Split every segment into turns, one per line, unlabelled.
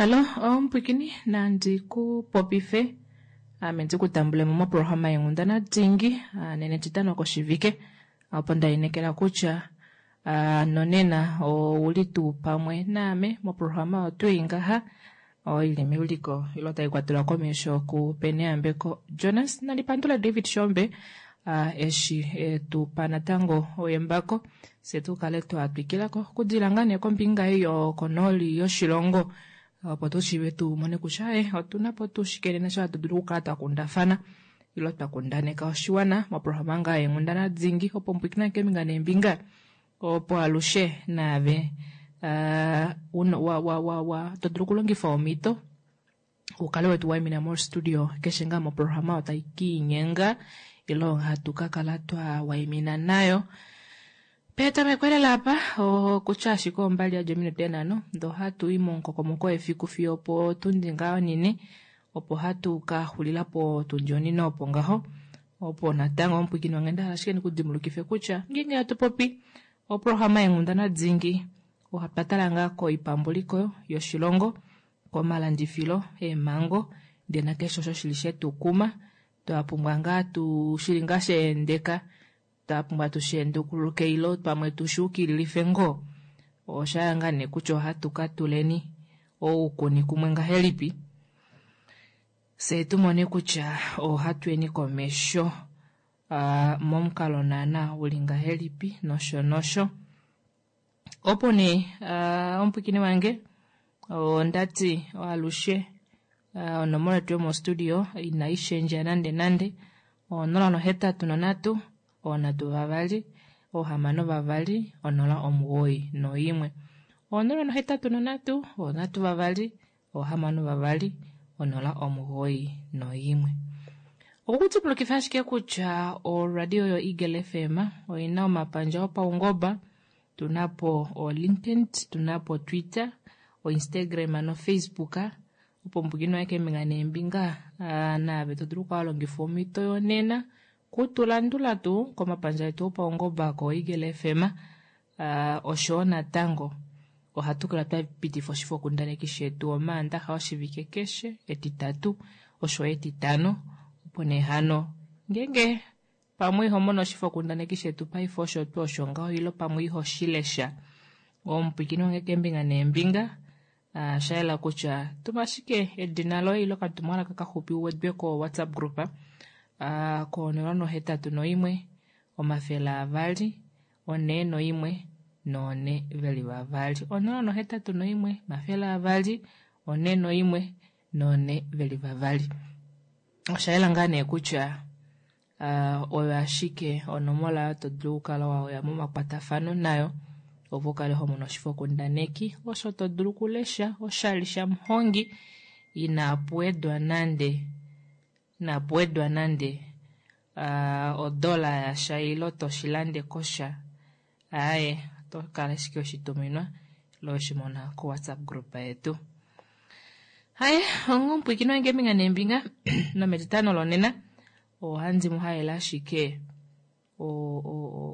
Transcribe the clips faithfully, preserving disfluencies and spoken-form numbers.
Hallo omupwikini nandi ku popife ame ndi ku tambulemo moprograma yenghundana dingi nena etitano koshivike opo ndainekela kutya nonena ouli tuu pamwe naame moprograma oyo twii ngaha oili meuliko ilo taikwatelwa komesho ku Peneyambeko Jonas. Nandipandule David Shombe eshi etupa natango embako fye tukale twatwikilako okudila ngaa nee kombinga ei yokonooli yoshilongo opo tushiive tumone kutya e otunapo tuu shike nena osho hatu dulu okukala twakundafana ilo twakundaneka oshiwana moprograma ngaa yenghundana dingi opo mupwiikine keembinga neembinga opo alushe naave to dulu okulongifa omhito ukale wetu waimina mo studio keshe ngaa moprograma oyo tai kiinyenga ilo hatu kakala twa waimina nayo. Petameko lela apa okutya ashike ombali yadja ominute nhano ndee ohatu i momukokomoko wefiku fiyo opotundi ngaa onine opo hatu kaxulila potundi onine opo ngaho opo natango omupwiikini wange ndahala ashike ndikudimbulukife kutya ngeenge hatu popi oprograma yenghundana dingi otwa tala ngaa koipambuliko yoshilongo, komalandifilo, eemhango ndee nakeshe osho shili shetukuma twapumbwa ngaa tu shili ngaa shaendeka twapumbwa tusheendukuluke ilo pamwe tushuukililife ngoo oshaya ngaa nee kutya ohatu katuleni oukuni kumwe ngahelipi fyee tumone kutya ohatuyeni komesho momukalo naana uli ngahelipi nosho nosho. Opo nee omupwiikini wange ondati alushe onomola yetu yomostudio inaishendja nande nande onola nohetatu nonhatu oonhatu vavali oohamano vavali onola omugoyi noimwe onola nohetatu nonhatu oonhatu vavali oohamano vavali onola omugoyi noimwe. Okukudimbulukifa ashike kutya oradio yo Eagle F M oina omapandja opaungoba, tunapo o LinkedIn, tunapo Twitter, o Instagram no Facebook opo mupwiikini waye keembinga neembinga naave todulu okukala walongifa omhito yonena kutulandula tuu komapandja etu opaungoba ko Eagle F M oshowo natango ohatu kala twapitifa oshifokundaneki shetu omaandaxa oshivike keshe, etitatu osho etitano opo nee hano ngeenge pamwe ihomono oshifokundaneki shetu paife osho tuu osho ngaho ilo pamwe ihoshilesha omupwiikini wange keembinga neembinga oshayela kutya tuma ashike edina loye ilo okatumwalaka kaxupi uwedwe ko WhatsApp group konola nohetatu noimwe omafele avali onhee noimwe nonhe veli vavali onola nohetatu noimwe omafele avali onhee noimwe nonhe veli vavali. Oshayela ngaa nee kutya oyo ashike onomola oyo todulu okukala waya momakwatafano nayo opo ukale homono oshifokundaneki osho todulu okulesha oshali shamuhongi inapuwedwa nande inapuwedwa nande odola yasha ilo toshilande kosha aaye otokala ashike weshituminwa ilo weshimona ko WhatsApp group yetu. Haye onga omupwiikini wange keembinga neembinga nometitano lonena ohandi muhalele ashike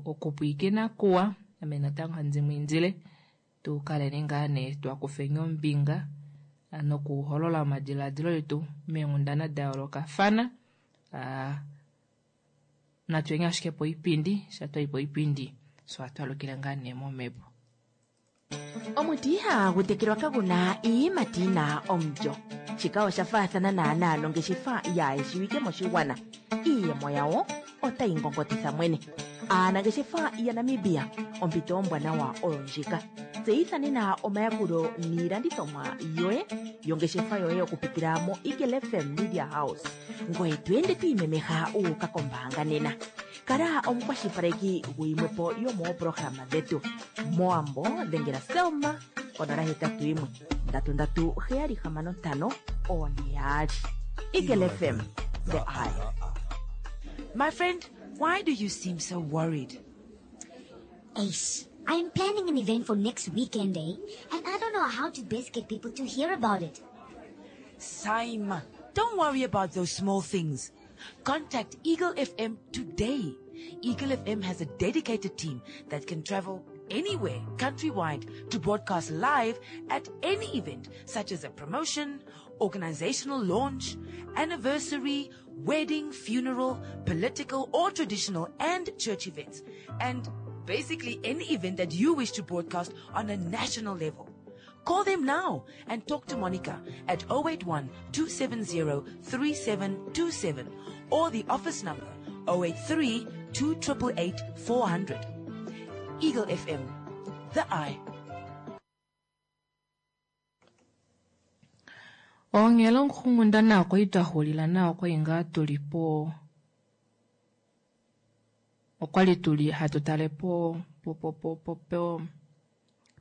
okupwiikina kuwa ame natango handi mwiindile tukaleni ngaa nee twakufeni ombinga nokuholola omadilaadilo etu meenghundana dayoolokafana natuyeni ashike poipindi sha twayi poipindi fye ohatu alukile ngaa nee momhepo.
Omuti ihagu tekelwa kaguna iiyimati yina omulyo. Shika osha faathana naanaa nongeshefa yaayeshiwike moshigwana. Iiyemo yawo otayi ngongotitha mwene. Aanangeshefa yaNamibia, ompito ombwanawa oyo ndjika. Tseyitha nena omayakulo niilandithomwa yoye yongeshefa yoye okupitila mo Eagle F M Media House. Ngoye to ende to imemeha wu uka kombaanga nena. Kala omukwashilipaleki guyimwepo yomoopolohalama dhetu. Mowambo dhengela Selma konola hetatu yimwe ndatu ndatu heyali hamano ntano oone yaali. Eagle F M, the eye.
My friend, why do you seem so worried?
Ace, I'm planning an event for next weekend, eh? And I don't know how to best get people to hear about it.
Saima, don't worry about those small things. Contact Eagle F M today. Eagle F M has a dedicated team that can travel anywhere countrywide to broadcast live at any event such as a promotion, organizational launch, anniversary, wedding, funeral, political or traditional and church events, and basically any event that you wish to broadcast on a national level. Call them now and talk to Monica at oh eight one, two seven zero, three seven two seven or the office number oh eight three, two triple eight, four hundred. Eagle F M, the eye.
Onghela onghundana okwa li twa xulila nayo okwa li ngaa tuli po, okwa li tuli hatu tale po, po, po, po, po, po,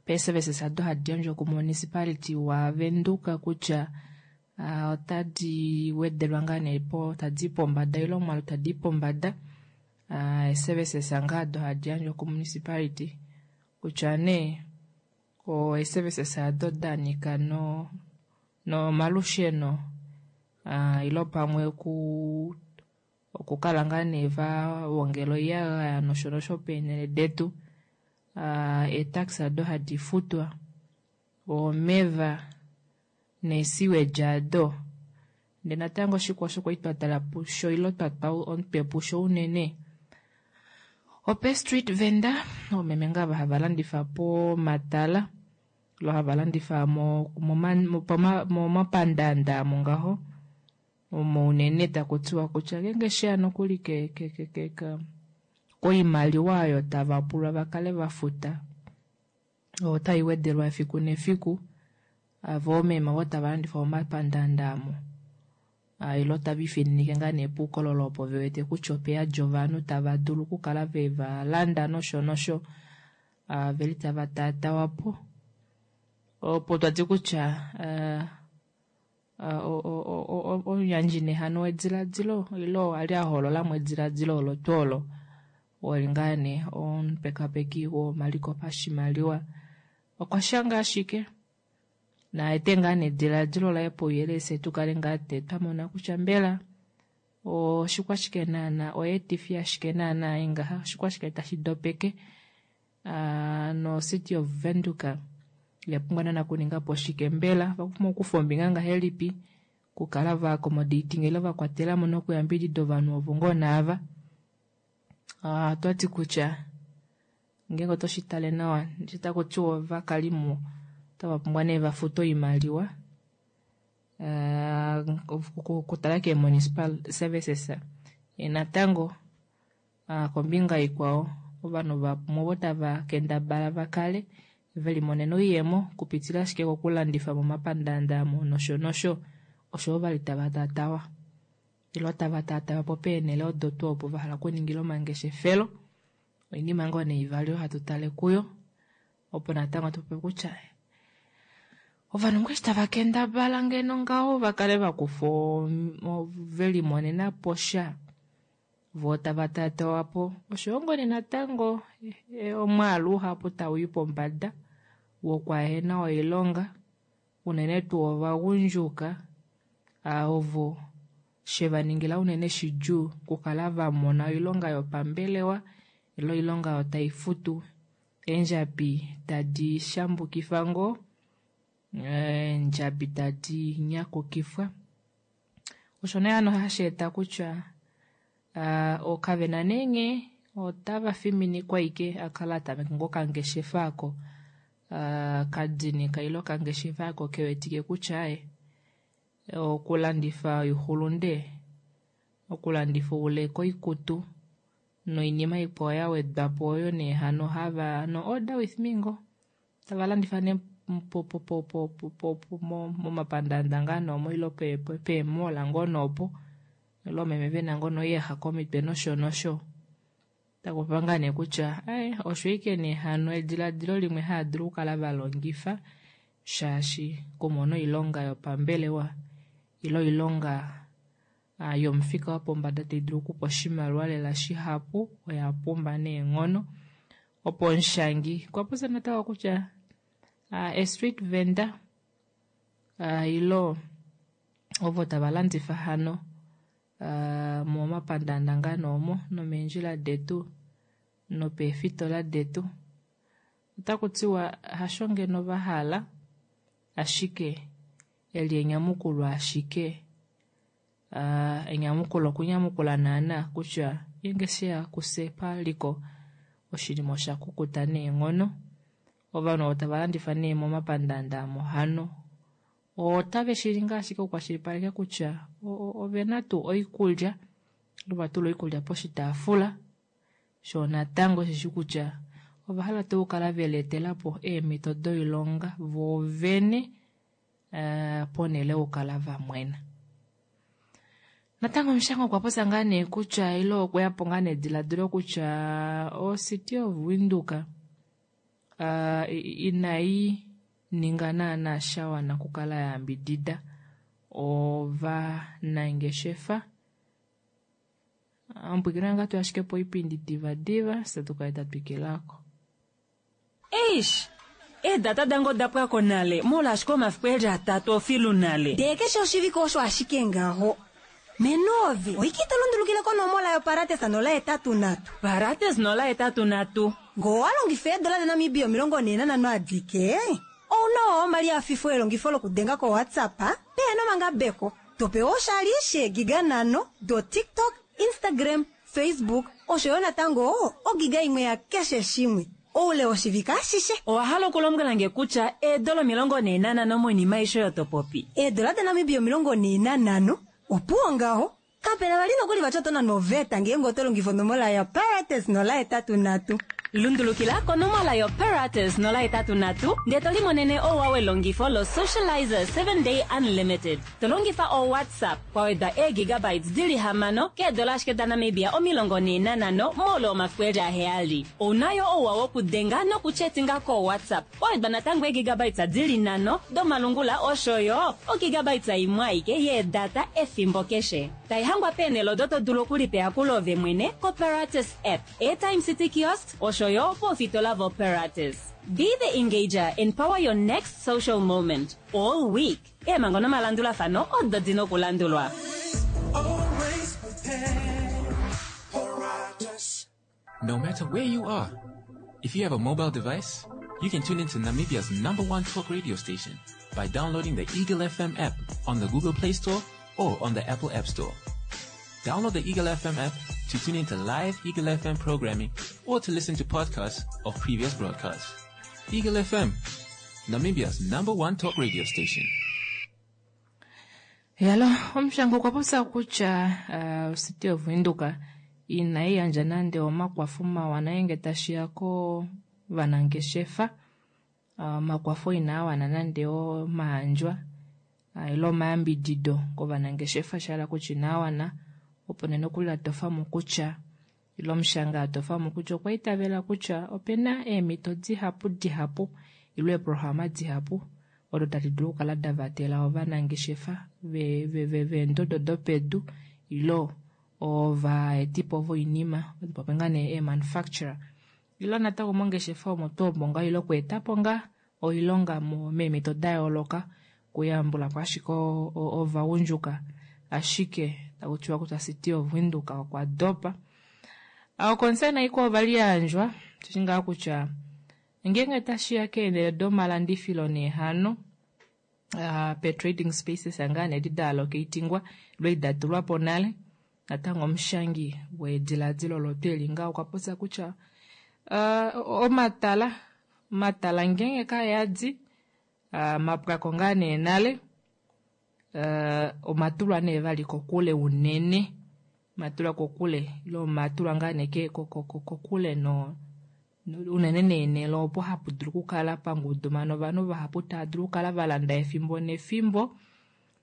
pe-services ado hadi yandjwa ku-municipality wa Venduka kutya, ah, otadi wedelwa ngaa nee po, tadi i pombada ile omwaalu tadi i pombada. Ah, e-services ngaa ado hadi yandjwa ku-municipality kutya nee, o e-services ado da nyika no, no malusheno, ah, ilo pamwe ku, okukala ngaa nee va wongela oiyagaya nosho nosho peenhele detu. Ah, e-tax ado hadi futwa, omeva neesiweji ado. Ndele natango oshikwa osho kwali twa tala pusho ilo twa twa omutwe pusho unene. Ope street vendor, oomeme ngaa hava landifa pomatala, lo hava landifa mo, mo, mo, poma, momapandanda amo ngaho. Omo unene taku tiwa kutya ngeenge sheya nokuli ke, ke, ke, ke, ke, koimaliwa oyo tava pulwa va kale va futa, otai wedelwa efiku nefiku. Avo oomeme ovo tava landifa momapandanda amo. Ah, ilo tava ifininike ngaa nee puukololo opo ve wete kutya ope yadi ovanhu tava dulu okukala ve va landa nosho nosho. Ah, veli tava taatawa po. Opo twati kutya, ah, ah, o, o, o, o, o, omuyandji nehano wediladilo, ilo a li a holola mo ediladilo olo tuu olo. Oli ngaa nee omupekapeki womaliko pashimaliwa. Okwa shanga ashike. Na ete ngaa nee ediladilo laye pouyelele se tu kale ngaa te twa mona kutya mbela oshikwashike naana, oyeetifi ashike naana ai ngaha, oshikwashike tashi dopeke. Ah, no City of Windhoek ya pumbwa naana kuninga po shike mbela, va pumbwa okukufa ombinga ngahelipi, kukala va accommodating ile va kwatela mo nokuyambidida ovanhu ovo ngoo naava. Ah, otwa ti kutya ngeenge oto shi tale nawa, eshi taku tiwa ovakalimo otava pumbwa nee va fute oimaliwa. Ah, okutala ke municipal services. E natango, ah, kombinga ikwao, ovanhu vamwe ovo tava kendabala va kale ve limonena oiyemo kupitila ashike kokulandifa momapandaanda amo nosho nosho, osho ovo vali tava tatawa. Ilo tava tatawa po peenhele odo tuu opo va hala okuningila omangeshefelo. Oinima ngoo nee ivali oyo hatu tale kuyo, opo natango tu pope kutya ovanhu ngoo eshi tava kendabala ngeno ngaho va kale va kufa o-, ve limonena po sha, vo tava tatawa po. Osho yo ngoo nee natango, e, omwaalu uhapu tau i pombada wokwahena oilonga, unene tuu ovagundjuka, a, ovo she va ningila unene shidjuu okukala va mona oilonga yopambelewa ile oilonga oyo tai futu eendjabi tadi shambukifa ngoo, eendjabi tadi nyakukifwa. Osho nee hano hashi eta kutya, a, okavena nee nghee otava fiminikwa ike a kala tameke ngoo okangeshefa ako, a, kadinika ile okangeshefa ako ke wetike kutya aye, okulandifa oixulunde, okulandifa ouleke oikutu noinima ikwao ya wedwa po oyo nee hano hava no order with me ngo tava landifa nee po, po, po, po, po, po, po, mo, momapandaanda ngaa noomo ilo pe, pe, peemola ngoo noopo, ilo meme ve na ngoo noiyaxa komitwe nosho nosho. Taku pa ngaa nee kutya, aye, osho ike nee hano ediladilo limwe haa dulu okukala va longifa, shaashi kumona oilonga yopambelewa ilo oilonga, ah, yomufika wopombada tai dulu okupa oshimaliwa lela shihapu, oya pumba neenghono. Opo omushangi okwa popya natango kutya, ah, a street vendor, ah, ilo ovo tava landifa hano, ah, momapandaanda ngaa noomo, nomeendjila detu, nopeefitola detu, Otaku tiwa hasho ngeno va hala, ashike eli enyamukulo ashike uh, enyamukulo okunyamukula naana kutya ngeenge sheya kufye paliko oshinima osha kukuta neenghono. Ovanhu ovo tava landifa nee momapandaanda amo hano otave shi ningi ashike okukwashilipaleka kutya ovena tuu oikulya, ova tula oikulya poshitaafula, shoo natango osheshi kutya ova hala tuu okukala velietelapo eemhito doilonga voovene uh, ponhele yokukala vamwena. Natango omushangwa okwa popya ngaa nee kutya ile okweyapo ngaa nediladilo kutya o-City of Windhoek uh, inai ninga naana sha wana okukala ya yambidida ovanangeshefa. Ompwikina ngaa tu ashike poipindi divadiva fye tukale twa twikilako.
Eish, eedata dange oda pwako nale molwaashi omafiku eli atatu ofilu nale.
Ndee keshe oshivike osho ashike ngaho. Menove, oike ito lundulukile konomola yoparates nola hetatu nhatu.
Parates nola hetatu nhatu.
Ngoo owa longifa eedola daNamibia omilongo nhee nanhano adike, ouna omali afifo elongifo lokudenga koWhatsApp pehena omangabeko. Topewa oshali sheegiga nhano doTikTok, Instagram, Facebook osho yo natango ogiga imwe ya keshe shimwe oule woshivike ashishe.
Owa hala okulombwela nge kutya eedola omilongo nhee nanhano moinima aishe oyo to popi?
Eedola daNamibia omilongo nhee nanhano opuwo ngaho. Kapena vali nokuli vati oto nanwa oveta ngeenge oto longifa onomola yoparates nola hetatu nhatu.
Lundulukila konomola yoparates nola hetatu nhatu ndee to limonene ouwa welongifo lo-Socializer seven Day Unlimited. To longifa o-WhatsApp kwa wedwa eegigabytes dili hamano keedola ashike daNamibia omilongo nhee nanhano moule womafiku eli aheyali. Ouna yo ouwa wokudenga nokuchetinga ko-WhatsApp kwa wedwa natango eegigabytes dili nhano domalungula osho yo ogigabytes imwe aike yeedata efimbo keshe. Taihangwa peenhele odo to dulu okulipeya kuloove mwene koParates app, Airtime City Kiosks osho yo poofitola voParates. Be the engager and power your next social moment all week. Eemhango nomalandulafano odo dina okulandulwa.
Always prepared. Paratus.
No matter where you are, if you have a mobile device, you can tune into Namibia's number one talk radio station by downloading the Eagle F M app on the Google Play Store or on the Apple App Store. Download the Eagle F M app to tune into live Eagle F M programming or to listen to podcasts of previous broadcasts. Eagle F M, Namibia's number one talk radio station.
Yalo, omushango okwa popya kutya uh, City of Windhoek inai yandja nande omakwafo mawa ngeenge tashiya kovanangeshefa. Uh, omakwafo inaa wana nande omaandjwa uh, ile omayambidido kovanangeshefa, sha hala kutya inaa wana. Opo nee nokuli atofamo kutya ile omushanga atofamo kutya okwa itavela kutya opena eemhito dihapu dihapu ile eeprograma dihapu odo tadi dulu okukala davatela ovanangeshefa veendodo dopedu ile ovaetipo voinima, pope ngaa nee eemanufacturer ile natango mongeshefa omo tuu omo ngaa ile okweetapo ngaa oilonga meemhito da yooloka okuyambulapo ashike ovagundjuka, ashike taku tiwa kutya City of Windhoek okwa dopa. Oconcern ikwao ovali yandjwa tushi ngaa kutya ngeenge tashiya keenhele domalandifilo neehano uh, pe trading spaces ngaa nee edi daalocatingwa ile da tulwapo nale, natango omushangi wediladilo olo tweli ngaho okwa popya kutya uh, omatala omatala ngeenge kayadi uh, mapwako ngaa nee nale uh, omatulwa nee vali kokule unene, matulwa kokule ile omatulwa ngaa nee kokule no unene neenhele opo hapu dulu okukala pangudumana ovanhu vahapu tava dulu okukala valanda efimbo nefimbo,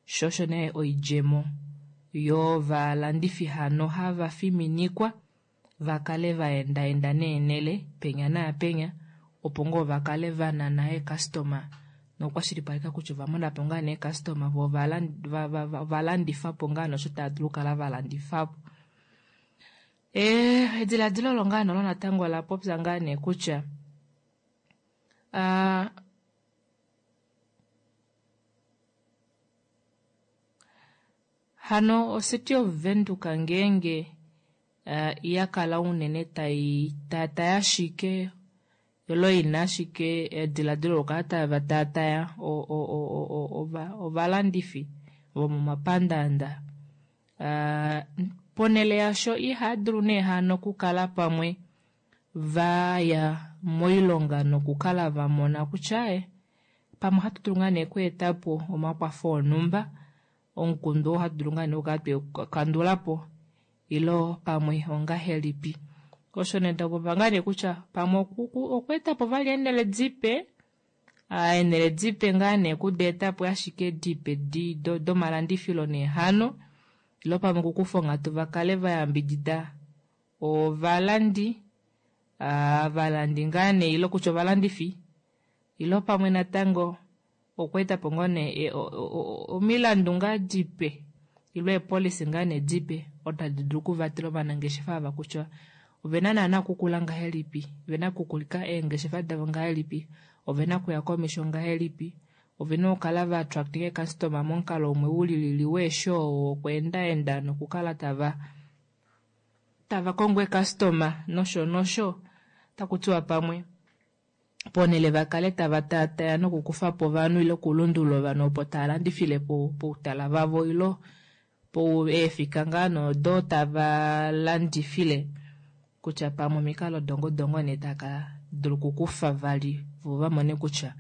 sho osho nee oidjemo yovalandifi hano hava fiminikwa vakale vaendaenda neenhele penya naapenya opo ngoo vakale vanana eecustoma nokukwashilipaleka kutya ovamonapo ngaa nee eecustoma vo ovalandifapo ngaa nosho tava dulu okukala valandifapo. Ediladilo olo ngaa nolo natango ola popya ngaa nee kutya uh, hano oCity of Windhoek ngeenge uh, yakala unene tai tata ashike Ilo ina ashike ediladilo lokukala tava taataya ovalandifi vomomapandaanda. Ponhele yasho ihaadulu nee hano okukala pamwe vaya moilonga nokukala vamona kutya ee pamwe ohatu dulu ngaa nee okweetapo omakwafo onhumba, omukundu oo ohatu dulu ngaa nee okukala twekandulapo ilo pamwe ongahelipi. Osho nee tapopiwa ngaa nee kutya pamwe okweetapo vali eenele dipe, eenele dipe ngaa nee okudeetapo ashike dipe domalandifilo nee hano, ilo pamwe okukufa onghatu vakale vayambidida ovalandi, ovalandi ngaa nee ilo kutya ovalandifi, ilo pamwe natango okweetapo ngoo nee omilandu ngaa dipe ilo eepolicy ngaa nee dipe odo tadi dulu okuvatela ovanangeshefa ava kutya ovena naana okukula ngahelipi, ovena okukulika eengeshefa davo ngahelipi, ovena okuya komesho ngahelipi, ovena okukala va attractinga eecustomer momukalo umwe ulilili weeshow wokweendaenda nokukala tava tava kongo eecustomer nosho nosho. Otaku tiwa pamwe ponhele vakale tava taataya nokukufapo ovanhu ile okulundulula ovanhu opo tava landifile poutala vavo ilo eefika ngaa noodo tava landifile, kutya pamwe omikalo dongodongo nee taka dulu okukufa vali vo vamone kutya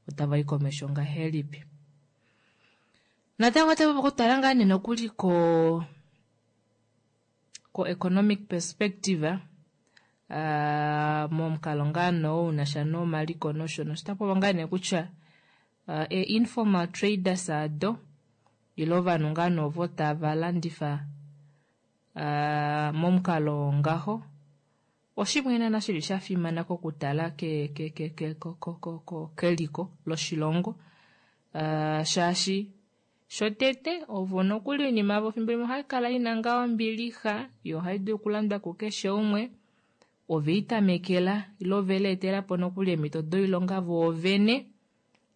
otava i komesho ngahelipi. Natango otava okutala ngaa nee nokuli ko ko economic perspective, momukalo ngaa noo unasha nomaliko nosho nosho. Otapopiwa ngaa nee kutya e informal traders ado ilo ovanhu ngaa nee ovo tava landifa momukalo ngaho, oshimwe naana shili shafimana kokutala keliko loshilongo, shaashi shotete ovo nokuli oinima yavo fimbo limwe ohaikala ina ngaa ombilixa yo ohaidulu okulandwa kukeshe umwe, oveitamekela ilo oveleetelapo nokuli eemhito doilonga voovene.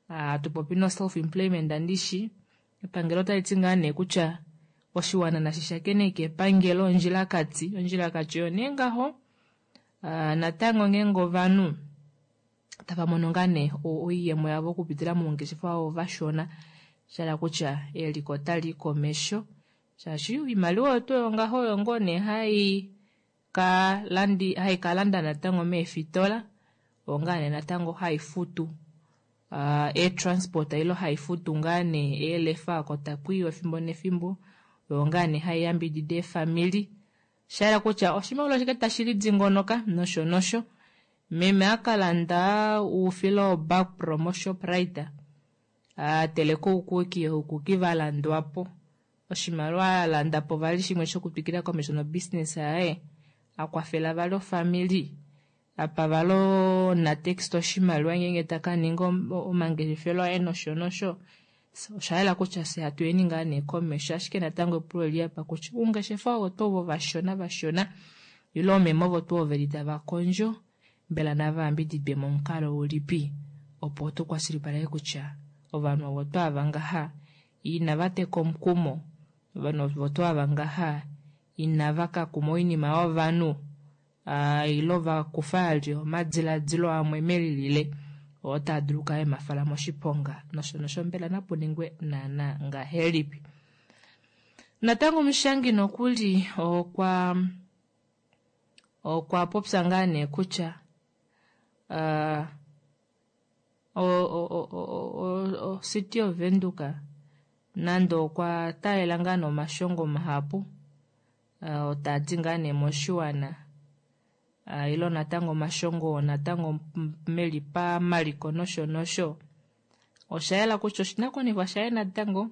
Hatu popi no self employment andishi, epangelo otaliti ngaa nee kutya oshiwana nashi shakeneke epangelo ondjilakati, ondjilakati oyo nee ngaho. Natango ngeenge ovanhu tava mono ngaa nee oiyemo yavo okupitila moungeshefa wavo vashona, shala kutya eliko otali i komesho, shaashi oimaliwa oyo tuu yongaho oyo ngoo nee hai ka landi hai kalanda natango meefitola, oyo ngaa nee natango hai futu eetransport ilo hai futu ngaa nee eelefa oko takuiwa efimbo nefimbo, oyo ngaa nee hai yambidida eefamili, shayela kutya oshimaliwa ashike tashi lidingonoka nosho nosho. Meme akalanda oufila woBakpro moShoprite, ateleka oukuki, oukuki valandwapo, oshimaliwa alandapo vali shimwe shokutwikila komesho nobusiness yaye, akwafela vali ofamili, apa vali onatext oshimaliwa ngeenge taka ninga omangeshefelo aye nosho nosho. Oshayela kutya fye hatuyeni ngaa nee komesho, ashike natango epulo oli apa kutya oungeshefa ovo tuu ovo vashona vashona ilo oomeme ovo tuu veli tava kondjo, mbela nava yambididwe momukalo ulipi opo tukwashilipaleke kutya ovanhu ovo tuu ava ngaha inava teka omukumo, ovanhu ovo tuu ava ngaha inava kakuma oinima yovanhu, ilo vakufa vali omadiladilo amwe melilile oo taa dulu okukala emafala moshiponga nosho nosho. Mbela napu ningwe naana ngahelipi? Natango omushangi nokuli okwa okwa popya ngaa nee kutya City of Windhoek nande okwa taalela ngaa nee omashongo mahapu taadi ngaa nee moshiwana, ilo natango omashongo natango meli pamaliko nosho nosho, oshayela kutya oshinakuwanifwa shaye natango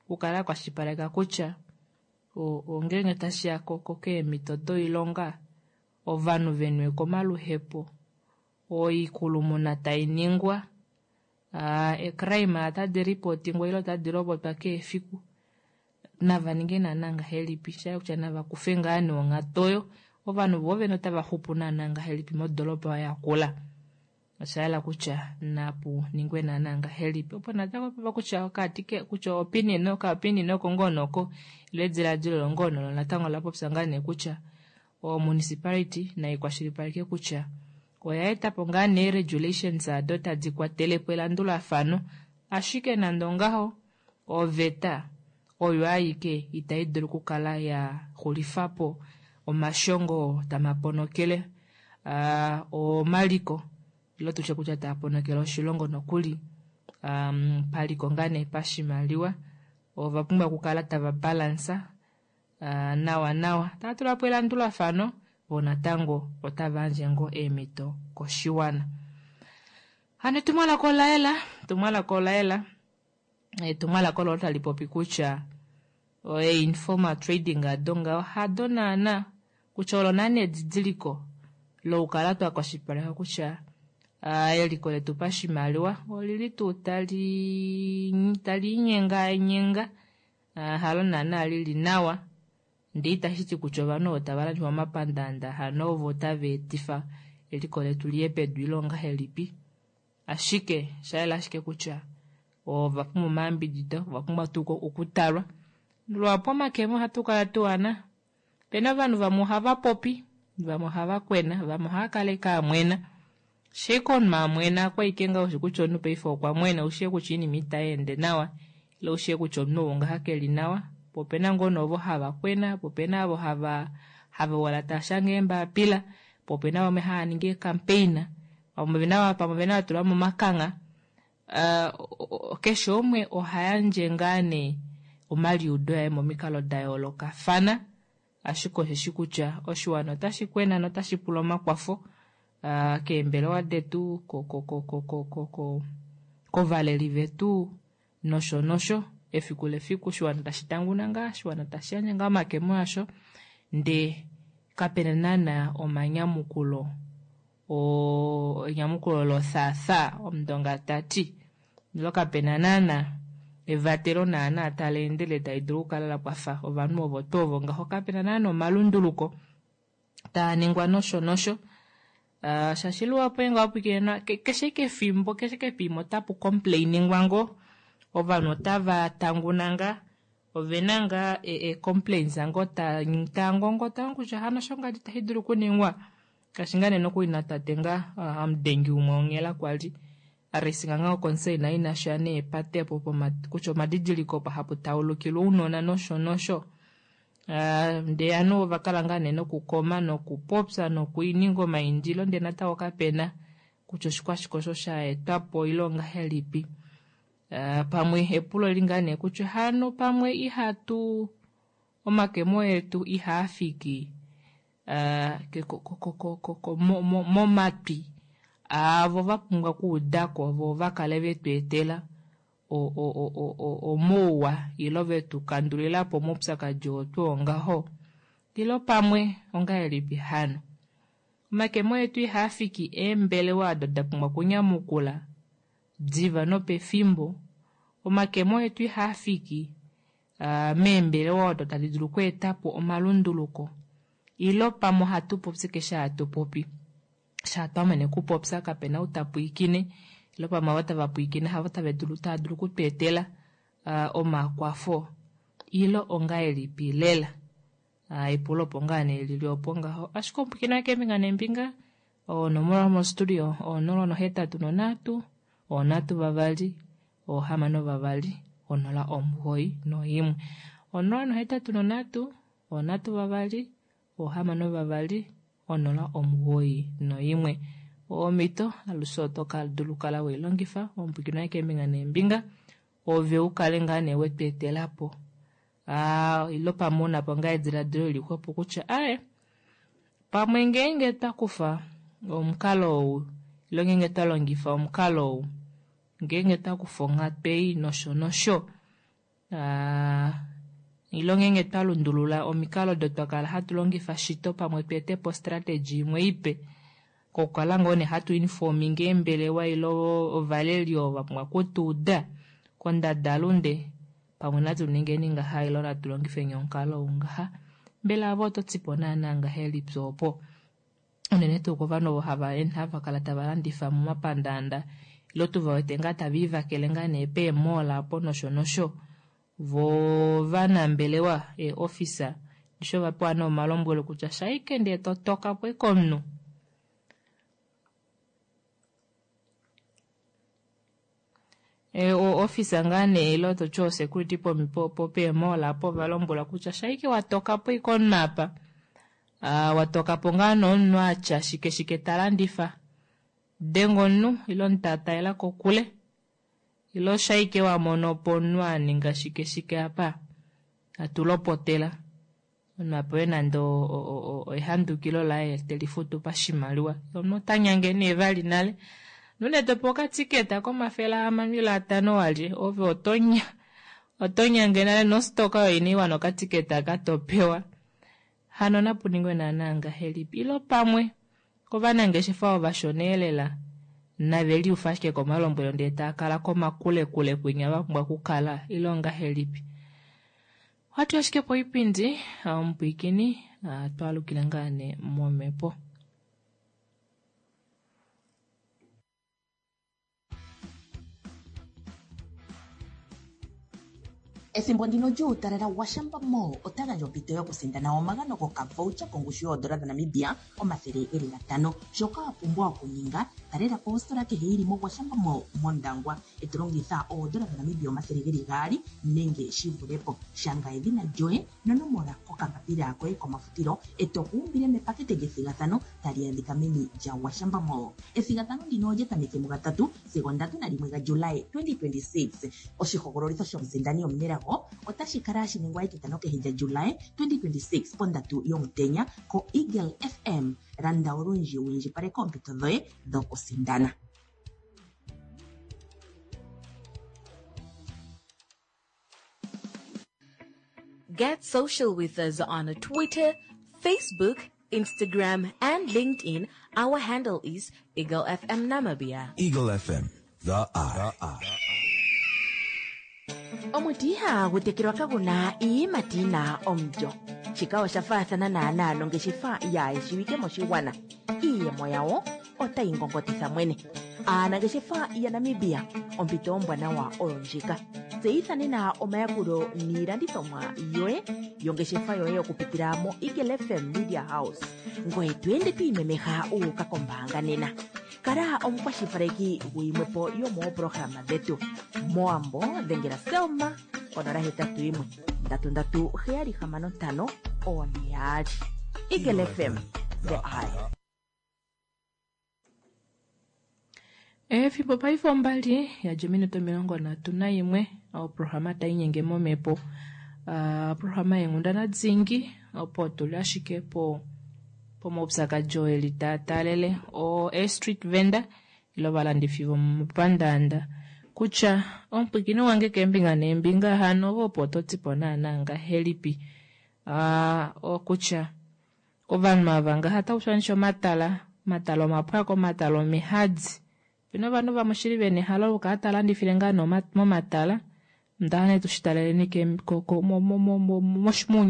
okukala akwashilipaleka kutya ongeenge tashiya keemhito doilonga, ovanhu venwe komaluhepo, oikulumuna tainingwa, eecrime otadi ripotingwa ile otadi lopotwa kehe efiku, nava ninge naana ngahelipi, shayela kutya nava kufe ngaa nee onghatu oyo, ovanhu voo vene otava xupu naana ngahelipi modoropa oyo yakula. Oshayela kutya napu ningwe naana ngahelipi, opo natango pava kutya okati kutya opinion oka opinion oko ngoo noko ilo ediladilo olo ngoo nolo natango ola popya ngaa nee kutya o municipality nai kwashilipaleke kutya Oya etapo ngaa nee regulations ado tadi kwatelepo elandulafano, ashike nande ongaho oveta oyo aike itai dulu okukala ya xulifapo omashongo oo tamaponokele uh, omaliko ile tutye kutya taa ponokele oshilongo nokuli um, paliko ngaa nee pashimaliwa ova pumbwa okukala tava balansa uh, nawa nawa tava tulapo elandulafano vo natango otava yandje ngoo eemhito koshiwana. Hano etumwalaka ola yela, etumwalaka ola yela, etumwalaka olo tali popi kutya einformal trading ado ngaho hado naana kutya olo naana edidiliko lokukala twa kwashilipaleka kutya uh, eliko letu pashimaliwa olili tuu tali tali inyenganyenga uh, halo naana lili nawa ndee itashi ti kutya ovanhu ovo tava landifa momapandaanda hano ovo tava etifa eliko letu liye pedu ile ongahelipi, ashike shayela ashike kutya ova pumbwa omayambidido, ova pumbwa tuu okutalwa. Luhapu omakemo ohatu kala tuana, opena ovanhu vamwe ohava popi, vamwe ohava kwena, vamwe ohava kala ashike amwena. Shike omunhu amwena kwaike ngaho ushi kutya omunhu paife okwa mwena, ushi kutya oinima itai ende nawa, ile ushi kutya omunhu ou ngaha keli nawa. Po opena ngoo nee ovo hava kwena, po opena ovo hava hava wala tava shange eembapila, po opena vamwe hava ningi eecampaign, pamwe ovena pamwe ovena vatula momakangha. Uh, keshe umwe oha yandje ngaa nee omaliudo aye momikalo da yoolokafana, ashike osheshi kutya oshiwana otashi kwena notashi pula omakwafo uh, keembelewa detu, ko ko ko ko ko ko ko kovaleli vetu nosho nosho. Efiku lefiku oshiwana tashi tanguna ngaa, oshiwana tashi yandje ngaa omakemo asho, ndee kapena naana omanyamukulo o enyamukulo lothaathaa omundonga tati, ilo kapena naana evatelo naana tali endele tali dulu okukala la kwafa ovanhu ovo tuu ovo ngaho, kapena naana omalunduluko taa ningwa nosho nosho. Uh, shaashi luhapu ngeenge wapwilikine keshe ike efimbo keshe ike pimwe otapu complainingwa ngoo, ovanhu otava tanguna ngaa, ovena ngaa e-complaints ngoo taa ngongota kutya hano osho ngadi tashi dulu okuningwa. Ngaashi ngaa nee nokuli natate ngaa amudengi umwe onghela kwali aresinga ngaa concern inasha neepate opo kutya omadidiliko opo hapu taulukilwa ounona nosho nosho. Uh, ndee ovanhu ova kala ngaa nee nokukoma nokupopya nokuininga omaindilo ndee natango kapena kutya oshikwashike osho sha etwapo ile ongahelipi. Uh, pamwe epulo li ngaa nee kutya hano pamwe ihatu omakemo etu ihaafiki uh, momatwi aavo va pumbwa okuudako vo va kale vetu etela omouwa ilo vetu kandulilapo omaupyakadi oo tuu ongaho, ilo pamwe ongahelipi hano. Omakemo etu ihaafiki eembelewa ado da pumbwa okunyamukula diva nopefimbo. Omakemo etu ihaafiki uh, meembelewa odo tadi dulu okweetapo omalunduluko, ilo pamwe ohatu popi keshe hatu popi sha twamene kupopya kapena ou tapwiikine, ilo pamwe avo tava pwiikine havo tava dulu tava dulu okutweetela uh, omakwafo, ilo ongahelipi lela. Uh, epulo opo ngaa nee lili opo ngaho, ashike omupwiikine waye keembinga neembinga onomola yomostudio onola nohetatu nonhatu onhatu vavali ohamano vavali onola omugoyi noimwe, onola nohetatu nonhatu onhatu vavali ohamano vavali onola omugoyi noimwe. Omhito alushe oto dulu kala weilongifa omupwiikine waye keembinga neembinga ove ukale ngaa nee wetweetelapo ah, ilo pamwe unapo ngaa ediladilo lili xwepo kutya aye pamwe ngeenge twakufa omukalo ou ilo ngeenge twa longifa omukalo ou ngeenge twakufa onghatu ei nosho nosho, ah, ilo ngeenge twa lundulula omikalo odo twakala hatu longifa shito pamwe tweetepo strategy imwe ipe kokukala ngoo nee hatu informinge eembelewa ilo ovaleli ovo va pumbwa okutuuda kondadalunde pamwe natu ningeni ngaha ilo natu longifeni omukalo ou ngaha. Mbela avo oto tipo naana ngahelipi opo unene tuu kovanhu ovo hava hava kala tava landifa momapandaanda ilo tuva wete ngaa tava ivakele ngaa nee peemall apo nosho nosho, vo vanambelewa eeofficer ndisho va pewa nee omalombwelo kutya shaike ndee to toka po ike omunhu E, o officer ngaa nee ile toti o security po po peemall apo ovalombwelwa kutya shaike watoka po ike omunhu apa. Ah, watoka po ngaa nomunhu atya shike shike talandifa. Denga omunhu ile omutaataela kokule. Ile shaike wamono po omunhu aninga shike shike apa. Atulopotela. Omunhu apewe nande ehandukilo laye telifutu pashimaliwa. Omunhu ota nyange nee vali nale. Nune topewa okatiketa komafele ahamano ile atano walye ove otonya otonyange nale nostoka oyo inaiwana okatiketa aka topewa. Hano napuningwe naana ngahelipi ile pamwe ovanangeshefa ovashona elela nave liufa ashike komalombwelo ndee taakala komakulekule kwinya vapumbwa okukala ile ongahelipi. Ohatu ashike poipindi omupwiikini twaalukile ngaa nee momhepo.
Ethimbo ndino lyuutalala Gwashamba Mall ota gandja ompito yokusindana omagano gokavoucher kongushu yoodola dhaNamibia omathele geli gatano. Shoka wa pumbwa okuninga, talela po ositola kehe yili moGwashamba Mall mOndangwa e to longitha oodola dhaNamibia omathele geli gaali nenge shi vule po. Shanga edhina lyoye nonomola kokambapila koye komafutilo e to ku umbile mepakete lyethigathano tali adhika meni lyaGwashamba Mall. Ethigathano ndino olya tameke mugatatu sigo ndatu nalimwe gaJulai twenty twenty-six. Oshihogololitho shomusindani omunelago otashi kala hashi ningwa etitano kehe lyaJulai twenty twenty-six pondatu yomutenya ko Eagle F M. Landa olundji wu indjipaleke oompito dhoye dhokusindana.
Get social with us on Twitter, Facebook, Instagram, and LinkedIn. Our handle is Eagle F M Namibia.
Eagle F M, the eye. The eye.
Omuti ihagu tekelwa kaguna iiyimati yina omulyo. Shika osha faathana naanaa nongeshefa yaayeshiwike moshigwana. Iiyemo yawo otayi ngongotitha mwene. Aanangeshefa yaNamibia, ompito ombwanawa oyo ndjika. Tseyitha nena omayakulo niilandithomwa yoye yongeshefa yoye okupitila mo Eagle F M Media House. Ngoye to ende to imemeha wu uka kombaanga nena. Kala omukwashilipaleki guyimwepo yomooprograma dhetu. Moambo dhengela Selma onola hetatu yimwe ndatu ndatu heyali hamano ntano one yaali. Eagle F M, the eye.
Efimbo paife ombali yadja ominute omilongo nhatu nayimwe oprograma tainyenge momhepo. Uh, oprograma yeenghundana dingi opo tuli ashike po pomaupyakadi oo eli taatalele o street vendor ile ovalandifi vomopandaanda kutya omupwikini wange keembinga neembinga hano ovo opo totipo naana ngahelipi. Uh, okutya ovanhu ava ngaha otakushanisha omatala, omatala omapwako, omatala omihadi. Pena ovanhu vamwe shili vena ehalo okukala talandifile ngaa momatala. Ndahane tushitaleleni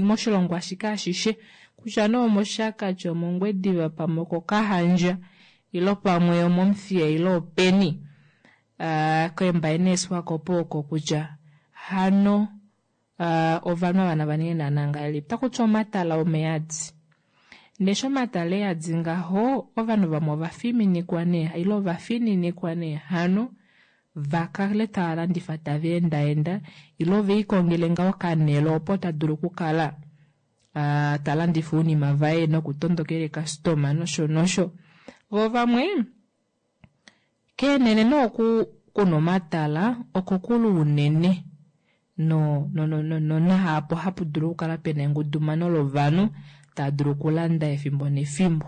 moshilongo ashike ashishe kutya nee omoShakati, omOngwediva, pamwe okOkahandja ile pamwe omOmuthiya ile openi. Uh, koembaye neeSwakopo oko kutya hano uh, ovanhu ava nava ninge naana ngahelipi. Otakuti omatala omeyadi. Ndee omatala eyadi ngaho ovanhu vamwe ovafiminikwa nee ile ovafininikwa nee hano vakale tava landifa tava endaenda ile oveikongele ngaho okanelo opo tadulu okukala uh, talandifa ounima vaye nokutondokela eekastoma nosho nosho. Vo vamwe keenene nooku kuna omatala okokulu unene no no no no no nahapo hapu dulu okukala pena engudumano lovanhu tava dulu okulanda efimbo nefimbo.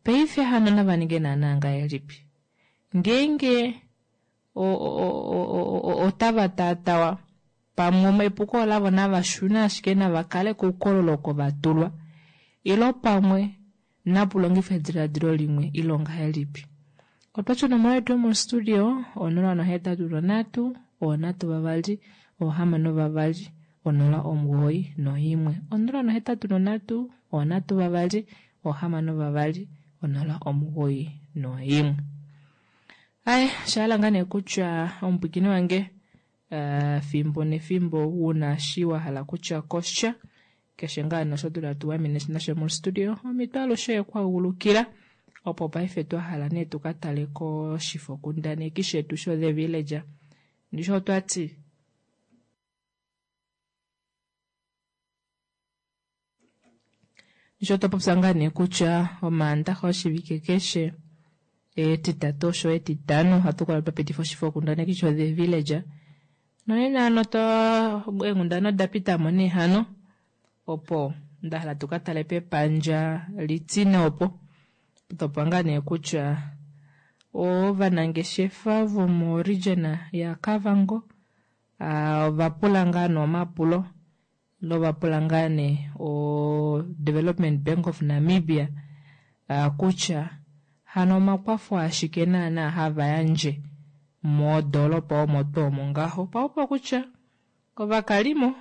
Paife hano nava ninge naana ngahelipi? Ngeenge otava taatawa pamwe epuko lavo nava shune ashike nava kale koukololo oko va tulwa ile pamwe napulongifa ediladilo limwe ile ongahelipi. Otwatya onomola yetu yomostudio onola nohetatu nonhatu onhatu vavali ohamano vavali onola omugoyi noimwe onola nohetatu nonhatu onhatu vavali ohamano vavali onola omugoyi noimwe. Aye, shahala ngaa nee kutya omupwikini wange uh, fimbo nefimbo una shi wa hala kutya kosha keshe ngaa nosho dula tuwamine nasho mostudio omitwe alushe kwaulukila opo paife twa hala nee tukatale koshifokundaneki shetu sho The Villager. Ndishi otwati Ndishi otwapopya ngaa nee kutya omaandaxa oshivike keshe etitatu osho etitano ohatu kala twapitifa oshifokundaneki sho The Villager nonena hano twa eenghundana odapitamo nee hano opo ndahala tukatale pepandja litine opo topwa ngaa nee kutya ovanangeshefa vomo region ya Kavango ovapula ngaa nee omapulo novapula ngaa nee o Development Bank of Namibia kutya hano omakwafo ashike naana hava yandje modoropa omo tuu omo ngaho paupa kutya ovakalimo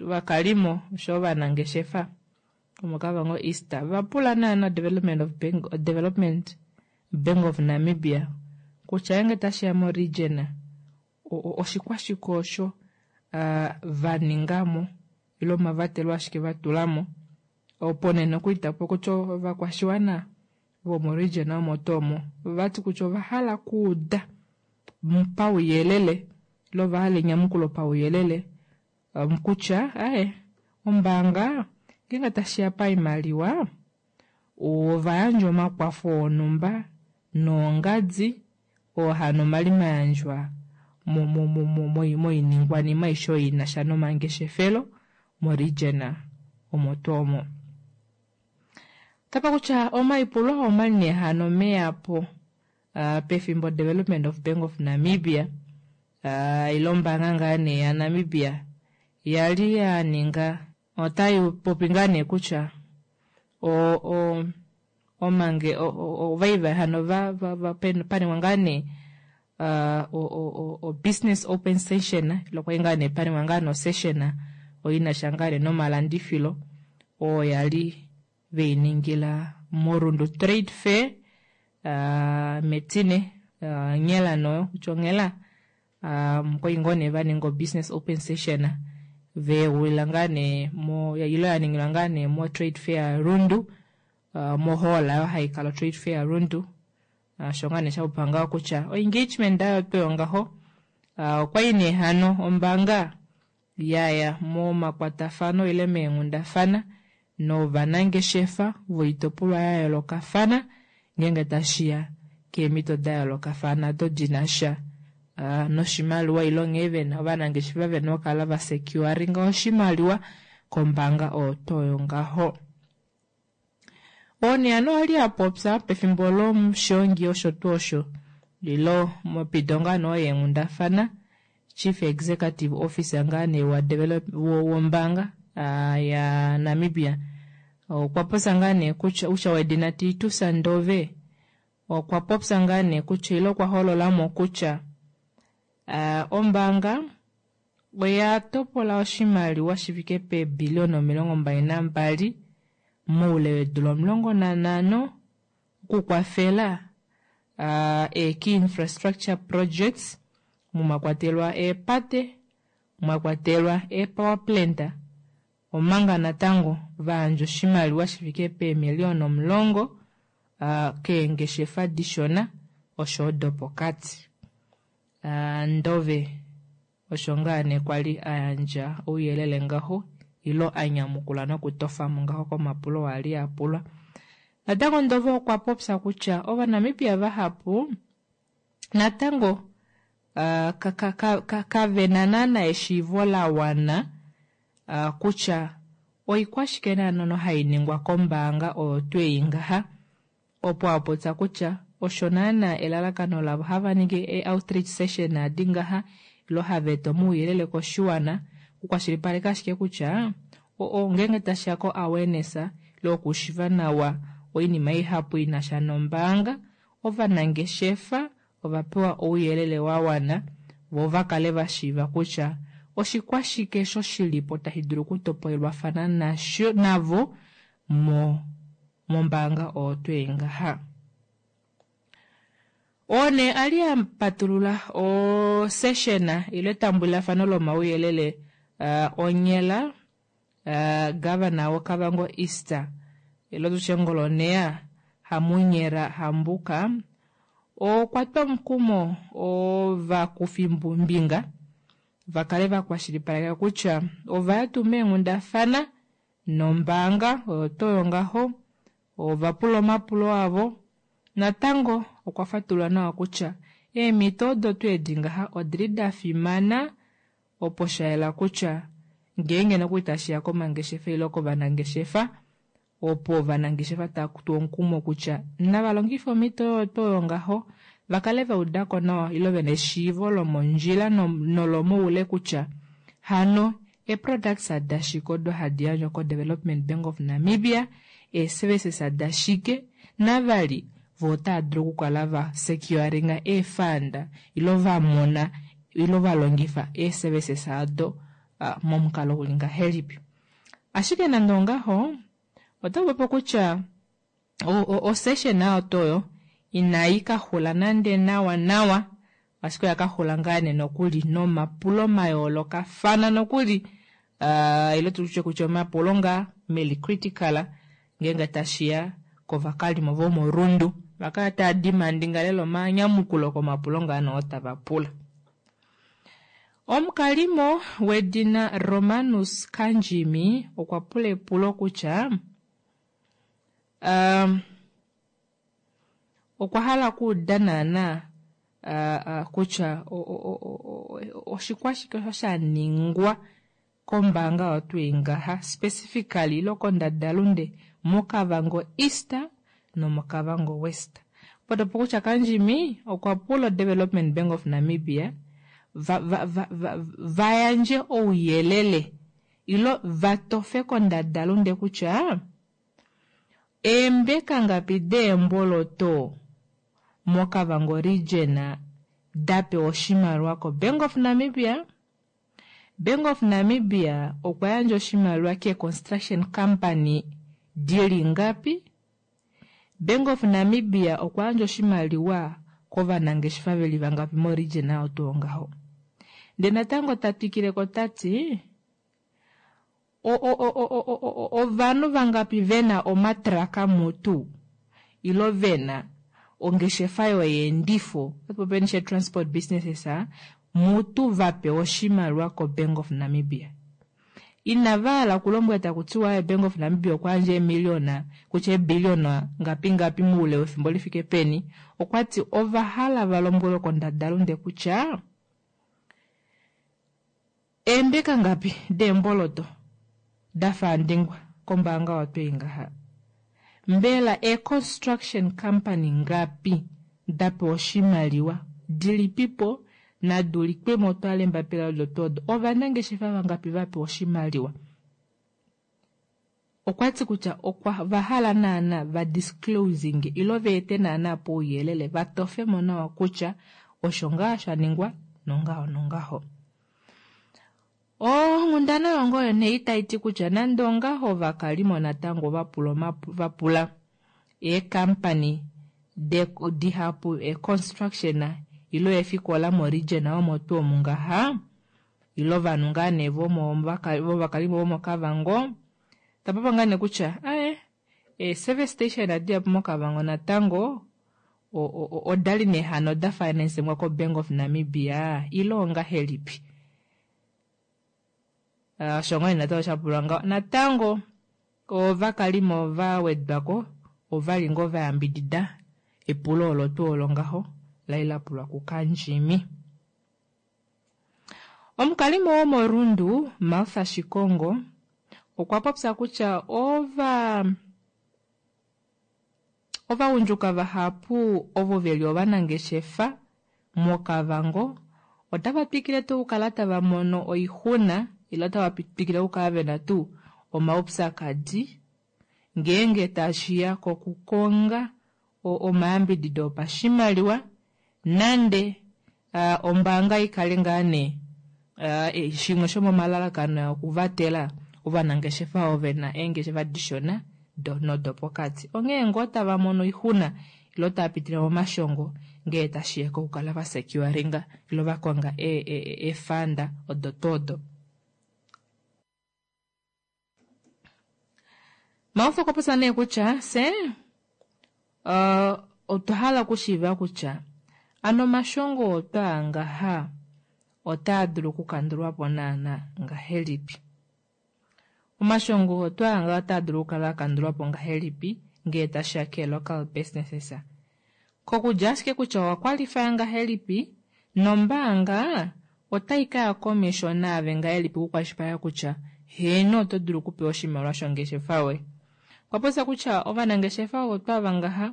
ovakalimo osho ovanangeshefa vomoKavango East vapula naana Development of Bank, Development Bank of Namibia kutya ngenge tashiya mo region oshikwashike osho vaningamo ile omavatelo ashike vatulamo opo nee nokuli tapupo kutya ovakwashiwana vomo region omo tuu omo ovati kutya ovahala okuuda pauyelele ile ovahala enyamukulo pauyelele kutya aaye ombaanga ngenge tashiya paimaliwa ovayandja omakwafo onhumba noongadi oo hano omali mayandjwa moiningwanima aishe oyo inasha nomangeshefelo mo region omo tuu omo. Tapa kutya omaipulo omali nee hano meyapo pefimbo Development of Bank of Namibia ile ombaanga ngaa nee ya Namibia yali yaninga otai popi ngaa nee kutya o omange ovaiva hano paningwa ngaa nee o business open session ile kwali ngaa nee paningwa ngaa nee osession oyo inasha ngaa nee nomalandifilo oo yali veiningila moRundu Trade Fair metine onghela noyo kutya onghela okwali ngoo nee vaninga o business open session veulila ngaa nee mo ile yaningilwa ngaa nee mo Trade Fair Rundu mo hall oyo haikala Trade Fair Rundu osho ngaa nee shapopiwa ngaho kutya o engagement ayo tuu ngaho okwali nee hano ombaanga yaya momakwatafano ile meenghundafana novanangeshefa voitopolwa ya yoolokafana ngenge tashiya keemhito da yoolokafana odo dinasha noshimaliwa ile nghee vena ovanangeshefa vena okukala va securinga oshimaliwa kombaanga oyo tuu oyo ngaho. Oo nee hano ali apopya pefimbo lomushongi osho tuu osho ilo mopito ngaa nee yeenghundafana Chief Executive Officer ngaa nee wa develop wombaanga ya Namibia okwa popya ngaa nee kutya usha wedina Titus Ndove okwa popya ngaa nee kutya ile okwa hololamo kutya ombaanga oya topola oshimaliwa shifike peebiliona omilongo mbali nambali moule weedula omulongo nanhano okukwafela ee-key infrastructure projects mwakwatelwa eepate mwakwatelwa ee-power plant omanga natango vayandja oshimaliwa shifike peemiliona omulongo keengeshefa dishona osho dopokati. Ndove osho ngaa nee kwali ayandja ouyelele ngaho ilo anyamukula nokutofamo ngaho komapulo oo ali apulwa. Natango Ndove okwa popya kutya ovanamibia vahapu natango kavena naana eshiivo lawana kutya oikwashike naana hainingwa kombaanga oyo tuu ei ngaha opo apopya kutya osho naana elalakano lavo hava ningi e-outreach session adi ngaha ilo hava eta omauyelele koshiwana okukwashilipaleka ashike kutya ngenge tashiya ko awareness ile okushiva nawa oinima ihapu inasha nombaanga ovanangeshefa ovapewa ouyelele wawana vo vakale vashiiva kutya oshikwashike osho shilipo tashi dulu okutopolelwafana nasho navo mo mombaanga oyo tuu ei ngaha. Oo nee ali apatulula o session ile etambulilafano lomauyelele onghela governor woKavango East ile tutye ngoloneya Hamunyera Hambuka Okwa twa omukumo ovakufimbinga va kale vakwashilipaleka kutya ovaya tuu meenghundafana nombaanga oyo tuu oyo ngaho, ovapula omapulo avo. Natango okwa fatulula nawa kutya eemito odo tuu edi ngaha odili dafimana opo shayela kutya ngeenge nokuli tashiya komangeshefelo ile kovanangeshefa, opo ovanangeshefa tava tuwa omukumo kutya nava longife omito oyo tuu oyo ngaho vakale vaudako nawa ile vena eshiivo lomondjila nolomoule kutya hano ee-products dashike odo hadi yandjwa ko-Development Bank of Namibia, ee-services dashike, navali voo otava dulu okukala va securinga ee-fund ile vamona ile valongifa ee-services aado momukalo uli ngahelipi. Ashike nande ongaho otakupopiwa kutya o-session oyo tuu oyo inai kaxula nande nawa nawa, ashike oya kaxula ngaa nee nokuli nomapulo mayoolokafana nokuli, ile tutye kutya omapulo ngaa meli critical ngeenge tashiya kovakalimo vomoRundu vakala tava demandinga lela omanyamukulo komapulo ngaa nee oo tava pula. Omukalimo wedina Romanus Kandjimi okwa pula epulo kutya um, okwa hala okuuda naana kutya oshikwashike osho shaningwa kombaanga oyo tuu ngaha specifically ile kondadalunde moKavango East nomoKavango West. Potopo kutya Kandjimi okwa pula Development Bank of Namibia va, va, va, va, vayandje ouyelele ile vatofe kondadalunde kutya eembeka ngapi deemboloto moKavango region dapewa oshimaliwa ko-Bank of Namibia. Bank of Namibia okwa yandja oshimaliwa ke-construction company dili ngapi. Bank of Namibia okwa yandja oshimaliwa kovanangeshefa veli vangapi mo-region oyo tuu ngaho. Ndee natango ta twikileko tati ovanhu vangapi vena omatraka mutu ilo vena ongeshefa yoyeendifo otu transport businesses mutu vapewa oshimaliwa ko-Bank of Namibia. Inava hala okulombwela taku tiwa Bank of Namibia okwa yandja eemiliona kutya eebiliona ngapi ngapi moule wefimbo lifike peni. Okwati ova hala valombwelwe kondadalunde kutya eembeka ngapi deemboloto dafaandingwa kombaanga oyo tuu ngaha. Mbela ee-construction company ngapi dapewa oshimaliwa dilipipo naduulikwemo twale embapila odo tuu odo ovanangeshefa vangapi vapewa oshimaliwa. Okwati kutya okwa vahala naana va disclosing ilo veete naana pouyelele vatofemo nawa kutya osho ngaa shaningwa nongaho nongaho. Onghundana yongoyo nee itaiti kutya nande ongaho ovakalimo natango vapula vapula eekampani dihapu e-construction ilo eefikola mo-region omo tuu omu ngaha ile ovanhu ngaa nee vovakalimo vomoKavango tapapa ngaa nee kutya aye ee-service station adihapu moKavango natango odali nee hano da financingwa ko-Bank of Namibia ile ongahelipi. Osho ngoo nee natango shapulwa ngaho. Natango ovakalimo va wedwako ovali ngoo vayambidida epulo olo tuu olo ngaho lali lapulwa kuKandjimi. Omukalimo womoRundu Martha Shikongo okwa popya kutya ova ovagundjuka vahapu ovo veli ovanangeshefa moKavango otava twikile tuu okukala tava mono oixuna ile otava twikile okukala vena tuu omaupyakadi ngeenge tashiya kokukonga omayambidido opashimaliwa nande ombaanga ikale ngaa nee shimwe shomomalalakano okuvatela ovanangeshefa ovo vena eengeshefa dishona nodopokati. Onghee ngoo tava mono oixuna ile otava pitile momashongo ngee tashiya kokukala vasecuringa ile vakonga eefanda odo tuu odo. Maufa okwa popya nee kutya fye Otwa hala okushiiva kutya ano omashongo otwaa ngaha otaa dulu okukandulwapo naana ngahelipi. Omashongo otwaa ngaha otaa dulu okukala akandulwapo ngahelipi ngee tashiya kee local businesses. Kokudja ashike kutya owa qualify ngahelipi nombaanga otai kaya komesho naave ngahelipi okukwashilipaleka kutya heeno oto dulu okupewa oshimaliwa shongeshefa yoye. Okwa popya kutya ovanangeshefa ovo twava ngaha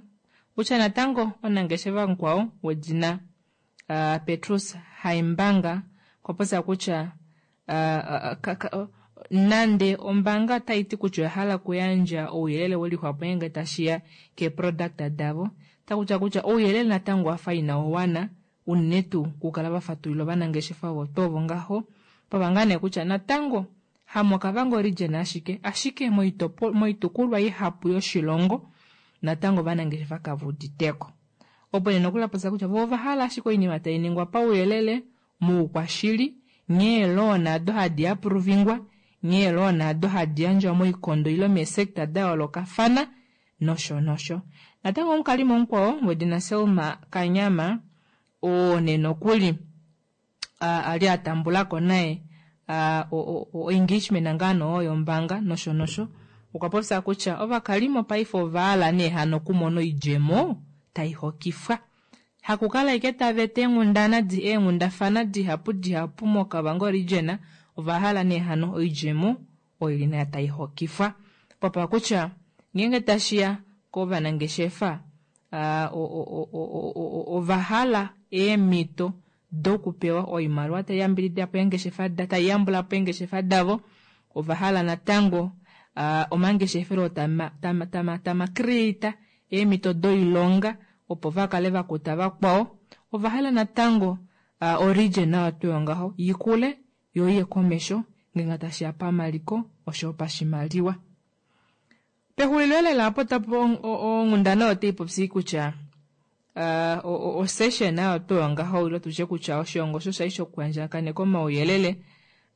kutya natango omunangeshefa mukwao wedina uh, Petrus Haimbanga okwa popya kutya uh, uh, nande ombaanga otai ti kutya oya hala okuyandja ouyelele welixwapo ngeenge tashiya keeproduct davo takutya kutya ouyelele natango wafa ina wana unene tuu okukala vafatulila ovanangeshefa ovo tuu ovo ngaho pava ngaa nee kutya natango hamoKavango region ashike ashike moitukulwa ihapu yoshilongo natango ovanangeshefa kave uditeko opo nee nokuli apopya kutya voo ovahala ashike oinima tai ningwa pauyelele moukwashili nghee loan ado hadi aprovingwa nghee loan ado hadi yandjwa moikondo ile meesector da yoolokafana nosho nosho. Natango omukalimo mukwao wedina Selma Kanyama oo nee nokuli ali atambulako naye o engagement ngaa nee yombaanga nosho nosho okwa popya kutya ovakalimo paife ovahala nee hano okumona oidjemo tai hokifwa. Hakukala ashike tava eta eenghundana eenghundafana dihapu dihapu moKavango region ovahala nee hano oidjemo oyo ili nayo tai hokifwa. Popya kutya ngeenge tashiya kovanangeshefa ovahala eemhito dokupewa oimaliwa tai yambidida po eengeshefa tai yambula po eengeshefa davo ovahala natango omangeshefelo tama tama tama tama create eemhito doilonga opo vakale vakuta vakwao ovahala natango oregion nayo tuu ngaho ikule yo iye komesho ngeenge tashiya pamaliko oshoyo pashimaliwa. Pexulilo lela apo tapo onghundana oyo otai kutya osession nayo tuu ngaho ile tutye kutya oshilongo osho shali shokuyandjakaneka omauyelele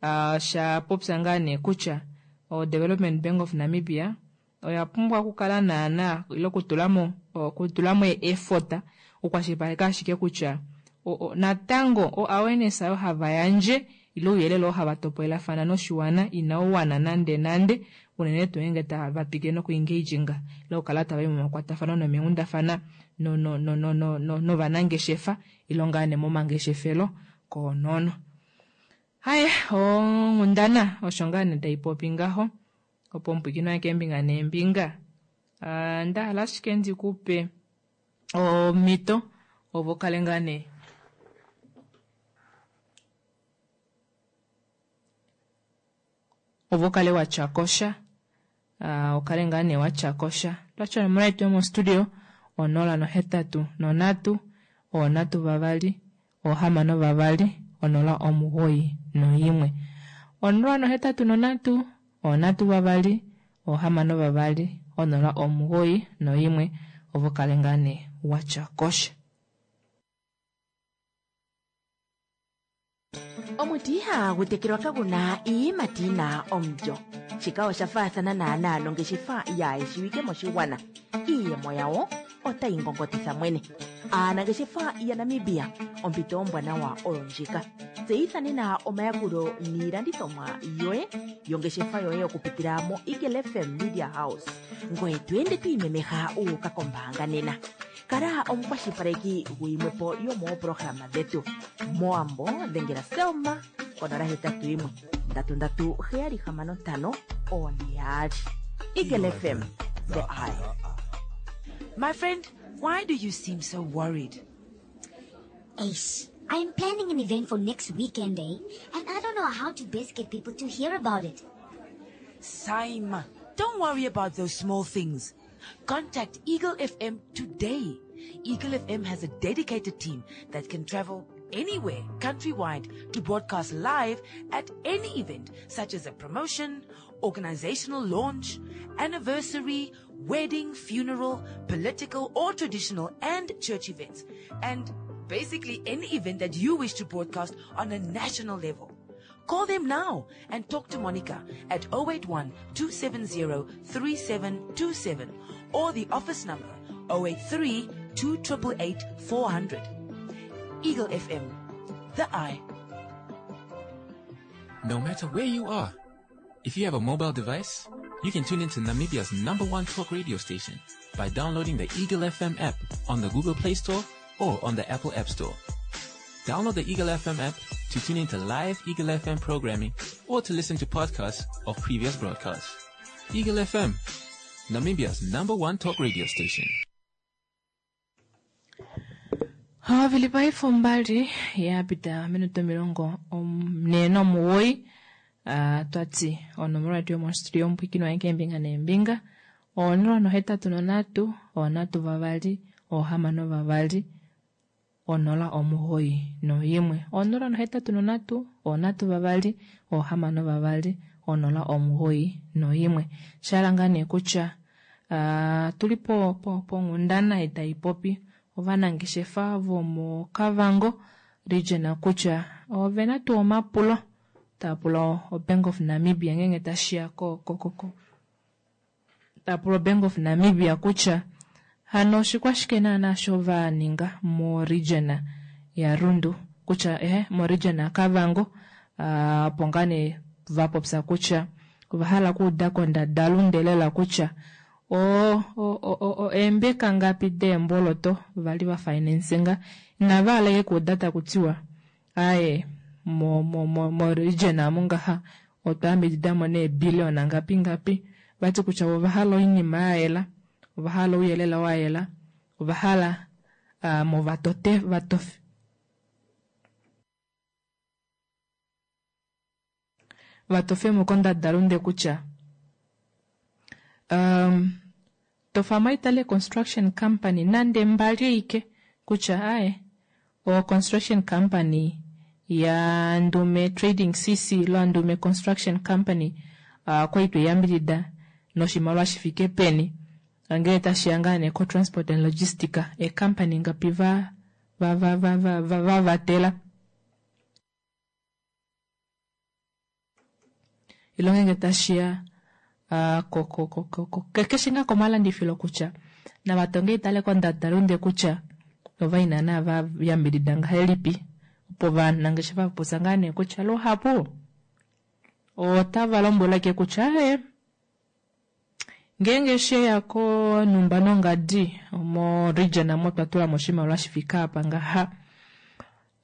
osha popya ngaa nee kutya o Development Bank of Namibia oya pumbwa okukala naana ile okutulamo okutulamo effort okukwashilipaleka ashike kutya natango o awareness oyo hava yandje ile ouyelele oo hava topolelafana noshiwana inau wana nande nande unene tuu ngeenge tava twikile noku engaginga ile okukala tava i momakwatafano nomeenghundafana novanangeshefa ile ngaa nee momangeshefelo koonono. Haye onghundana osho ngaa nee taipopi ngaho opo omupwiikini wange keembinga neembinga ndahala ashike ndikupe omhito opo ukale ngaa nee opo ukale watyakosha ukale ngaa nee watyakosha twatya onomola yetu yomostudio onola nohetatu nonhatu onhatu vavali ohamano vavali onola omugoyi noimwe onola nohetatu nonhatu onhatu vavali ohamano vavali onola omugoyi noimwe opo ukale ngaa nee watyakosha.
Omuti ihagu tekelwa kaguna iiyimati yina omulyo. Shika osha faathana naanaa nongeshefa yaayeshiwike moshigwana. Iiyemo yawo otayi ngongotitha mwene. Aanangeshefa yaNamibia, ompito ombwanawa oyo ndjika. Tseyitha nena omayakulo niilandithomwa yoye yongeshefa yoye okupitila mo Eagle F M Media House. Ngoye to ende to imemeha u uka kombaanga nena. Kala omukwashilipaleki guyimwepo yomooprograma dhetu. Moambo dhengela Selma konola hetatu yimwe ndatu ndatu heyali hamano ntano one yaali. Eagle F M, the eye.
My friend, why do you seem so worried?
Ace, I'm planning an event for next weekend, eh? And I don't know how to best get people to hear about it.
Saima, don't worry about those small things. Contact Eagle F M today. Eagle F M has a dedicated team that can travel anywhere countrywide to broadcast live at any event, such as a promotion, organizational launch, anniversary, wedding, funeral, political or traditional and church events, and basically any event that you wish to broadcast on a national level. Call them now and talk to Monica at oh eight one, two seven zero, three seven two seven or the office number oh eight three, two triple eight four hundred. Eagle F M, the eye.
No matter where you are, if you have a mobile device, you can tune into Namibia's number one talk radio station by downloading the Eagle F M app on the Google Play Store or on the Apple App Store. Download the Eagle F M app to tune into live Eagle F M programming or to listen to podcasts of previous broadcasts. Eagle F M, Namibia's number one talk radio station.
Vilipaifo mbali yapita minuto milongo ne nomuwoi. Uh, twati onomola yetu yomostudio ompwikino waye keembinga neembinga onola nohetatu nonhatu onhatu vavali ohamano vavali onola omugoyi noyimwe onola nohetatu nonhatu onhatu vavali ohamano vavali onola omugoyi noyimwe. Shala ngaa nee kutya uh, tuli po, po, ponghundana itaipopi ovanangeshefa vomoKavango region kutya ovena tuu omapulo tapula o Bank of Namibia ngenge tashiya ko, ko, ko, ko. Tapula o Bank of Namibia kutya hano oshikwashike naana sho va ninga mo region ya Rundu kutya ehe mo region ya Kavango, uh, opo ngaa nee va popya kutya ova hala okuuda kondadalunde lela kutya o, o, o, o, o, eembeka ngapi deemboloto vali va financinga inava hala ike kuuda taku tiwa aye mo, mo, mo, mo region amu ngaha otwa yambididamo nee billion ngapi ngapi vati kutya ova hala oinima ya yela, ova hala ouyelele wa yela, ova hala, uh, mo vatote, vatof-, vatofemo kondadalunde kutya, um, tofama itale construction company nande mbali ike kutya aye o construction company ya Ndume Trading C C lo Ndume Construction Company, uh, kwa itwe yambidida noshimaliwa shifike peni ngele tashiya ngaa nee ko Transport and Logistica e company ngapi va, va, va, va, va, va, va vatela ilo ngenge tashiya, uh, ko, ko, ko, ko, ko, ke, keshe ngaa komalandifilo kutya navatonge itale kondadalunde kutya ova ina na va yambidida ngahelipi opo vanangeshefa vapopya ngaa nee kutya luhapu otava lombwelwa ke kutya e ngeenge sheya konumba nongadi mo region amo twa tula mo oshimaliwa shifika apa ngaha,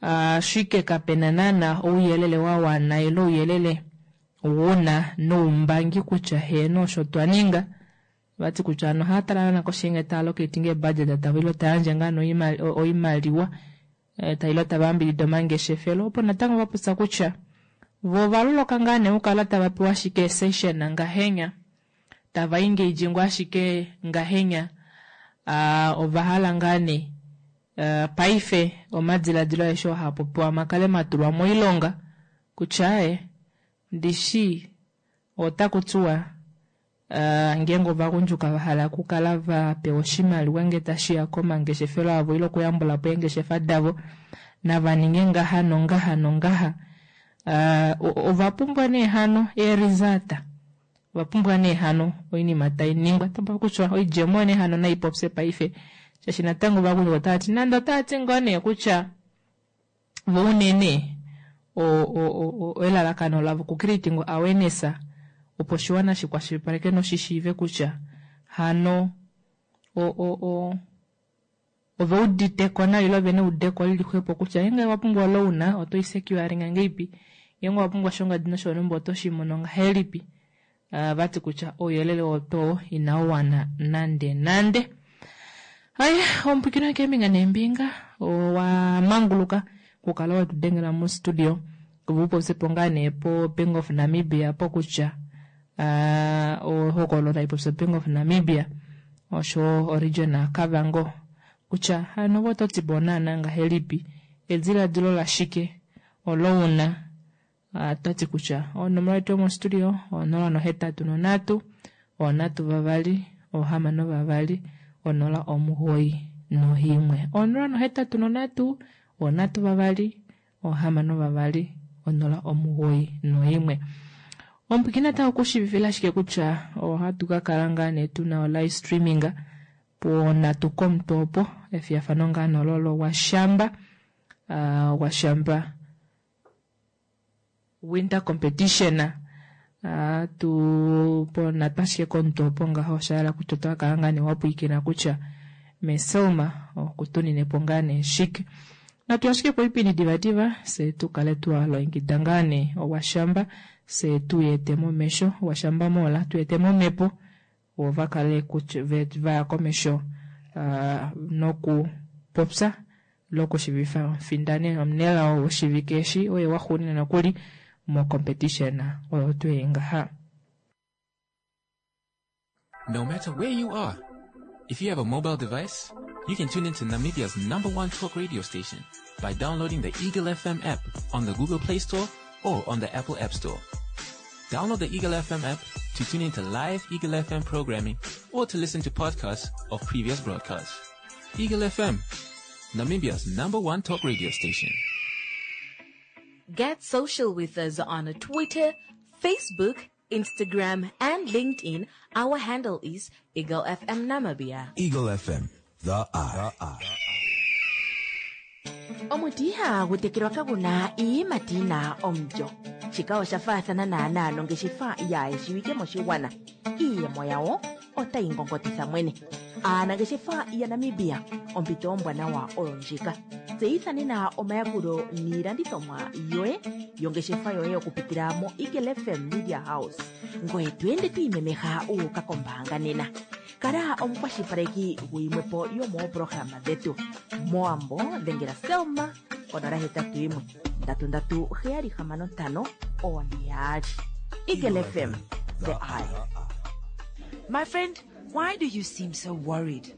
ashike kapena naana ouyelele wa wana ile ouyelele wuna noumbangi kutya heeno osho twa ninga. Vati kutya ano ohaya tala naana koshenge taya allocating budget tava ile taya yandje ngaa noima-, o-, oimaliwa, eh, ta ile tava yambidida omangeshefelo, opo natango va popya kutya vo ovaloloka ngaa nee okukala tava pewa ashike session ngahenya, tava engage ngoo ashike ngahenya, ah, ova hala ngaa nee, eh, paife omadiladilo aeshe oo haa popiwa makale matulwa moilonga kutya e ndishi otaku tiwa, eh, ngeenge ovagundjuka va hala okukala va pewa oshimaliwa nge tashiya komangeshefelo avo ile okuyambula po eengeshefa davo nava ninge ngaha nongaha nongaha, eh, o-, ova pumbwa nee hano ee-result, ova pumbwa nee hano oinima tai ningwa. Tapa kutya oidjemo nee hano nai popye paife, shaashi natango ovagundjuka otava ti nande otava ti ngoo nee kutya vo unene o-, o-, o-, o-, elalakano lavo ku creating awareness opo oshiwana shi kwashilipaleke noshishiive kutya hano o-, o-, o-, ove udite ko nawa ile ove neudeko lili xwepo kutya ngeenge wa pumbwa loan oto i securing ngeipi, ngeenge wa pumbwa shongadi noshonumba oto shi mono ngahelipi. Ah, vati kutya ouyelele woto inau wana nande nande. Ai, ompwikino keembinga neembinga owa manguluka kukala wetudengela mo studio vupopye po ngaa nee po Bank of Namibia po kutya, ah, ohokolo taipopya Bank of Namibia osho region Kavango kutya hano vo to ti po naana ngahelipi ediladilo lashike olouna. Ah, tati kutya onomola yetu yomo studio onola nohetatu nonhatu onhatu vavali ohamano vavali onola omugoyi nohimwe onola nohetatu nonhatu onhatu vavali ohamano vavali onola omugoyi noimwe. Ompwikina ta okushivifila ashike kutya ohatu ka kala ngaa nee tuna o live streaming Ponhatu komutwe opo efiyafano ngaa nololo washamba uh, washamba winter competition uh, tu ponhatu ashike komutwe opo ngaho osha kutya otwa kala ngaa nee wapwiikina kutya meselma okutuninepo ngaa nee shike. Natu ashike poipindi divadiva se tukale twalongekida ngaa nee owashamba se tuyete momesho owashamba mola tuyete momhepo vo vakale vaya komesho uh, nokupopya lokushivifa omufindani omunelao woshivike eshi oye waxuuninwa nokuli mo competition oyo tuu ngaha.
No matter where you are, if you have a mobile device, you can tune into Namibia's number one talk radio station by downloading the Eagle F M app on the Google Play Store or on the Apple App Store. Download the Eagle F M app to tune into live Eagle F M programming or to listen to podcasts of previous broadcasts. Eagle F M, Namibia's number one talk radio station.
Get social with us on Twitter, Facebook, Instagram, and LinkedIn. Our handle is Eagle F M Namibia.
Eagle F M, the eye. The eye.
Omuti ihagu tekelwa kaguna iiyimati yina omulyo. Shika osha faathana naanaa nongeshefa yaayeshiwike moshigwana. Iiyemo yawo otayi ngongotitha mwene. Aanangeshefa yaNamibia, ompito ombwanawa oyo ndjika. Tseyitha nena omayakulo niilandithomwa yoye yongeshefa yoye okupitila mo Eagle F M Media House. Ngoye to ende to imemeha u uka kombaanga nena. Kala omukwashilipaleki guyimwepo yomooprograma dhetu. Moambo dhengela Selma konola hetatu yimwe ndatu ndatu heyali hamano ntano one yaali. Eagle F M, the eye.
My friend, why do you seem so worried?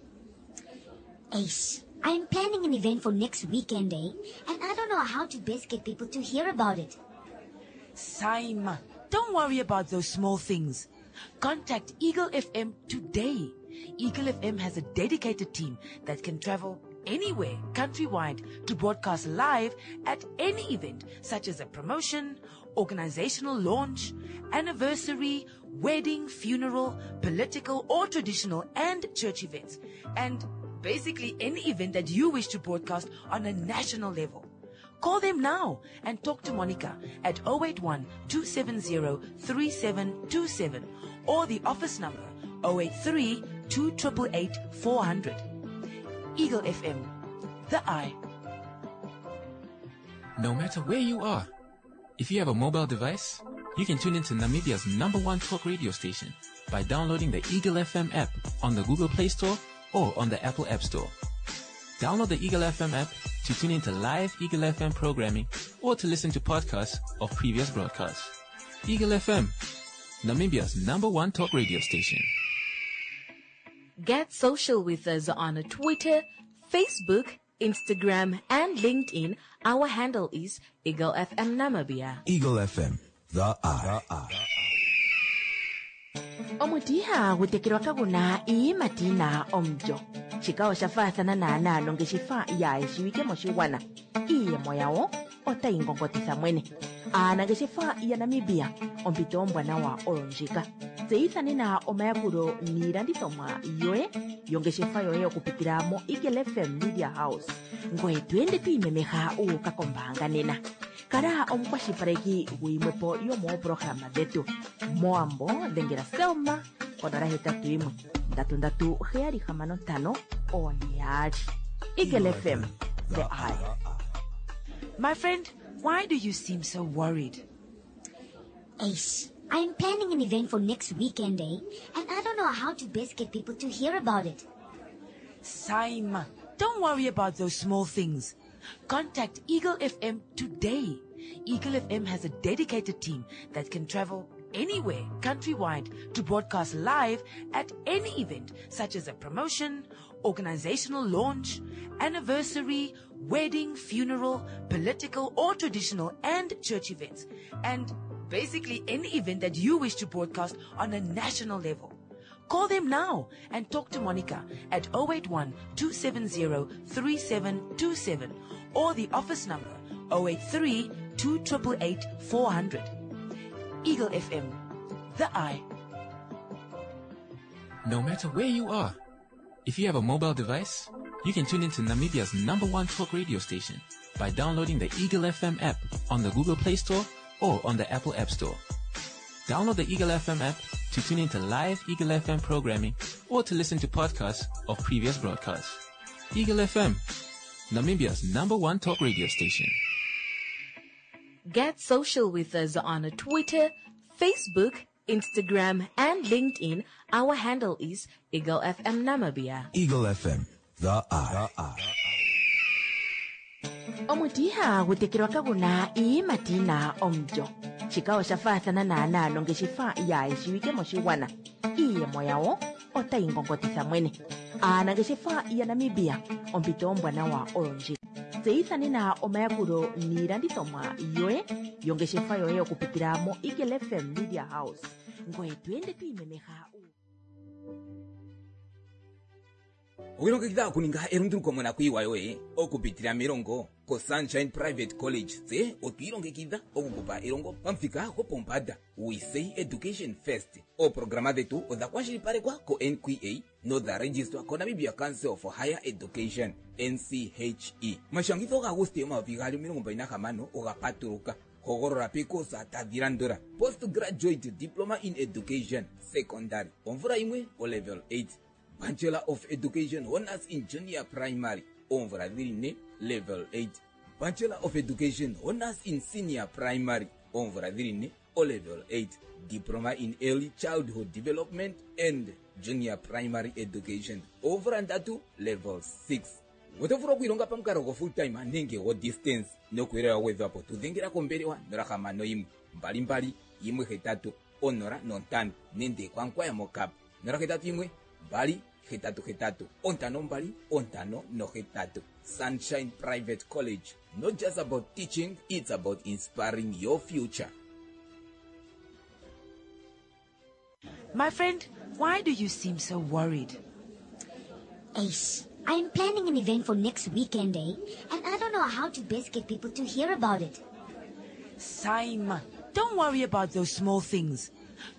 Ace, I'm planning an event for next weekend, eh? And I don't know how to best get people to hear about it.
Saima, don't worry about those small things. Contact Eagle F M today. Eagle F M has a dedicated team that can travel anywhere countrywide to broadcast live at any event, such as a promotion, organizational launch, anniversary, wedding, funeral, political or traditional and church events, and basically any event that you wish to broadcast on a national level. Call them now and talk to Monica at oh eight one, two seven zero, three seven two seven or the office number oh eight three, two triple eight, four hundred. Eagle F M, the eye.
No matter where you are, if you have a mobile device, you can tune into Namibia's number one talk radio station by downloading the Eagle F M app on the Google Play Store or on the Apple App Store. Download the Eagle F M app to tune into live Eagle F M programming or to listen to podcasts of previous broadcasts. Eagle F M, Namibia's number one talk radio station.
Get social with us on Twitter, Facebook, Instagram, and LinkedIn. Our handle is Eagle F M Namibia.
Eagle F M, the eye. The eye.
Omuti ihagu tekelwa kaguna iiyimati yina omulyo. Shika osha faathana naanaa nongeshefa yaayeshiwike moshigwana. Iiyemo yawo otayi ngongotitha mwene. Aanangeshefa yaNamibia, ompito ombwanawa oyo ndjika. Tseyitha nena omayakulo niilandithomwa yoye yongeshefa yoye okupitila mo Eagle F M Media House. Ngoye to ende to imemeha u uka kombaanga nena. Kala omukwashilipaleki guyimwepo yomooprograma dhetu. Moambo dhengela Selma konola hetatu yimwe ndatu ndatu heyali hamano ntano one yaali. Eagle F M, the eye.
My friend, why do you seem so worried?
Ace, I'm planning an event for next weekend, eh? And I don't know how to best get people to hear about it.
Saima, don't worry about those small things. Contact Eagle F M today. Eagle F M has a dedicated team that can travel anywhere countrywide to broadcast live at any event, such as a promotion, organizational launch, anniversary, wedding, funeral, political or traditional and church events, and basically any event that you wish to broadcast on a national level. Call them now and talk to Monica at oh eight one, two seven zero, three seven two seven or the office number oh eight three, two triple eight, four hundred. Eagle F M, the eye.
No matter where you are, If you have a mobile device, you can tune into Namibia's number one talk radio station by downloading the Eagle F M app on the Google Play Store or on the Apple App Store. Download the Eagle F M app to tune into live Eagle F M programming or to listen to podcasts of previous broadcasts. Eagle F M, Namibia's number one talk radio station.
Get social with us on Twitter, Facebook, Instagram, and LinkedIn. Our handle is Eagle F M Namibia.
Eagle F M, the eye. The eye.
Omuti ihagu tekelwa kaguna iiyimati yina omulyo. Shika osha faathana naanaa nongeshefa yaayeshiwike moshigwana. Iiyemo yawo otayi ngongotitha mwene. Aanangeshefa yaNamibia, ompito ombwanawa oyo ndjika. Tseyitha nena omayakulo niilandithomwa yoye yongeshefa yoye okupitila mo Eagle F M Media House. Ngoye tu ende tu imemeha.
Owilongekidha okuninga elunduluko monakuyiwa yoye okupitila melongo ko Sunshine Private College. Tse otwiilongekidha okukupa elongo pamuthika gopombanda. We say education first. Ooprograma dhetu odha kwashilipalekwa ko N Q A nodha registrwa ko Namibia Council for Higher Education N C H E. Omashangitho gaAguste omayovi gaali omilongo mbali nahamano oga patuluka. Hogolola pikosa tadhi landula: Postgraduate Diploma in Education Secondary, omvula yimwe o level eight, Bachelor of Education Honors in Junior Primary, omvula dhili ne, level eight, Bachelor of Education Honors in Senior Primary, omvula dhili ne, o level eight, Diploma in Early Childhood Development and Junior Primary Education, omvula ndatu, level six. Oto vulu okwiilonga pamukalo go full time nenge go distance nokuyelela gwedhwapo. Tu dhengela kombelewa nola hamano yimwe mbali mbali yimwe hetatu onola nontano nenge kwankwaya mokap nola hetatu yimwe mbali hetatu hetatu ontano mbali ontano nohetatu. Sunshine Private College, not just about teaching, it's about inspiring your future.
My friend, why do you seem so worried?
Ace, I'm planning an event for next weekend, eh? And I don't know how to best get people to hear about it.
Simon, don't worry about those small things.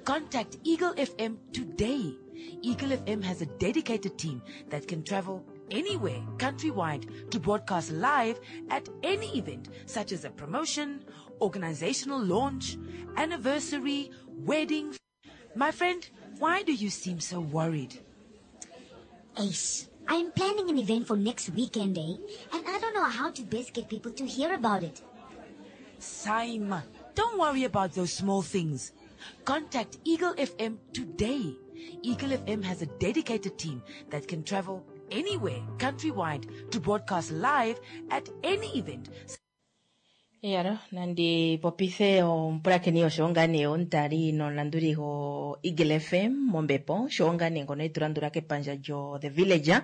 Contact Eagle F M today. Eagle F M has a dedicated team that can travel anywhere countrywide to broadcast live at any event, such as a promotion, organizational launch, anniversary, wedding. My friend, why do you seem so worried?
Ace, I'm planning an event for next weekend, eh? And I don't know how to best get people to hear about it.
Simon, don't worry about those small things. Contact Eagle F M today. Eagle F M has a dedicated team that can travel anywhere countrywide to broadcast live at any event.
Yaro, nandi popithe omupulakeni oshowo ngaa nee omutali nomulanduli go Eagle F M mombepo, oshowo ngaa nee ngono etu landula kepandja lyo The Villager.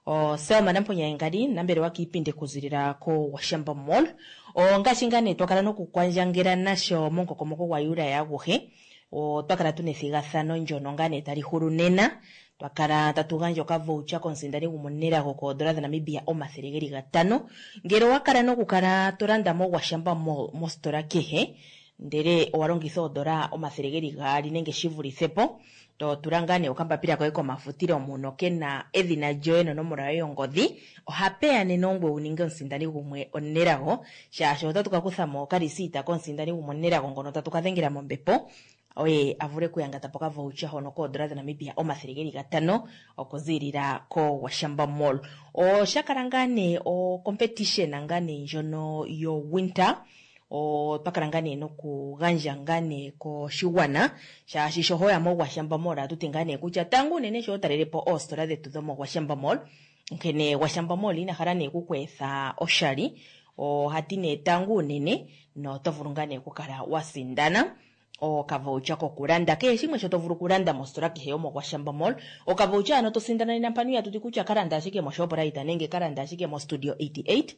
O Selma Namponya Engadi nambelewa kiipindi okuzilila ko Washamba Mall. O ngaashi ngaa nee twakala nokukwandjangela nasho momukokomoko gwa Juli aguhe. O twakala tuna ethigathano ndyono ngaa nee tali hulu nena. Twakala tatu gandja okavoucher komusindani gwomonelago koondola dhaNamibia omathele geli gatano. Ngele owa kala nokukala to landa mo Washamba Mall mositola kehe, ndele owa longitha oondola omathele geli gaali nenge shi vulithe po, to tula ngaa nee okambapila koye komafutilo muno kena edhina lyoye nonomola yoye yongodhi, ohapeya nena ongwe wu ninge omusindani gumwe omunelago, shaashi otatu ka kutha mo okalisiita komusindani gumwe omunelago ngono tatu ka dhengela mombepo, oye a vule okuyangata po okavoucher hono koondola dhaNamibia omathele geli gatano okuziilila ko Washamba Mall. Osha kala ngaa nee o competition ngaa nee ndjono yo winter. O twakala ngaa nee nokugandja ngaa nee koshigwana, shaashi sho hoya mo Washamba Mall ohatu ti ngaa nee kutya tango unene sho talele po oositola dhetu dhomo Washamba Mall, nkene Washamba Mall ina hala nee kukweetha oshali, ohati nee tango unene noto vulu ngaa nee okukala wa sindana okavoucher kokulanda kehe shimwe sho to vulu okulanda mositola kehe yomo Washamba Mall. Okavoucher ano to sindana nena mpano ihatu ti kutya kalanda ashike mo Shoprite nenge kalanda ashike mo Studio eighty-eight,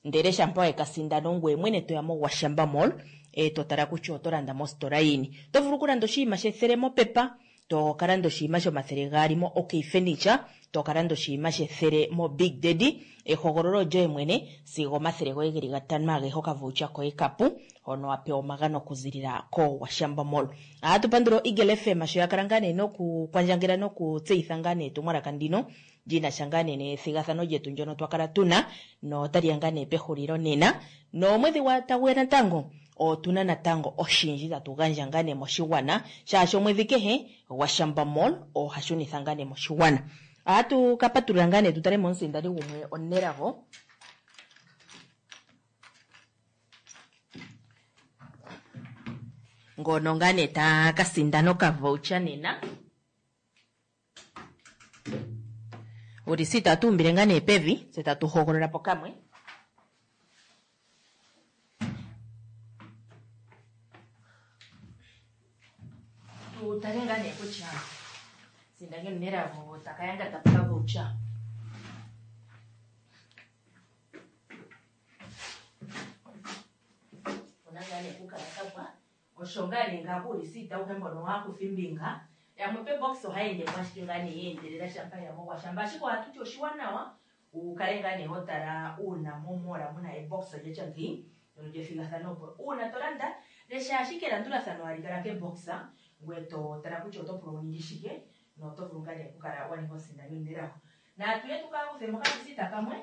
ndele shampa we ka sindana ongweye mwene toya mo Washamba Mall, e to tala kutya oto landa mositola yini. Oto vulu okulanda oshinima shethele mopepa, To ka landa oshinima shomathele gaali mo OK Furniture, to ka landa oshinima shethele mo Big Daddy. Ehogololo olyoye mwene sigo omathele goye geli gatano agehe okavoucher koye kapu hono wa pewa omagano okuzilila koWashamba Mall. Ohatu pandula o Eagle F M sho ya kala ngaa nee nokukwandjangela nokutseyitha ngaa nee etumwalaka ndino li na sha ngaa nee nethigathano lyetu ndyono twa kala tuna notali ya ngaa nee pehulilo nena nomwedhi gwa tagu ya natango otuna natango oshindji tatu gandja ngaa nee moshigwana shaashi omwedhi kehe Gwashamba Mall oha shunitha ngaa nee moshigwana. Ohatu ka patulula ngaa nee tu tale mo omusindani gumwe omunelago. Ngono ngaa nee ta ka sindana okavoucher nena. Ulisita tatu umbile ngaa nee pevi tse tatu hogolola po kamwe. Tu tale ngaa nee kutya sindani omunelago taka yangata po okavoucher. Opuna ngaa nee okukala kapwa. Osho ngaa nee ngaaka uulisita awuhe mbono wa kutha ombinga. Yamwe pebox ohaya ende mo ashike ngaa nee ya endelela shampa ya mo Gwashamba. Ashike ohatu ti oshiwanawa wu kale ngaa nee ho tala uuna momola muna ebox lyatya ngeyi ndyono lyethigathano opo uuna to landa lesha ashike elandulathano hali kala kebox ngoye to tala kutya oto pulwa wu ninge shike noto vulu ngaa nee okukala wa ninga omusindani omunelago. Natu ye tu ka kuthe mo okalisita kamwe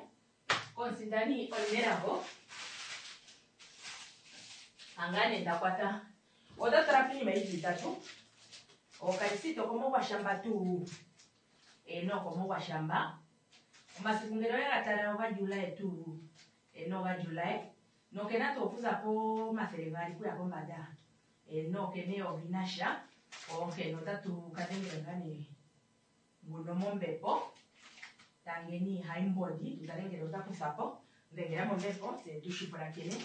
komusindani omunelago. Anga nee nda kwata. Ota tala piinima yi li itatu. Okalisita okomo Gwashamba tuu. Eno okomo Gwashamba. Omasiku ngele owe ga tala oga July tuu. Eno oga July. Nokena tuu okuza pomathele gaali kuya pombanda. Eno okena eyovi nasha. Onkene otatu ka dhengela ngaa nee nguno mombepo. Tangeni Haimbodi tu tale ngele ota kutha po. Dhengela mombepo tse tushi pulakene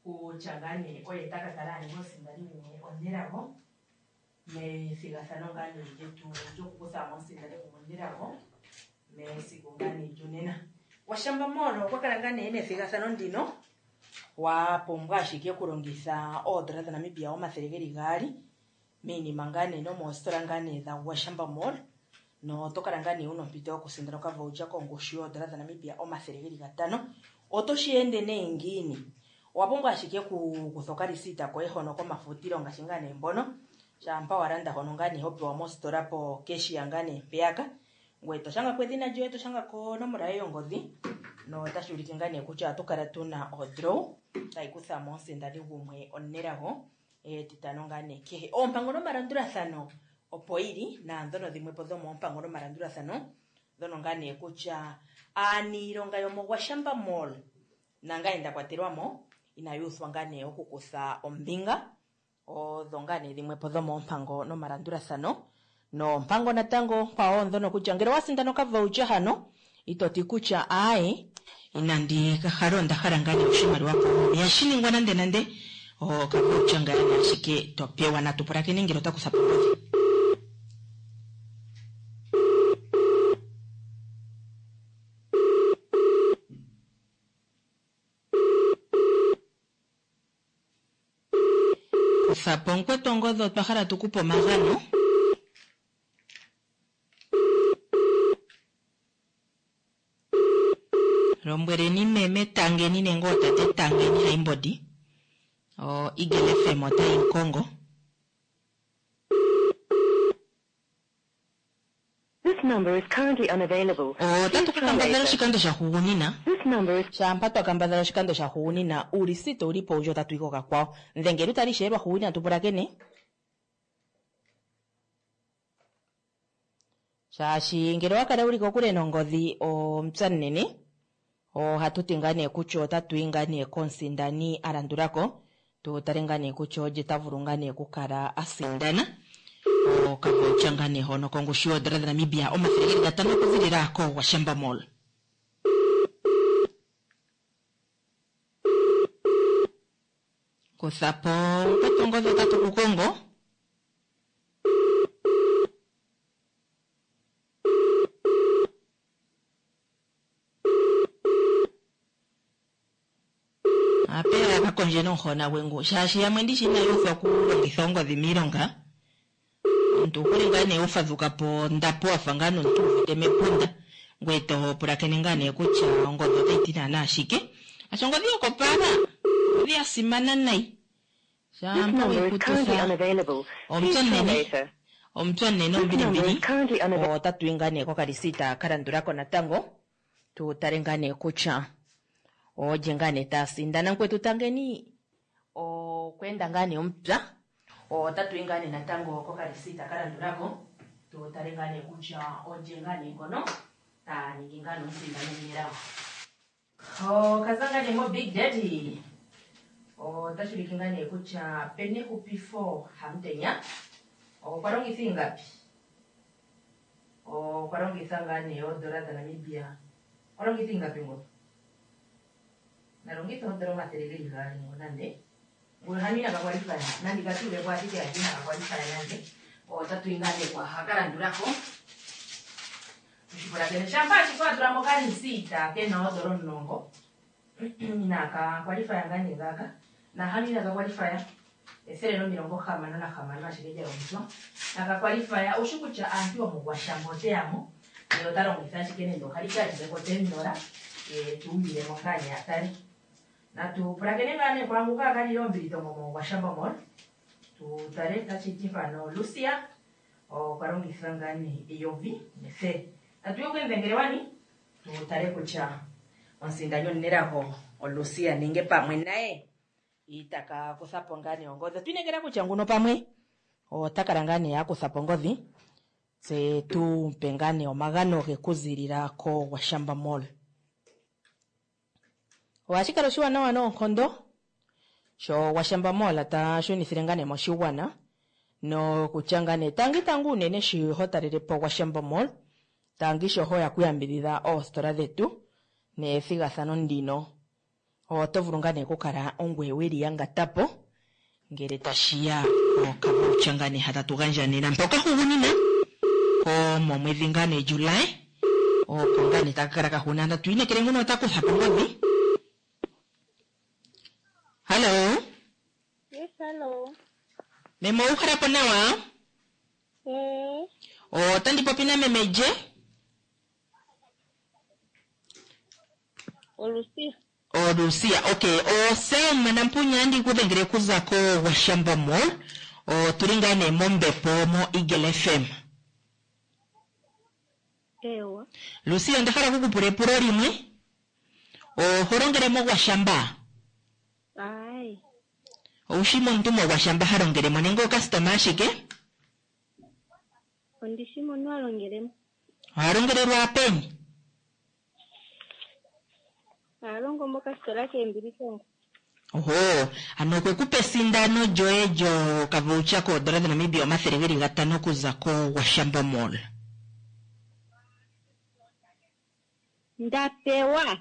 kutya ngaa nee oye ta ka kala a ninga omusindani gumwe omunelago methigathano ngaa nee lyetu lyokukutha mo omusindani gumwe omunelago mesiku ngaa nee lyonena. Gwashamba Mall okwa kala ngaa nee nethigathano ndino wa pumbwa ashike okulongitha oodola dhaNamibia omathele geli gaali miinima ngaa nee nomoositola ngaa nee dha Gwashamba Mall noto kala ngaa nee wuna ompito yokusindana okavoucher kongushu yoodola dhaNamibia omathele geli gatano. Oto shi ende nee ngiini? Owa pumbwa ashike okukutha okalisita koye hono komafutilo ngaashi ngaa nee mbono shampa wa landa hono ngaa nee ho pewa mositola po cashier ngaa nee mpeyaka ngoye to shanga ko edhina lyoye to shanga ko onomola yoye yongodhi notashi ulike ngaa nee kutya ohatu kala tuna odraw tayi kutha mo omusindani gumwe omunelago etitano ngaa nee kehe. Oompango nomalandulathano opo yili naandhono dhimwe po dhomoompango nomalandulathano dhono ngaa nee kutya aaniilonga yomoGwashamba Mall nangaye nda kwatelwa mo inayu uthwa ngaa nee okukutha ombinga. Odho ngaa nee dhimwe po dhomoompango nomalandulathano. Noompango natango onkwawo ndhono kutya ngele owa sindana okavoucher hano ito ti kutya aaye inandi ka hala onda hala ngaa nee oshimaliwa koomuma. Ihashi ningwa nande nande okavoucher ngaa nee ashike to pewa. Natu pulakene ngele ota kutha po ongodhi. Kutha po mukwetu ongodhi otwa hala tu kupe omagano. Lombweleni meme Tangeni nenge ootate Tangeni Haimbodi. O Eagle F M otayi mukongo.
This number is currently unavailable.
Otatu ka kambadhala oshikando sha hugunina.
This number is
Shampa twa kambadhala oshikando sha hugunina uulisita uli po owundji otatu yi kokakwawo. Ndhengela utale ishewe lwa hugunina tu pulakene. Shaashi ngele owa kala wuli kokule nongodhi omupya munene ohatu ti ngaa nee kutya otatu yi ngaa nee komusindani a landulako tu tale ngaa nee kutya olye ta vulu ngaa nee okukala a sindana okavoucher ngaa nee hono kongushu yoodola dhaNamibia omathele geli gatano okuzilila koGwashamba Mall. Kutha po mukwetu ongodhi otatu ku kongo. Apeya ka kondje nomuhona gwe ngu shaashi yamwe ndishi inayu uthwa okulongitha ongodhi miilonga. Omuntu owu hole ngaa nee ho fadhuka po ondapo wa fa ngaa nomuntu wu uvite mepunda, ngoye to pulakene ngaa nee kutya ongodhi otayi ti naanaa shike. Asha ongodhi yokopaala ongodhi ya simana nayi.
This
Shampa
number
weyi
is currently
kututha
unavailable.
omupya
Please try
omunene
later.
omupya omunene
This number
ombilimbili
is currently unavailable.
otatu yi ngaa nee kokalisita ka landula ko natango tu tale ngaa nee kutya olye ngaa nee ta sindana. Mukwetu tangeni okweenda ngaa nee omupya, otatu yi ngaa nee natango kokalisita ka landula ko tu tale ngaa nee kutya olye ngaa nee ngono ta ningi ngaa nee omusindani omunelago. Okaza ngaa nee mo Big Daddy otashi ulike ngaa nee kutya Penehupifo Hamutenya okwa longitha ingapi? Okwa longitha ngaa nee oodola dhaNamibia, okwa longitha ingapi ngono? Na longitha oodola omathele geli gaali ngo nande nguno hano inaga kwalifaya nande katuulepo ashike ati inaga kwalifaya nande. Otatu yi ngaa nee kwaha ka landulako tushipulakene. Shampa ashike wa tula mo okalisita kena oodola omulongo inaka kwalifaya ngaa nee ngaaka, nahano inaka kwalifaya ethele nomilongo hamano nahamano ashike lya longithwa naka kwalifaya. Oushi kutya aantu yomugwashambo ote yamo ndele ota longitha ashike nande okalikalile kotendola tuumbilemo ngaa nee atale. Natu pulakene ngaa nee kwaanguka akalile ombilitongo mogwashambo mall tu tale tashi ti mpano Lucia okwa longitha ngaa nee eyovi nethele. Tatu yi oku wani tu tale kutya omusindani omunelago oLucia nenge pamwe naye itaka kutha po ngaa nee ongodhi. Otwa inekela kutya nguno pamwe ota kala ngaa nee a kutha po ongodhi tse tu pe ngaa nee omagano ge kuzilila koGwashamba Mall. Ohashi kala oshiwanawa noonkondo sho Gwashamba Mall ta shunithile ngaa nee moshigwana nokutya ngaa nee tangi tangi unene shi ho talele po Gwashamba Mall, tangi sho ho ya kuyambidhidha oositola dhetu nethigathano ndino, oto vulu ngaa nee okukala ongweye weli yangata po ngele tashiya kokavoucher ngaa nee hatatu gandja nena mpoka hugunina komomwedhi ngaa nee July, opo ngaa nee taka kala kahuna. Tatu inekele nguno ota kutha po ongodhi. Hallo.
Yes, hello.
Meme owu hala po nawa?
Eh,
Otandi popi na meme je?
Olucia.
Olucia, okay. Oselma Nampunya andi kudhengele kuza ko Gwashamba Mall. Otuli ngaa nee mombepo mo Eagle F M.
Ewa.
Lucia, onda hala okukupula epulo limwe. Oho longele moGwashamba?
Ai.
Oushi momuntu moGwashamba ha longele mo nenge okastoma ashike?
Ondishi mono a longele mo.
Oha longelelwa peni?
A longo mokasitola keembilitongo.
Oho, ano okwe ku pa esindano lyoye lyokavoucher koodola dhaNamibia omathele geli gatano okuza koGwashamba Mall.
Ndapewa.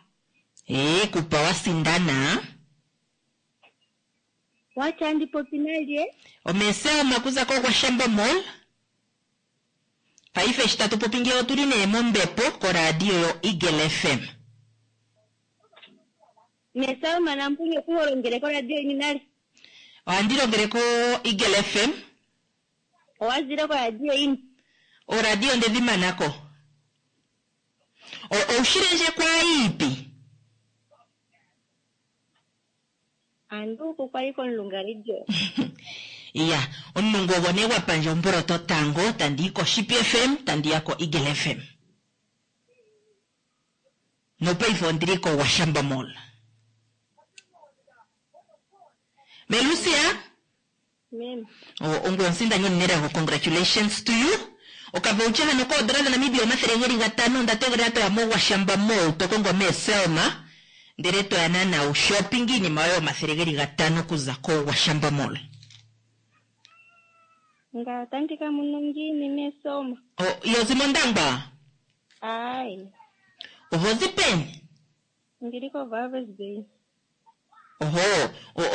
Ee, kupa wa sindana.
Wacha ndi popi nalye?
Omeselma kuza koGwashamba Mall. Paife eshi tatu popi ngeyi otuli nee mombepo koradio yo Eagle F M.
Meselma Nampunye ku ho longele koradio yini nale?
Ohandi longele ko Eagle F M.
Owa zile koradio yini?
Oradio ndedhi manako. Oushile ndje kwa iipi?
Anduku kwali komulunga radio.
Iya, omulungu ogwo nee gwa pandja omboloto tango, tandi yi koShipi F M, tandi ya ko Eagle F M. Nopaife ondili koGwashamba Mall. Melucia?
Meme.
Ongoye omusindani omunelago, congratulations to you. Okavoucher hano koodola dhaNamibia omathele geli gatano, onda tegelela toya moGwashamba Mall, to kongo meeSelma, ndele toya naana wu shopping iinima yoye omathele geli gatano okuza koGwashamba Mall.
Nga otandi ka mono ngiini meeSelma?
Iho zi mOndangwa?
Ai.
Oho zi peni?
Ndili koWalvis Bay.
Oho,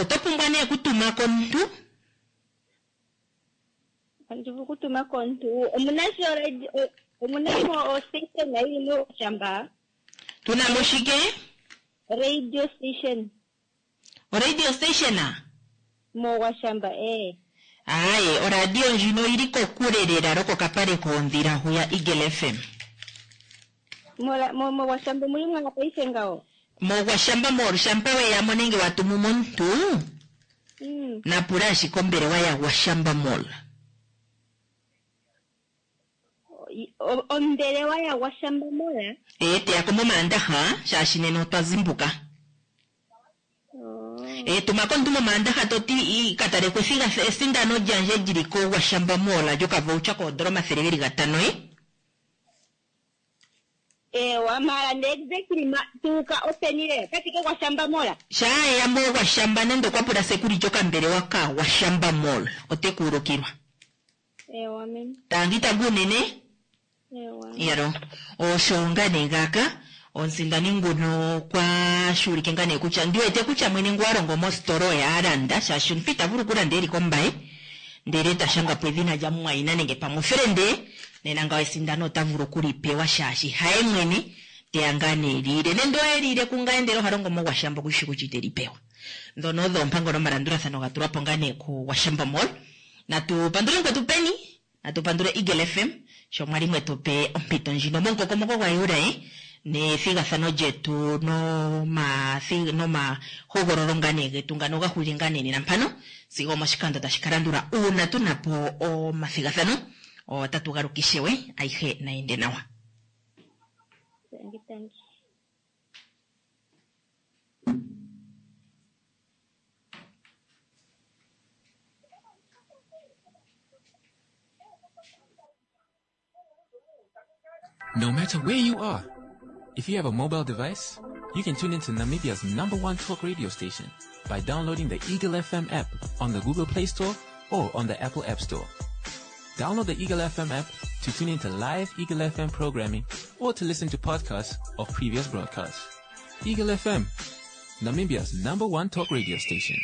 oto pumbwa nee okutuma komuntu?
Andi vulu okutuma komuntu. Omuna sho radio, omuna mo ostation yili moGwashamba?
Tuna mo shike?
Radio station.
O radio station?
MoGwashamba, eh.
Aaye, oradio ndjino oyili kokule lela lokokapale koondhila huya Eagle F M.
Mola- mo- Mogwashamba omuli mwa paife ngawo.
Mogwashamba Mall, shampa weyamo nenge watumu momuntu,
Mm.
napula ashike ombelewa yaGwashamba Mall.
O- Ombelewa yaGwashamba Mall.
Ee, teyako momaandaha, shaashi nena otwa zimbuka. E, tuma komuntu momaandaha toti i- ka taleko ethiga- esindano lyandje lyili koGwashamba Mall lyokavoucher koondola omathele geli gatano e.
Ewa, mara nde exactly ma tuuka openi lela kati koGwashamba Mall.
Shaa eya moGwashamba nande okwa pula security okambelewa kaGwashamba Mall, ote ku ulukilwa.
Ewa meme.
Tangi tangi unene.
Ewa.
Yalo osho nga nee ngaaka omusindani nguno okwa shuulike nga nee kutya ndiwete kutya mwene ngu alongo mositola oye a landa, shaashi omuntu ita vulu okulanda eli kombaye ndele ta shanga po edhina lyamumwayina nenge pamwe ofelende. Nena ngawo esindano ota vulu okulipewa shaashi haye mwene teya ngaa nee liile nende oye liile kungaye ndele oha longo moGwashamba okushi kutya ite li pewa. Ndhono odho oompango nomalandulathano ga tulwa po ngaa nee kuGwashamba Mall. Natu pandule mukwetu peni, natu pandule Eagle F M sho mwali mwetu pe ompito ndjino momukokomoko gwaJuli nethigathano lyetu nomathi- nomahogololo nga nee getu ngano ga hulile nga nee nena mpano sigo omoshikando tashi ka landula uuna tuna po omathigathano otatu galuka ishewe. Ayihe nayende nawa.
Tangi tangi.
No matter where you are, if you have a mobile device, you can tune into Namibia's number one talk radio station by downloading the Eagle F M app on the Google Play Store or on the Apple App Store. Download the Eagle F M app to tune into live Eagle F M programming or to listen to podcasts of previous broadcasts. Eagle F M, Namibia's number one talk radio station.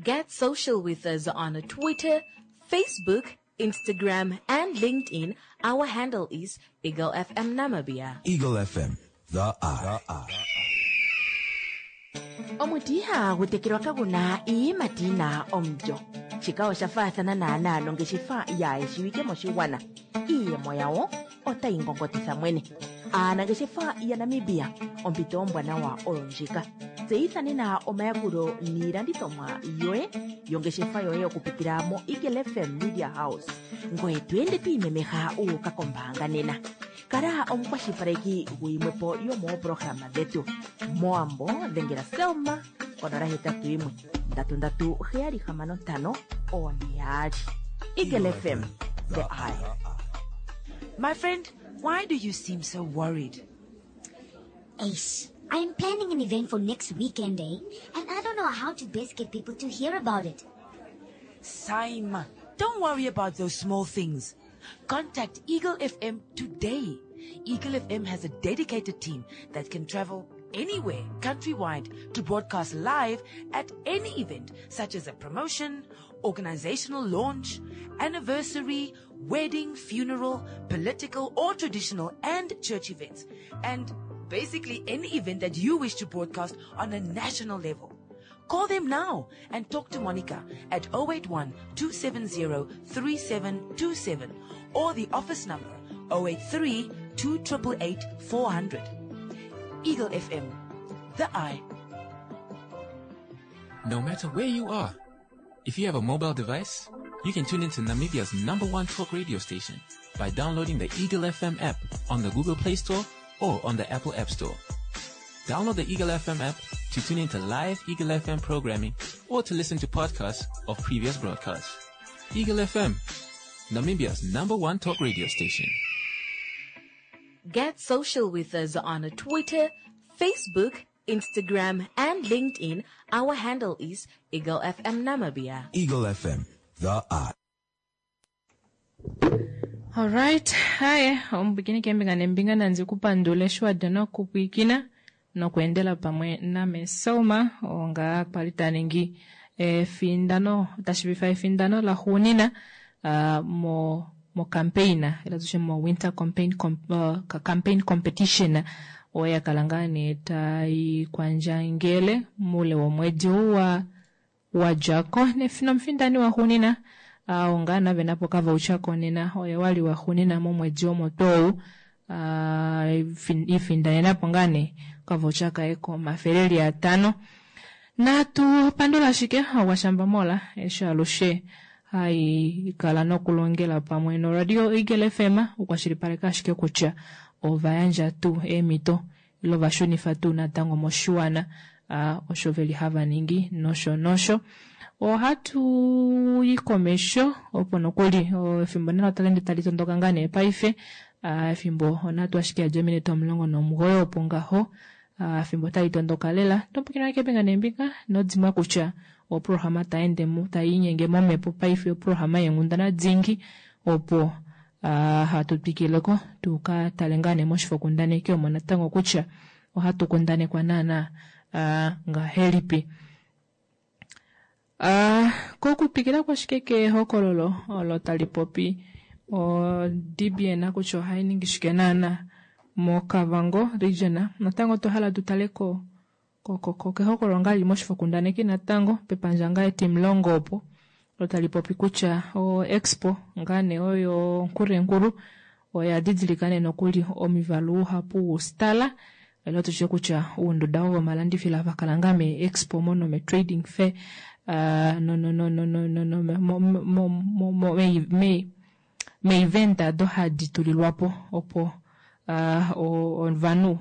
Get social with us on Twitter, Facebook, Instagram, and LinkedIn. Our handle is Eagle F M Namibia.
Eagle F M, the Eye.
Omuti ihagu tekelwa kaguna iiyimati yina omulyo. Shika osha faathana naanaa nongeshefa yaayeshiwike moshigwana. Iiyemo yawo otayi ngongotitha mwene. Aanangeshefa yaNamibia, ompito ombwanawa oyo ndjika. Tseyitha nena omayakulo niilandithomwa yoye yongeshefa yoye okupitila mo Eagle F M Media House, ngoye to ende twiimemeha uuka kombaanga nena. Kala omukwashilipaleki guyimwepo yomoopolohalama dhetu. Mowambo dhengela Selma konola hetatu yimwe ndatu ndatu heyali hamano ntano one yaali. Eagle F M, the Eye.
My friend, why do you seem so worried?
Ace, I'm planning an event for next weekend, eh? And I don't know how to best get people to hear about it.
Saima, don't worry about those small things. Contact Eagle F M today. Eagle F M has a dedicated team that can travel anywhere countrywide to broadcast live at any event such as a promotion, organizational launch, anniversary, wedding, funeral, political or traditional and church events, and basically any event that you wish to broadcast on a national level. Call them now and talk to Monica at oh eight one two seven zero three seven two seven or the office number oh eight three two eight eight four hundred. Eagle F M, the Eye.
No matter where you are, if you have a mobile device, you can tune into Namibia's number one talk radio station by downloading the Eagle F M app on the Google Play Store or on the Apple App Store. Download the Eagle F M app to tune into live Eagle F M programming or to listen to podcasts of previous broadcasts. Eagle F M, Namibia's number one talk radio station.
Get social with us on Twitter, Facebook, Instagram, and LinkedIn. Our handle is Eagle F M Namibia.
Eagle F M, the Eye.
Alright, haya omupwikini kembinga nembinga nandzi kupandule shiwada nokupwikina nokuendela pamwe name Selma onga kwali taningi efindano tashivifa efindano la xuunina uh, mo mo campaign ila tushe mo winter campaign com, uh, campaign competition oyo yakala ngaa nee tai kwandjangele muule womwedi ou wa wadjako nomufindani waxuunina oo ngaa navenapo okavoucher konena oye wali waxuunina momwedi omo tuu ou ifindanenapo ngaa nee okavoucher kaye komafele eli atano. Natu pandula ashike Gwashamba Mola eshi alushe hai kala nokulongela pamwe noRadio Eagle F M okukwashilipaleka ashike kutya ovayandja tuu eemhito ile ovashunifa tuu natango moshiwana osho veli hava ningi nosho nosho. Ohatu yi komesho opo nokuli efimbo nalo tali ende tali tondoka ngaa nee paife efimbo onatu ashike yadja ominute omulongo nomugoyi opo ngaho efimbo otali tondoka lela topukina keembinga neembinga nodimwa kutya oprograma taende taiinyenge momhepo paife oprograma yeenghundana dingi opo hatu twikileko tuka tale ngaa nee moshifokundaneki omo natango kutya ohatu kundanekwa naana ngahelipi. Kokutwikila kwashike kehokololo olo tali popi o D B N kutya ohai ningi shike naana moKavango region natango otwa hala tutale ko kehokololo ngaa lili moshifokundaneki natango pepandja ngaa etimulongo opo olo tali popi kutya o expo ngaa nee oyo Nkurenkuru oya didilika nee nokuli omivalu uhapu woustala ile tutye kutya ounduda vomalandifilo ava kala ngaa me expo mo nome trading fair no no no no no no mo mo me event ado hadi tulilwapo opo ovanhu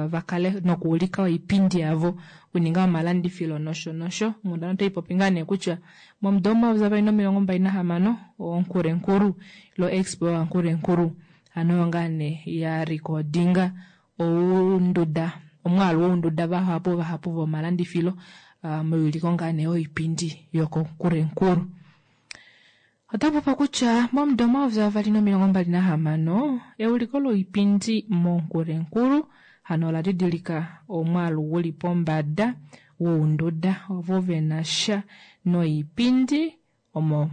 vakale nokuulika oipindi yavo okuninga omalandifilo nosho nosho. Onghundana otai popi ngaa nee kutya momudo omayovi avali nomilongo mbali nahamano oNkurenkuru ilo expo yaNkurenkuru hano oyo ngaa nee ya recordinga ounduda omwaalu wounduda vahapu vahapu vomalandifilo meuliko ngaa nee oipindi yokoNkurenkuru. Otapopa kutya momudo omayovi avali nomilongo mbali nahamano euliko loipindi moNkurenkuru hano ola didilika omwaalu uli pombada wounduda ovo venasha noipindi omo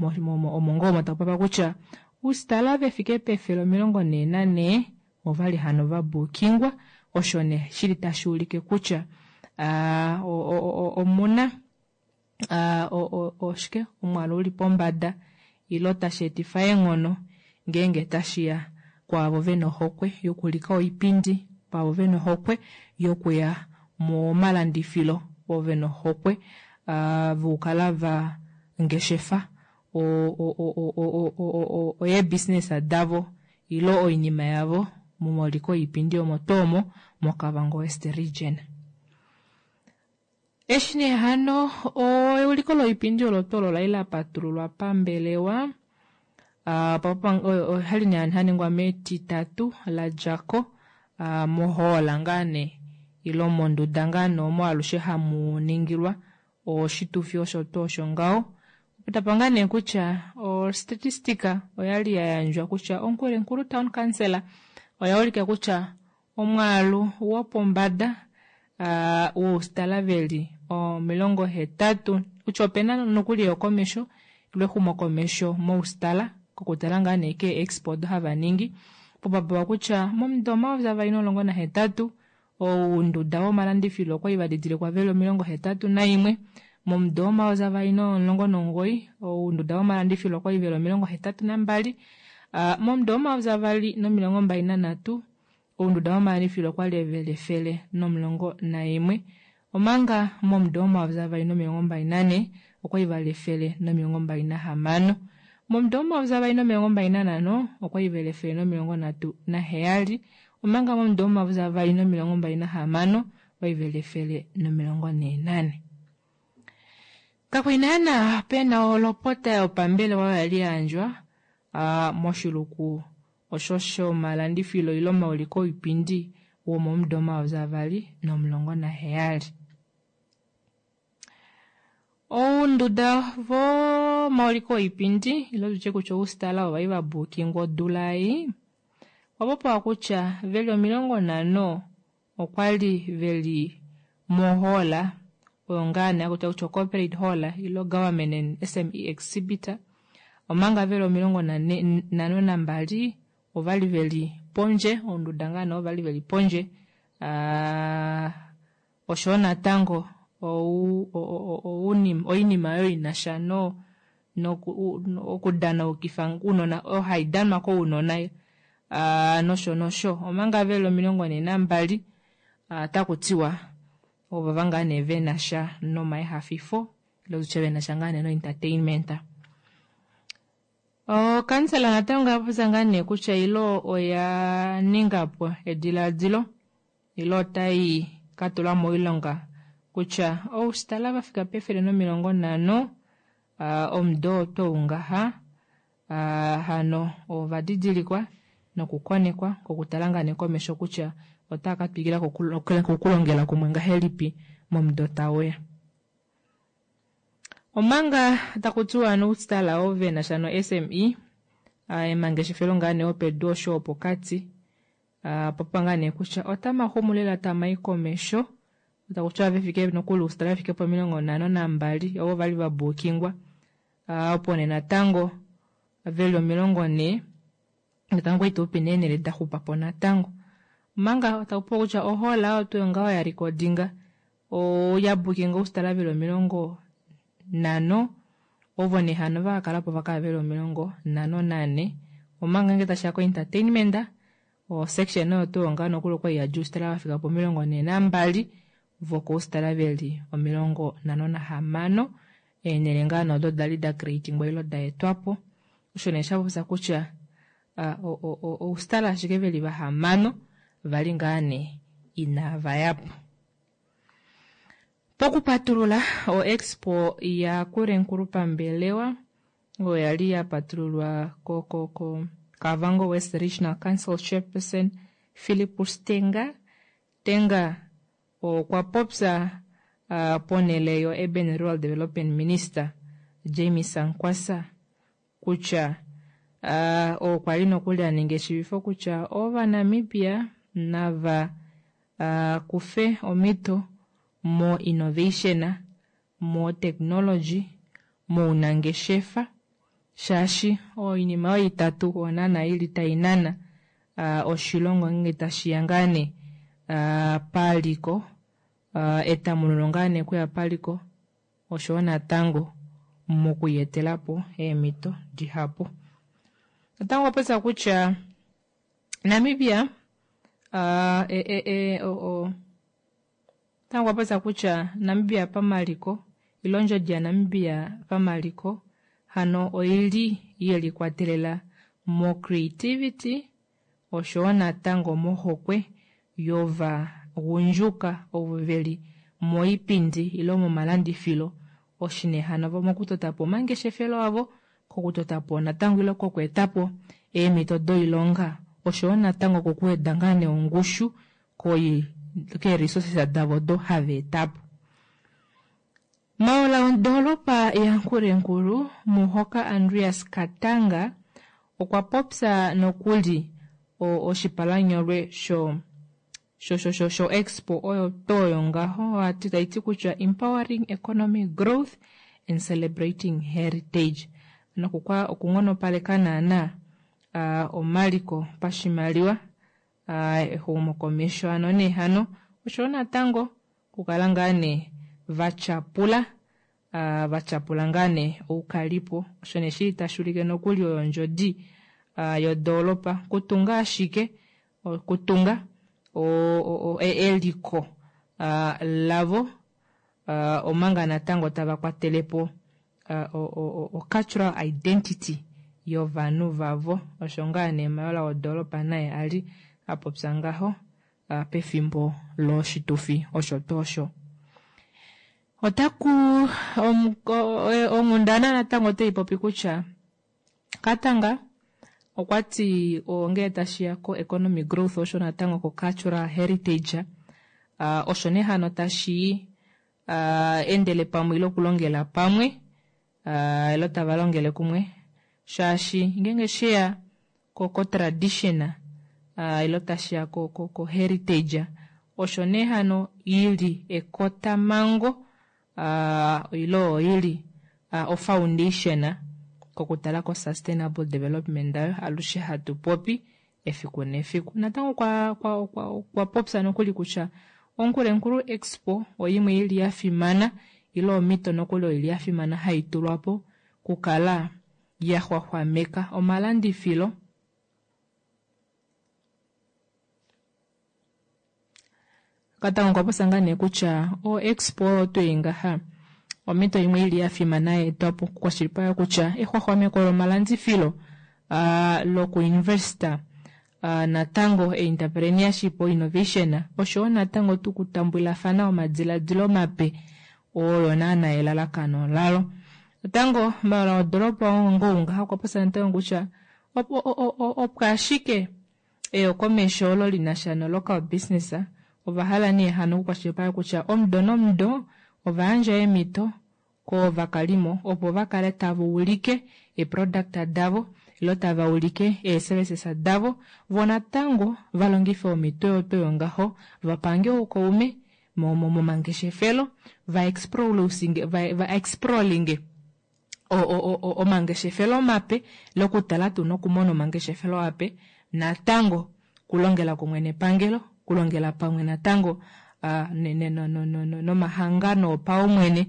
omo ngoo omo tapapa kutya oustala vefike pefele omilongo nhee nanhee ovali hano vabookingwa osho nee shili tashi ulike kutya omuna oshike omwaalu uli pombada ilo tashi etifa eenghono ngeenge tashiya kwaavo vena ohokwe yokulika oipindi kwaavo vena ohokwe yokuya momalandifilo ovo vena ohokwe vokukala va ngeshefa ee-business davo ilo oinima yavo momauliko oipindi omo tuu omo moKavango West Region. Eshi nee hano euliko loipindi olo tuu olo lali lapatululwa pambelewa oshali nee shaningwa metitatu ladjako mohoola ngaa nee ilo monduda ngaa nee omo alushe hamu ningilwa oshitufi osho tuu osho ngaho. Tapa ngaa nee kutya ostatistika oyali yayandjwa kutya oNkurenkuru Town Council oya ulika kutya omwaalu wopombada woustala veli omilongo hetatu kutya opena nokuli eyokomesho ilo exumokomesho moustala kokutala ngaa nee kee expo odo hava ningi popapewa kutya momudo omayovi avali nomulongo nahetatu ounduda vomalandifilo okwali vadidilikwa veli omilongo hetatu naimwe momudo omayovi avali nomulongo nomugoyi ounduda vomalandifilo okwali veli omilongo hetatu nambali momudo omayovi avali nomilongo mbali nanhatu ounduda vomalandifilo okwali veli efele nomulongo naimwe omanga momudo omayovi avali nomilongo mbali nanhe okwali vali efele nomilongo mbali nahamano momudo omayovi avali nomilongo mbali nanhano okwali veli efele nomilongo nhatu naheyali omanga momudo omayovi avali nomilongo mbali nahamano okwali veli efele nomilongo nhee nane. Kakwali naana pena olopota yopambelewa yali yayandjwa moshiluku osho shomalandifilo ilo omauliko oipindi womomudo omayovi avali nomulongo naheyali. Ounduda vomauliko oipindi ilo tutye kutya oustala ovali vabookingwa odula ei ovapopiwa kutya veli omilongo nhano okwali veli mohoola oyo ngaa nee hakutiwa kutya corporate hall ilo government and S M E exhibitor omanga veli omilongo nhano nambali ovali veli pondje ounduda ngaa nee ovali veli pondje oshowo natango ou- o- o- ounim- oinima oyo inasha no noku- okudanaukifa ounona oyo haidanwa kounona ah, nosho nosho omanga veli omilongo nhee nambali ah, takutiwa ovava ngaa nee venasha nomaihafifo ile tutye venasha ngaa nee noentertainment. Okansela natango oyapopya ngaa nee kutya ilo oya ningapo edilaadilo ilo otai katula moilonga kutya oustala vafika pefele nomilongo nhano ah, omudo oo twou ngaha ah, hano ovadidilikwa nokukonekwa kokutala ngaa nee komesho kutya otaa katwikila kokulongela kumwe ngahelipi momudo tauya. Omanga takutiwa noustala ovo venasha no-S M E ah, emangeshefelo ngaa nee opedu osho opokati ah, popya ngaa nee kutya otamaxumu lela tamai komesho takutiwa vefike nokuli oustala vefike pomilongo nhano nambali ovo vali vabuukingwa ah, opo nee natango veli omilongo nhee natango ituupi neenhele daxupapo natango omanga takupopiwa kutya ohola oyo tuu ngaho ya recordinga oya bukinga oustala veli omilongo nhano ovo nee hano vakakalapo vakala veli omilongo nhano nanhe omanga ngenge tashiya ko entertainment o section oyo tuu ngaho nokuli okwali yadja oustala vafika pomilongo nhee nambali vokoustala veli omilongo nhano nahamano eenhele ngaa nee odo dali da creatingwa ile daetwapo osho nee shapopya kutya ah, o- o- o- oustala ashike veli vahamano vali ngaa nee inavayapo. Pokupatulula o expo ya Nkurenkuru pambelewa oyo yali yapatululwa ko ko ko Kavango West Regional Council Chairperson Philipus Tenga Tenga okwa popya uh, ponele yo Urban Rural Development Minister Jamie Sankwasa kutya uh, okwa li nokuli aninga eshivifo kutya ovanamibia nava uh, kufe omhito mo innovation mo technology mounangeshefa shaashi oinima oyo itatu onana ili tainana uh, oshilongo ngenge tashiya ngaa nee uh, paliko uh, etamununo ngaa nee kuya paliko oshowo natango mokuyetelapo eemhito dihapu. Natango okwa popya kutya Namibia uh, e, e, e, o, o, natango okwa popya kutya Namibia pamaliko ile ondjodi yaNamibia pamaliko hano oili yelikwatelela mo creativity oshowo natango mohokwe yovagundjuka ovo veli moipindi ile momalandifilo oshine hano mokutotapo omangeshefelo avo kokutotapo natango ile kokweetapo eemhito doilonga oshowo natango kokuweda ngaa nee ongushu koi keeresources davo odo hava etapo. Mayola wodoropa yaNkurenkuru Muhoka Andreas Katanga okwa popya nokuli oshipalanyolwe sho sho sho sho sho expo oyo toyo ngaho ati taiti kutya empowering economic growth and celebrating heritage nokukwa okunghonopaleka naana uh, omaliko pashimaliwa uh, exumokomesho ano nee hano oshowo natango okukala ngaa nee vatyapula uh, vatyapula ngaa nee oukalipo osho nee shili tashi ulike nokuli oyo ondjodi uh, yodoropa kutunga ashike kutunga o, o, o, eliko uh, lavo uh, omanga natango tava kwatelepo uh, o, o, o cultural identity yovanhu vavo osho ngaa nee mayola wodoropa naye ali apopya ngaho uh, pefimbo loshitufi osho tuu osho. Otaku onghundana natango otaipopi kutya Katanga okwati ngele tashiya ko economic growth osho natango ko cultural heritage uh, osho nee hano tashi uh, endele pamwe ile okulongela pamwe uh, ilo tava longele kumwe shaashi ngenge sheya ko, ko tradition uh, ilo tashiya ko, ko, ko heritage osho nee hano ili ekotamango uh, ilo oili uh, o foundation kokutala ko sustainable development ayo alushe hatu popi efiku nefiku. Natango kwa, kwa, kwa, kwa popya nokuli kutya Onkurenkuru Expo oimwe ili yafimana ile omito nokuli oili yafimana haitulwapo kukala yaxwaxwameka omalandifilo. Katango okwa popya ngaa nee kutya o expo oyo tuu ngaha omito imwe ili yafimana yaetwapo okukwashilipaleka kutya exwaxwameko lomalandifilo uh, lokuinvesta uh, natango entrepreneurship innovation oshowo natango tuu okutambulafana omadiladilo mape oyo naana elalakano lalo. Natango mayola wodoropa ongo ngaha okwa popya natango kutya opo ashike eyokomesho olo linasha no local business ovahala nee hano okukwashilipaleka kutya omudo nomudo ovayandja eemhito kovakalimo opo vakale tava ulike eeproduct davo ile tava ulike eeservices davo voo natango valongife omhito oyo tuu ngaho vapange oukaume momangeshefelo va exploringe omangeshefelo mape lokutala tuu nokumona omangeshefelo ape natango kulongela kumwe nepangelo kulongela pamwe natango nomahangano opaumwene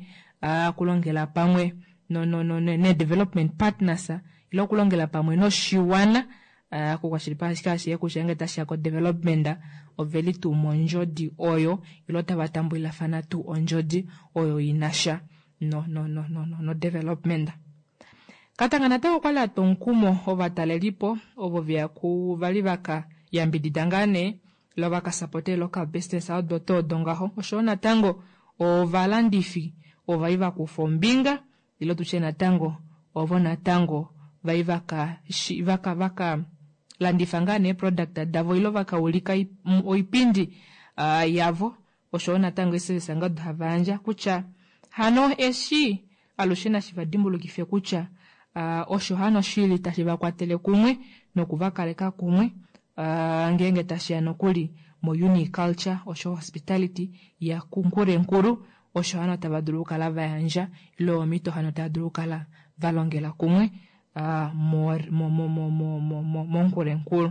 kulongela pamwe ne-development partners ile okulongela pamwe noshiwana okukwashilipaleka ashike kutya ngenge tashiya ko-development oveli tuu mondjodi oyo ile otava tambulilafana tuu ondjodi oyo inasha no, no, no, no, no, no development. Katanga natango okwali atwa omukumo ovatalelipo ovo veya ku vali vaka yambidida ngaa nee lo vakasapote local business odo tuu odo ngaho oshowo natango ovalandifi ovali vakufa ombinga ile tutye natango ovo natango vai vaka vaka vaka landifa ngaa nee product davo ile vakaulika oipindi uh, yavo oshowo natango eeservice nga odo hava yandja kutya hano eshi alushe nashi vadimbulukife kutya uh, osho hano shili tashi vakwatele kumwe nokuvakaleka kumwe uh, ngeenge tashiya nokuli mo uniculture osho hospitality ya Nkurenkuru osho hano tava dulu okukala vayandja ile omito hano tava dulu okukala valongela kumwe uh, moNkurenkuru.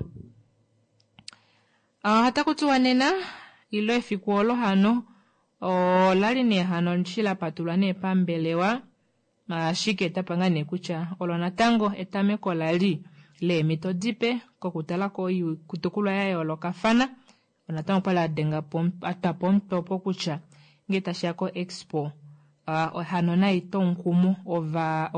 Uh, otaku nena ilo efiku olo hano olali nee hano shi lapatulwa nee pambelewa ashike tapanga nee kutya olo natango etameko lali leemito dipe kokutala koitukulwa ya yoolokafana natango okwali adenga atwapo omutopo kutya ngee tashiya ko expo uh, hano naitwa omukumo ova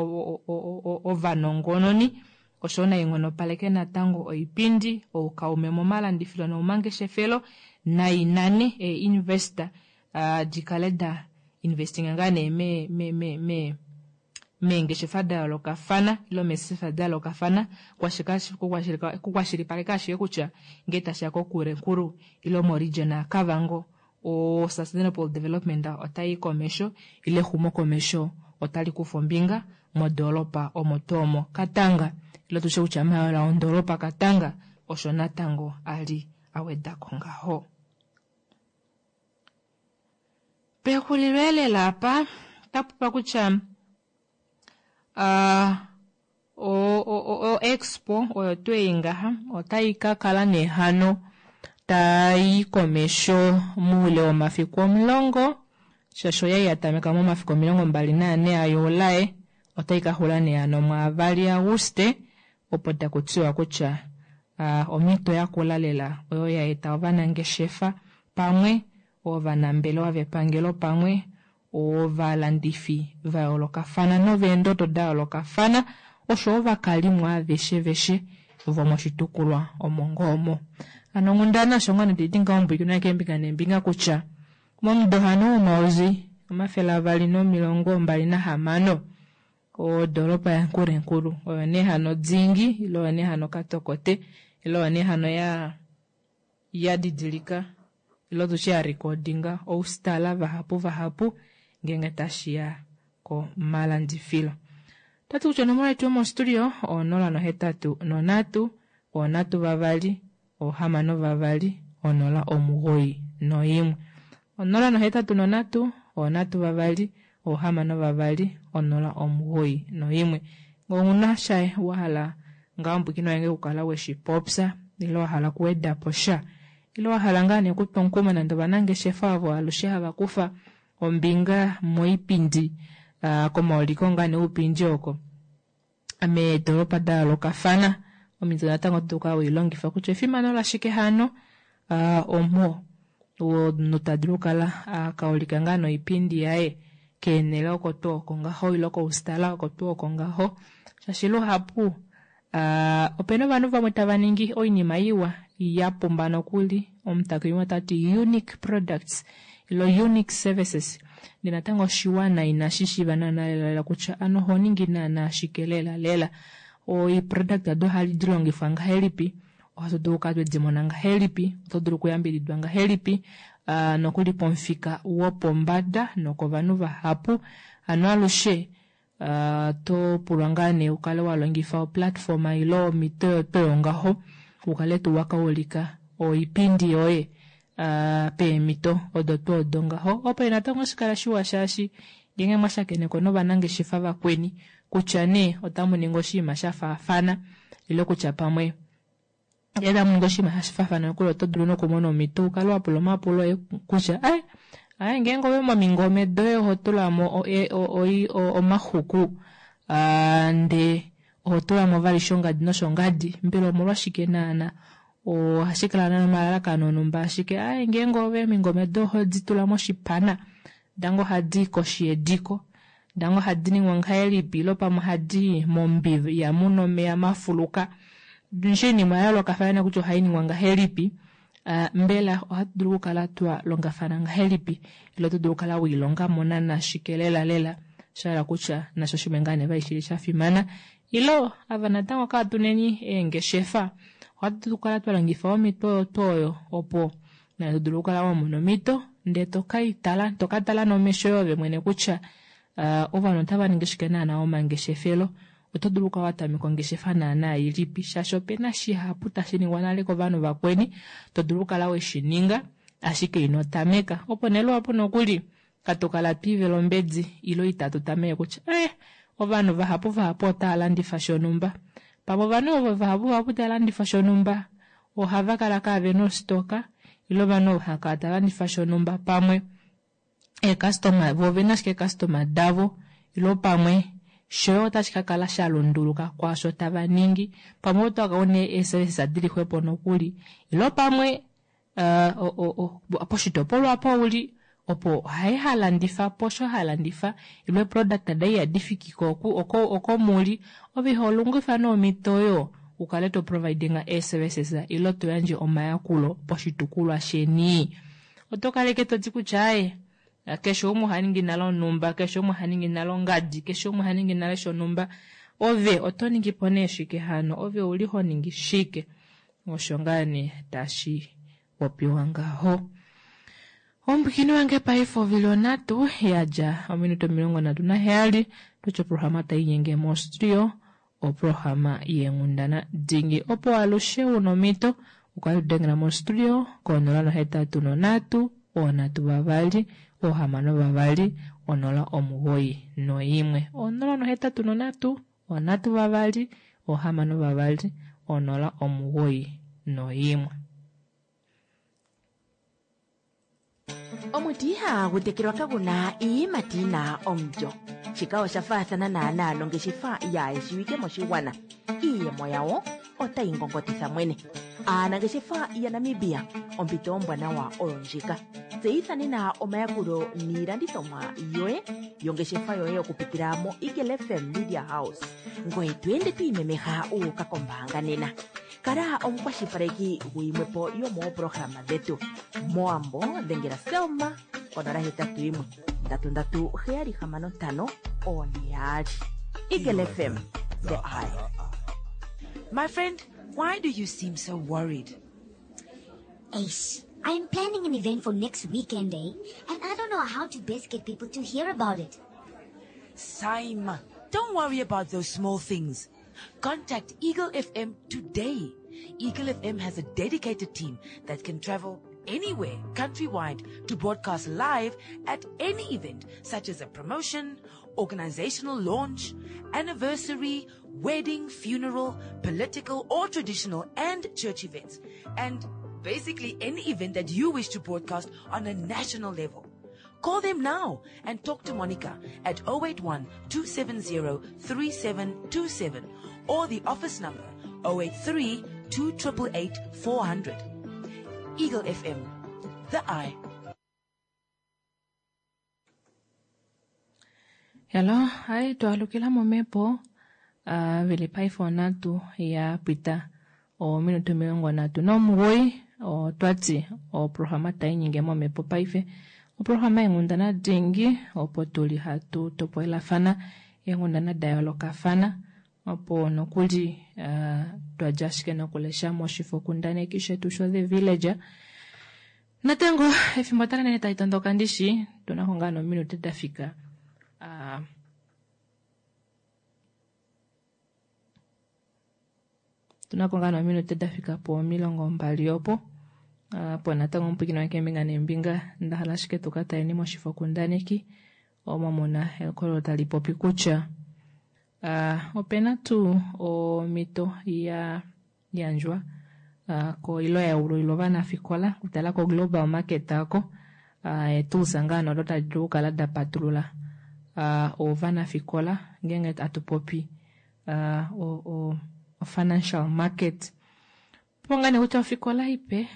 ovanongononi oshowo nainghonopaleke natango oipindi oukaume momalandifilo nomomangeshefelo nainane ee-investor uh, dikale da investinga ngaa nee me, me, me, me meengeshefa da yoolokafana ile meesefa da yoolokafana kukwashilipaleka ashike kutya ngee tashiya koNkurenkuru ile moregion yaKavango o sustainable development otayi komesho ile exumo komesho otali kufa ombinga modoropa omo tuu omo Katanga ile tushe kutya mayola wondoropa Katanga osho natango ali awedako ngaho. Pexulilo elela apa otapupa kutya uh, o, o, o expo oyo tuu ei ngaha otai ka kala nehano tai komesho muule womafiku omulongo shaashi oyai yatameka momafiku omilongo mbali naane aJulae otai ka xula nee hano mwaavali Auguste opo takutiwa kutya uh, omhito yakula lela oyo ya eta ovanangeshefa pamwe ovanambelewa vepangelo pamwe ovalandifi va yoolokafana noveendodo da yoolokafana osho ovakalimo aveshe veshe vomoshitukulwa omo ngoomo. Hano onghundana osho ngoo nee ngaho mbwikinwa keembinga neembinga kutya momudo hano womayovi omafele avali nomilongo mbali nahamano odoropa yaNkurenkuru oyo nee hano dingi ile oyo nee hano katokote ile oyo nee hano ya ya didilika ile tushe ya recordinga oustala vahapu vahapu ngenge tashiya komalandifilo. Tati kutya onomola yetu yomostudio onola nohetatu nonhatu onhatu vavali ohamano vavali onola omugoyi noimwe onola nohetatu nonhatu onhatu vavali ohamano vavali onola omugoyi noimwe. Ngee ouna sha wahala ngaho mbwikina wange okukala weshipopya ile wahala okuwedapo sha Ile wa hala ngaa nee okutwa omukumo nande ovanangeshefa ovo alushe hava kufa ombinga moipindi uh, komauliko ngaa nee oupindi oko meedoropa da yoolokafana omito natango oto kala weilongifa kutya efimano lashike hano uh, omo omunhu ta dulu okukala akaulika ngaa noipindi yaye keenele oko tuu oko ngaho ile koustala oko tuu oko ngaho shaashi luhapu uh, opena ovanhu vamwe tava ningi oinima iwa ya pumba nokuli omutakumi otati unique products ilo unique services ndee natango oshiwana inashi shiiva naana lelalela kutya ano oho ningi naana ashike lela lela oiproduct ado ohadi longifwa ngahelipi ohatu dulu okukala twedi mona ngahelipi oto dulu okuyambididwa ngahelipi uh, nokuli pomufika wopombada nokovanhu vahapu hano alushe uh, to pulwa ngaa nee ukale wa longifa oplatform ile omito yoto ngaho ukale tuu wakaulika oipindi yoye uh, peemito odo tuu odo ngaho opo natango oshikala shiwa shaashi ngeenge mwashakeneko novanangeshefa vakweni kutya nee otamu ningi oshinima sha faafana ile kutya pamwe ngee tamu ningi oshinima sha faafana nokuli oto dulu nokumona omhito ukale wa pula omapulo oye kutya ai ai ngeenge ove momingome doye oho tulamo omaxuku uh, ndee oho tulamo vali shongadi noshongadi mbela omolwashike naana ohashi kala nomalalakano onumba ashike ai ngeenge ove omingome doye ohodi tula moshipana dango ohadi koshi yediko dango ohadi ningwa ngahelipi ile pamwe ohadi mombiva ihamuna omeya mafuluka oshinima ya yoolokafana kutya ohayi ningwa ngahelipi uh, mbela ohatu dulu okukala twa longafana ngahelipi ile oto dulu okukala wiilongamo naana shike lela lela shahala kutya nasho shimwe ngaa nee vali shili sha fimana ilo ava natango kaatuneni eengeshefa ohatu dulu okukala twa longifa omito oyo tuu oyo opo naye to dulu okukala wa mona omito ndee tokaitala tokatala nomesho yoye mwene kutya uh, ovanhu otava ningi shike naana omangeshefelo oto dulu okukala wa tameka ongeshefa naana ilipi shaashi opena shihapu tashi ningwa nale kovanhu vakweni to dulu okukala weshi ninga ashike ino tameka opo nee luhapu nokuli katokala twiivela ombedi ilo itatu tameke kutya eh ovanhu vahapu vahapu otava landifa shonumba pamwe ovanhu ovo vahapu vahapu tava landifa shonumba ohava kala kaavena ostoka ile ovanhu ovo hava kala tava landifa shonumba pamwe eecustoma vo ovena ashike eecustoma davo ilo pamwe shoye otashi ka kala sha lunduluka kwaasho tava ningi pamwe otaka une eeservices dili xwepo nokuli ilo pamwe uh, o, o, o, poshitopolwa opo uli opo haye halandifa po osho halandifa ile product daye ihadi fiki ko oko, oko muli ove iho longifa nomhito oyo ukale to providinga eeservices ilo to yandje omayakulo poshitukulwa sheni oto kaleke toti kutya aye keshe umwe oha ningi nale onumba keshe umwe oha ningi nale ongadi keshe umwe oha ningi nale shonumba ove oto ningi po nee shike hano ove uli ho ningi shike osho ngaa nee tashi popiwa ngaho omupwikini wange paife ovili onhatu yadja ominute omilongo nhatu naheyali tutye oprograma tainyenge mostudio oprograma yeenghundana dingi opo alushe una omhito ukale tudengela mostudio konola nohetatu nonhatu oonhatu vavali oohamano vavali onola omugoyi noimwe onola nohetatu nonhatu onhatu vavali oohamano vavali onola omugoyi noimwe.
Omuti ihagu tekelwa kaguna iiyimati yina omulyo. Shika osha faathana naana nongeshefa yaayeshiwike moshigwana. Iiyemo yawo otayi ngongotitha mwene. Aanangeshefa yaNamibia, ompito ombwanawa oyo ndjika. Tseyitha nena omayakulo niilandithomwa yoye yongeshefa yoye okupitila mo Eagle F M Media House. Ngoye to ende to imemeha uuka kombaanga nena. Kala omukwashilipaleki guyimwepo yomoopolohalama dhetu. Moambo dhengela Selma konola hetatu yimwe ndatu ndatu heyali hamano ntano one yaali. Eagle F M, the eye.
My friend, why do you seem so worried?
Ace, I'm planning an event for next weekend, eh? And I don't know how to best get people to hear about it.
Saima, don't worry about those small things. Contact Eagle F M today. Eagle F M has a dedicated team that can travel anywhere countrywide to broadcast live at any event, such as a promotion, organizational launch, anniversary, wedding, funeral, political or traditional and church events. And Basically, any event that you wish to broadcast on a national level. Call them now and talk to Monica at oh eight one, two seven zero, three seven two seven or the office number oh eight three, two triple eight, four hundred. Eagle F M, the eye.
Hello, hai twalukila momepo uh, vili paife onhatu ya pita ominute omilongo nhatu nomugoyi otwati oprograma tainyinge momepo paife. Oprograma yenghundana dingi opo tuli hatu topolelafana eenghundana da yoolokafana opo nokuli uh, twadja ashike nokulesha moshifokundaneki shetu sho The Villager. Natango efimbo tala nene tali tondoka ndishi tunako ngaa nominute dafika uh, tunako ngaa nominute dafika po omilongo mbali opo. Uh, po natango omupwikini wange keembinga neembinga ndahala ashike tukataleni moshifokundaneki omo muna ekololo tali popi kutya uh, opena tuu omito ya yandjwa uh, koilo ya ululilwa ovanafikola okutala ko global market ako uh, etuusa ngaa nodo tadi dulu okukala dapatulula uh, ovanafikola ngeenge atupopi uh, o, o, o financial market. Opo ngaa nee kutya ofikola ipe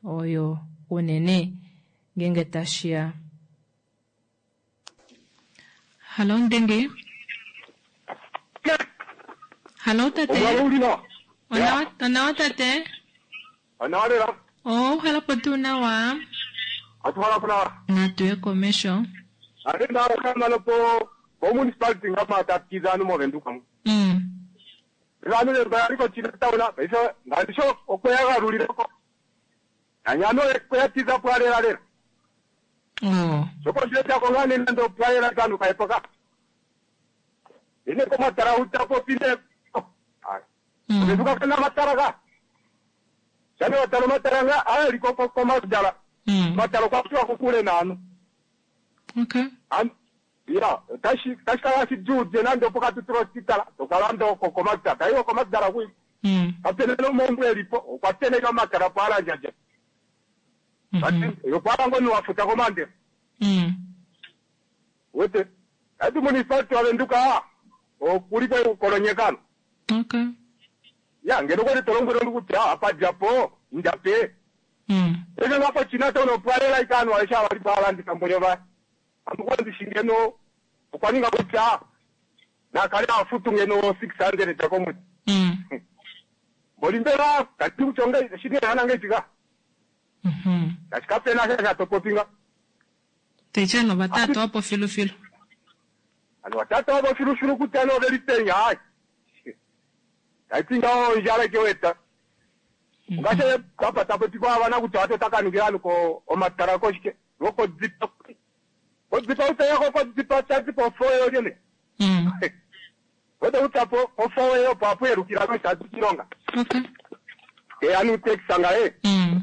oyo unene ngeenge tashiya. Hallo Ndenge. Hallo tate. Onawa, onawa tate.
Onawa lela.
Oh, halapo tuu nawa.
Atuhalapo nawa.
Natuye komesho.
Ate ndawo kama lopo bo municipality ngama tatiza anu movenduka mu.
Mm.
Vanhu vemba ko china tauna, iso ngandisho okweyagalulireko. Anyano ekweyatiza pwalela lela.
Oh.
Soko ndeta kongane nando pwalela kanu kaepoka. Ine komatara utapo pine. Ai. Ovenduka kana matara ka. Shane watalo matara nga aya liko komatara.
Mm.
Mataro kwa kwa kukule nanu.
Okay.
An ya tashi tashi kala si jude nando poka tutro titala tokalando kokomatara tayo komatara kui.
Mm.
Kapene no mombwe lipo okwatene kamatara pala jaja.
Mm-hmm.
Yo pala ngoni wafuta komande.
Mm.
Wete ati municipality wavenduka okulipo kolonyekano.
Okay.
Ya ngeno kwali tolongwero ndikuti apa japo ndape.
Mm.
Eke ngapo china tono pwalela ikano aisha wali pala ndikambonya ba. Amukwanzi shingeno okwaninga kutya nakale afutu ngeno six hundred takomu.
Mm.
Bolimbera kati kuchonga shingeno hanange tika.
Mhm.
Kachikapena sha topopinga.
Techano batatu hapo filu filu.
Ano watatu hapo filu filu kutano velitenya hai. Kaitinga o njala keweta. Ngashe kapa tapo abana kuti atotakanukira ko omatara koshike. Loko dzipa. Kodzipa utaya ko dzipa tadzipa foyo yene.
Mm.
Wete utapo ofoyo papo erukira ko shadukilonga.
Okay.
E anu texanga e.
Mm.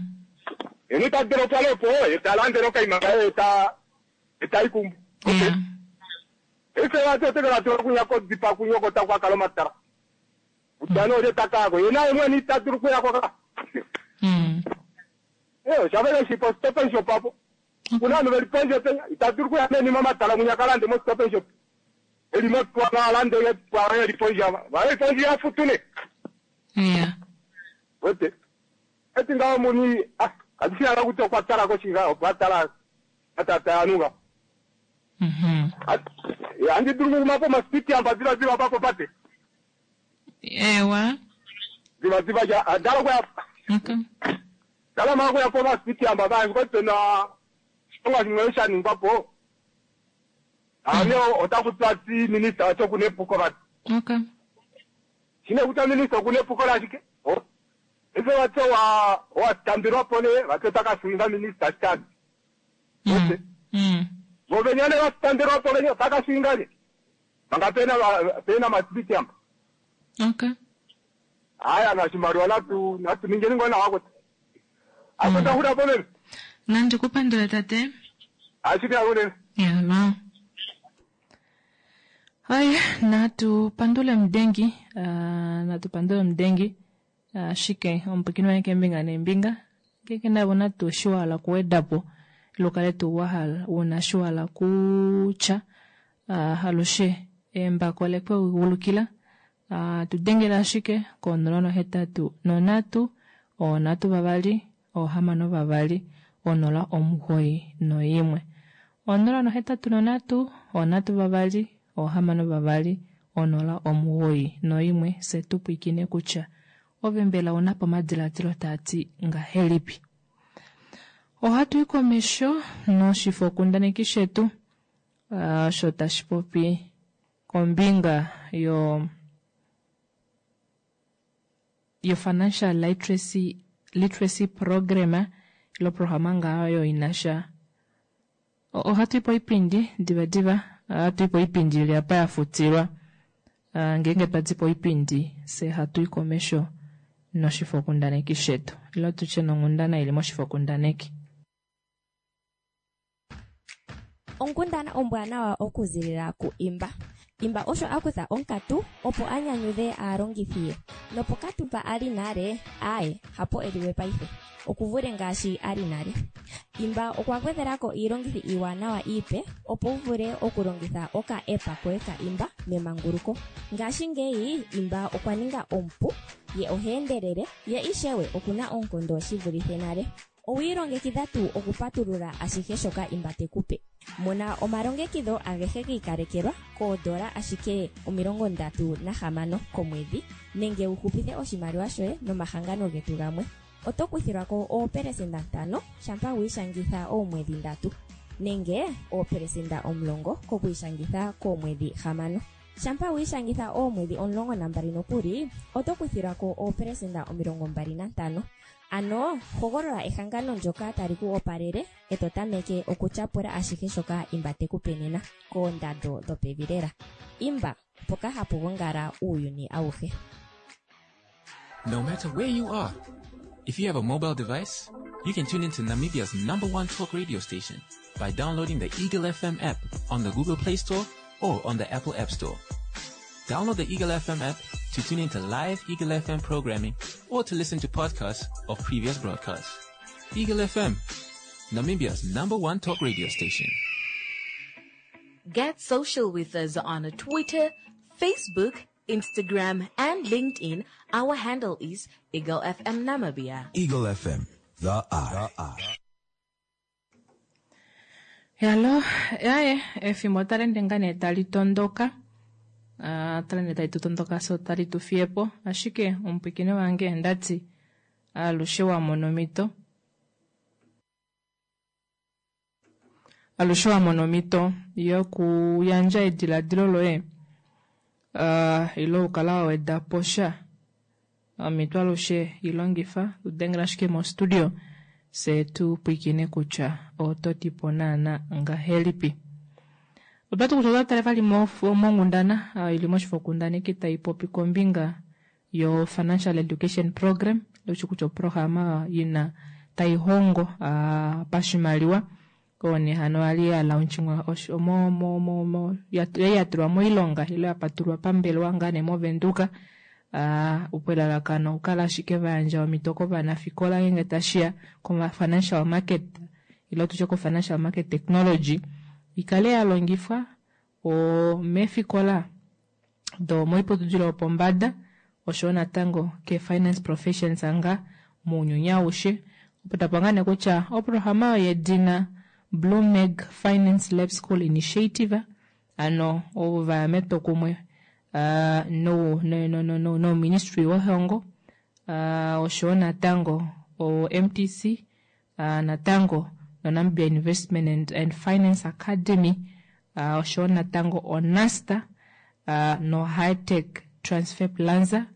Enu tadero pale po e talandero kaima e ta e taikumbu.
Yeah.
Ese wato tekela to kunya ko dzipa kunyo ko takwa kalomatara. Utano le takako yena imwe ni taduru kuya ko ka.
Mm.
Eh, shavele shipo stop and shop apo. Kuna no veli penjo penya itaduru kuya meni mama tala munya kalande mo stop and shop. Eli mo kwa na lande ye kwa ye liponja. Ba ye ponja ya futune.
Yeah.
Wete. Eti ngawo muni ah kadisi ala kuto kwa tala ko chinga kwa tala atata anuga.
Mhm.
Ya andi duru mapo maspiti amba zira zira papo pate.
Ewa.
Ziba ziba ya dala kwa
Okay.
Dala ma kwa po maspiti amba ba ko tena onga ngwesha ningwapo. Ane otakutwa ti minister ato kunepuko ba.
Okay.
Shine kuta minister kunepuko la shike. Oh. Ife wato wa wa tambirwa pole watotaka suinga minister stad.
Mm. Mm.
Govenyane wa tambirwa pole nyo taka suinga le. Banga pena pena maspiti amba.
Okay.
Aya na shimarwa na tu na tu ningeni ngona wako. Akota hura pole.
Nandi kupandula tate.
Ashika hura.
Yala. Haya, natupandule mdengi, uh, natupandule mdengi. Uh, shike ompukini wange mbinga nembinga. Ngeenge nave ouna tuu eshi wahala okuweda po ile ukale tuu wahala una eshi wahala kutya, alushe embako olekweulukila. Tudengela ashike ko nola nohetatu nonhatu onhatu vavali ohamano vavali onola omugoyi noimwe. Onola nohetatu nonhatu onhatu vavali ohamano vavali onola omugoyi noimwe fye tupwiikine kutya ove mbela ounapo omadilaadilo taati ngahelipi. Ohatu komesho noshifokundaneki shetu osho tashi popi kombinga yo yo financial literacy literacy program ilo programa ngayo inasha ohatu ipo oipindi diva diva ohatu ipo oipindi ili apa yafutilwa ngeenge twadipo oipindi fye hatu i komesho noshifokundaneki shetu ilo tutye nonghundana ili moshifokundaneki.
Onkundana ombwanawa okuzilila ku Imba. Imba osho a kutha onkatu opo a nyanyudhe aalongithi ye. Nopokatu mpa a li nale, aaye, hapo e liwe paife. Okuvule ngaashi a li nale. Imba okwa gwedhela ko iilongithi iiwanawa iipe opo wu vule okulongitha oka-app koye ka Imba memanguluko. Ngashingeyi Imba okwa ninga omupu, ye oha endelele, ye ishewe okuna oonkondo shi vulithe nale. Owi ilongekidha tuu okupatulula ashihe shoka Imba te ku pe? Mona omalongekidho agehe gi ikalekelwa koodola ashike omilongo ndatu nahamano komwedhi nenge wu hupithe oshimaliwa shoye nomahangano getu gamwe. Oto kuthilwa ko oopelesenda ntano shampa wi ishangitha oomwedhi ndatu nenge oopelesenda omulongo kokwiishangitha koomwedhi hamano. Shampa wi ishangitha oomwedhi omulongo nambali nokuli oto kuthilwa ko oopelesenda omilongo mbali nantano. Ano hogolola ehangano ndyoka tali ku opalele e to tameke okutyapula ashihe shoka Imba te ku pe nena koondando dhopevi lela. Imba, mpoka hapu gongala uuyuni awuhe.
No matter where you are, if you have a mobile device, you can tune into Namibia's number one talk radio station by downloading the Eagle F M app on the Google Play Store or on the Apple App Store. Download the Eagle F M app to tune into live Eagle F M programming or to listen to podcasts of previous broadcasts. Eagle F M, Namibia's number one talk radio station.
Get social with us on Twitter, Facebook, Instagram, and LinkedIn. Our handle is Eagle F M Namibia.
Eagle F M, the Eye. The Eye.
Yalo, yaye, efimbo otali ende ngaa nee tali tondoka. Uh, otali ende tali tu tondoka so tali tu fiyepo. Ashike omupwikine wange ndati alushe wa mona omhito. Alushe wa mona omhito yokuyandja ediladilo loye uh, ile okukala wa weda po sha. Omhito alushe ilongifa, tudengela ashike mostudio se tu pwikine kutya oto ti po naana ngahelipi. Otwati kutya otwa tale vali monghundana ili moshifokundaneki tai popi kombinga yo Financial Education Program, leushi kutya oprograma ina tai hongo uh, pashimaliwa one hano ali ya launchingwa mo mo mo mo ya tulwa moilonga ile ya patulwa pambelewa ngaa nee moVenduka uh, opo elalakano okukala ashike vayandja omhito kovanafikola ngenge tashiya ko financial market ile tutye ko financial market technology ikale ya longifwa meefikola domoiputudilo yopombada oshoyo natango ke finance professions anga mounyuni aushe. Opo tapa ngaa nee kutya oprograma yedina Bloomberg Finance Lab School Initiative ano ovo vaya metwokumwe uh, no, no, no, no, no, no ministry wehongo uh, oshoyo natango o M T C uh, natango no Namibia Investment and, and Finance Academy uh, oshoyo natango oNASTA uh, no High Tech Transfer Plaza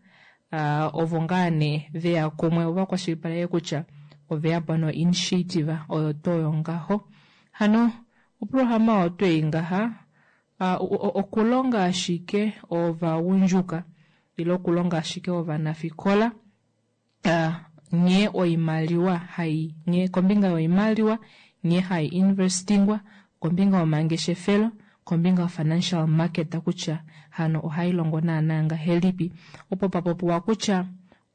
uh, ovo ngaa nee veya kumwe ova kwashilipaleke kutya oveya po no initiative oyo toyo ngaho. Hano oprograma oyo tweyi ngaha uh, okulonga ashike ovagundjuka ile okulonga ashike ovanafikola uh, nghee oimaliwa hai nghee kombinga yoimaliwa nghee hai investingwa kombinga yomangeshefelo kombinga yo financial market kutya hano ohai longo naana ngahelipi. Opo papopiwa kutya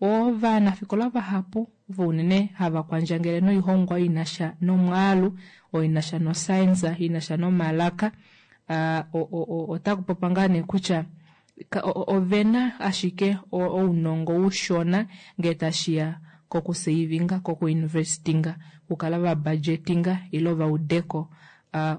ovanafikola vahapu ovo unene hava kwandjangele noihongwa oyo inasha nomwaalu, oyo inasha noscience, inasha nomalaka, ota kupopa ngaa nee kutya ovena ashike ounongo ushona ngee tashiya kokusavinga, kokuinvestinga, okukala vabudgetinga ile vaudeko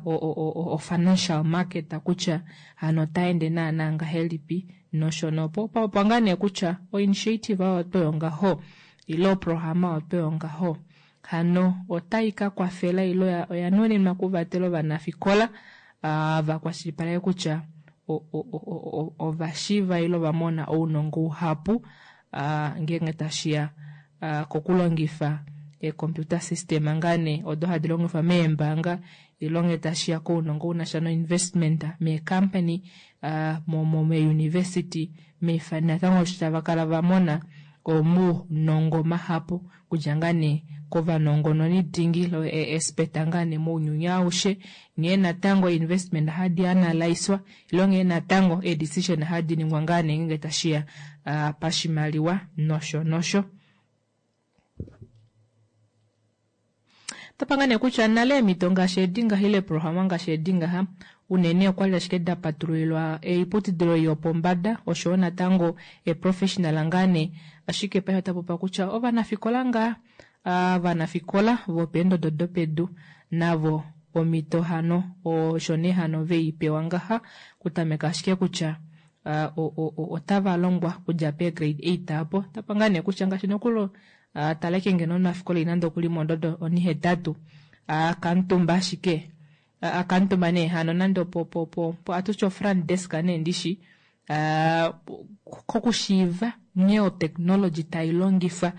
o-financial market kutya hano otaende naana ngahelipi nosho nopo opo ngaa nee kutya o-initiative oyo oyo ngaho ile oprograma oyo ngaho hano otai ka kwafela ile oya nuninwa okuvatela ovanafikola vakwashilipaleke kutya ovashiiva ile ovamona ounongo uhapu ngeenge tashiya kokulongifa e-computer system ngaa nee odo hadi longifwa meembaanga ile ngee tashiya kounongo unasha no-investment meecompany meeuniversity natango osho tava kala vamona omaunongo mahapu kudja ngaa nee kovanongononi dingi ile ee-expert ngaa nee mounyuni aushe, nghee natango investment hadi analyswa ile nghee natango ee-decision hadi ningwa ngaa nee ngeenge tashiya pashimaliwa nosho nosho. Topanga nee kutya nale eemhito ngaashi edi ngaha ile eeprograma ngaashi edi ngaha unene okwali ashike da patululilwa oiputudilo yopombada oshoyo natango eeprofessional ngaa nee, ashike paife ota popiwa kutya ovanafikola ngaa ovanafikola vopeendodo dopedu navo omhito hano osho nee hano veipewa ngaha kutameka ashike kutya otava longwa kudja pee grade eight apo tapanga nee kutya ngaashi nokulo taleke ngeno omunafikola ina nande okuli mondodo onihetatu akamutumba ashike akamutumba nee hano nande opo po po atutya ofront desk nee ndishi kokushiiva nghee otechnology tai longifwa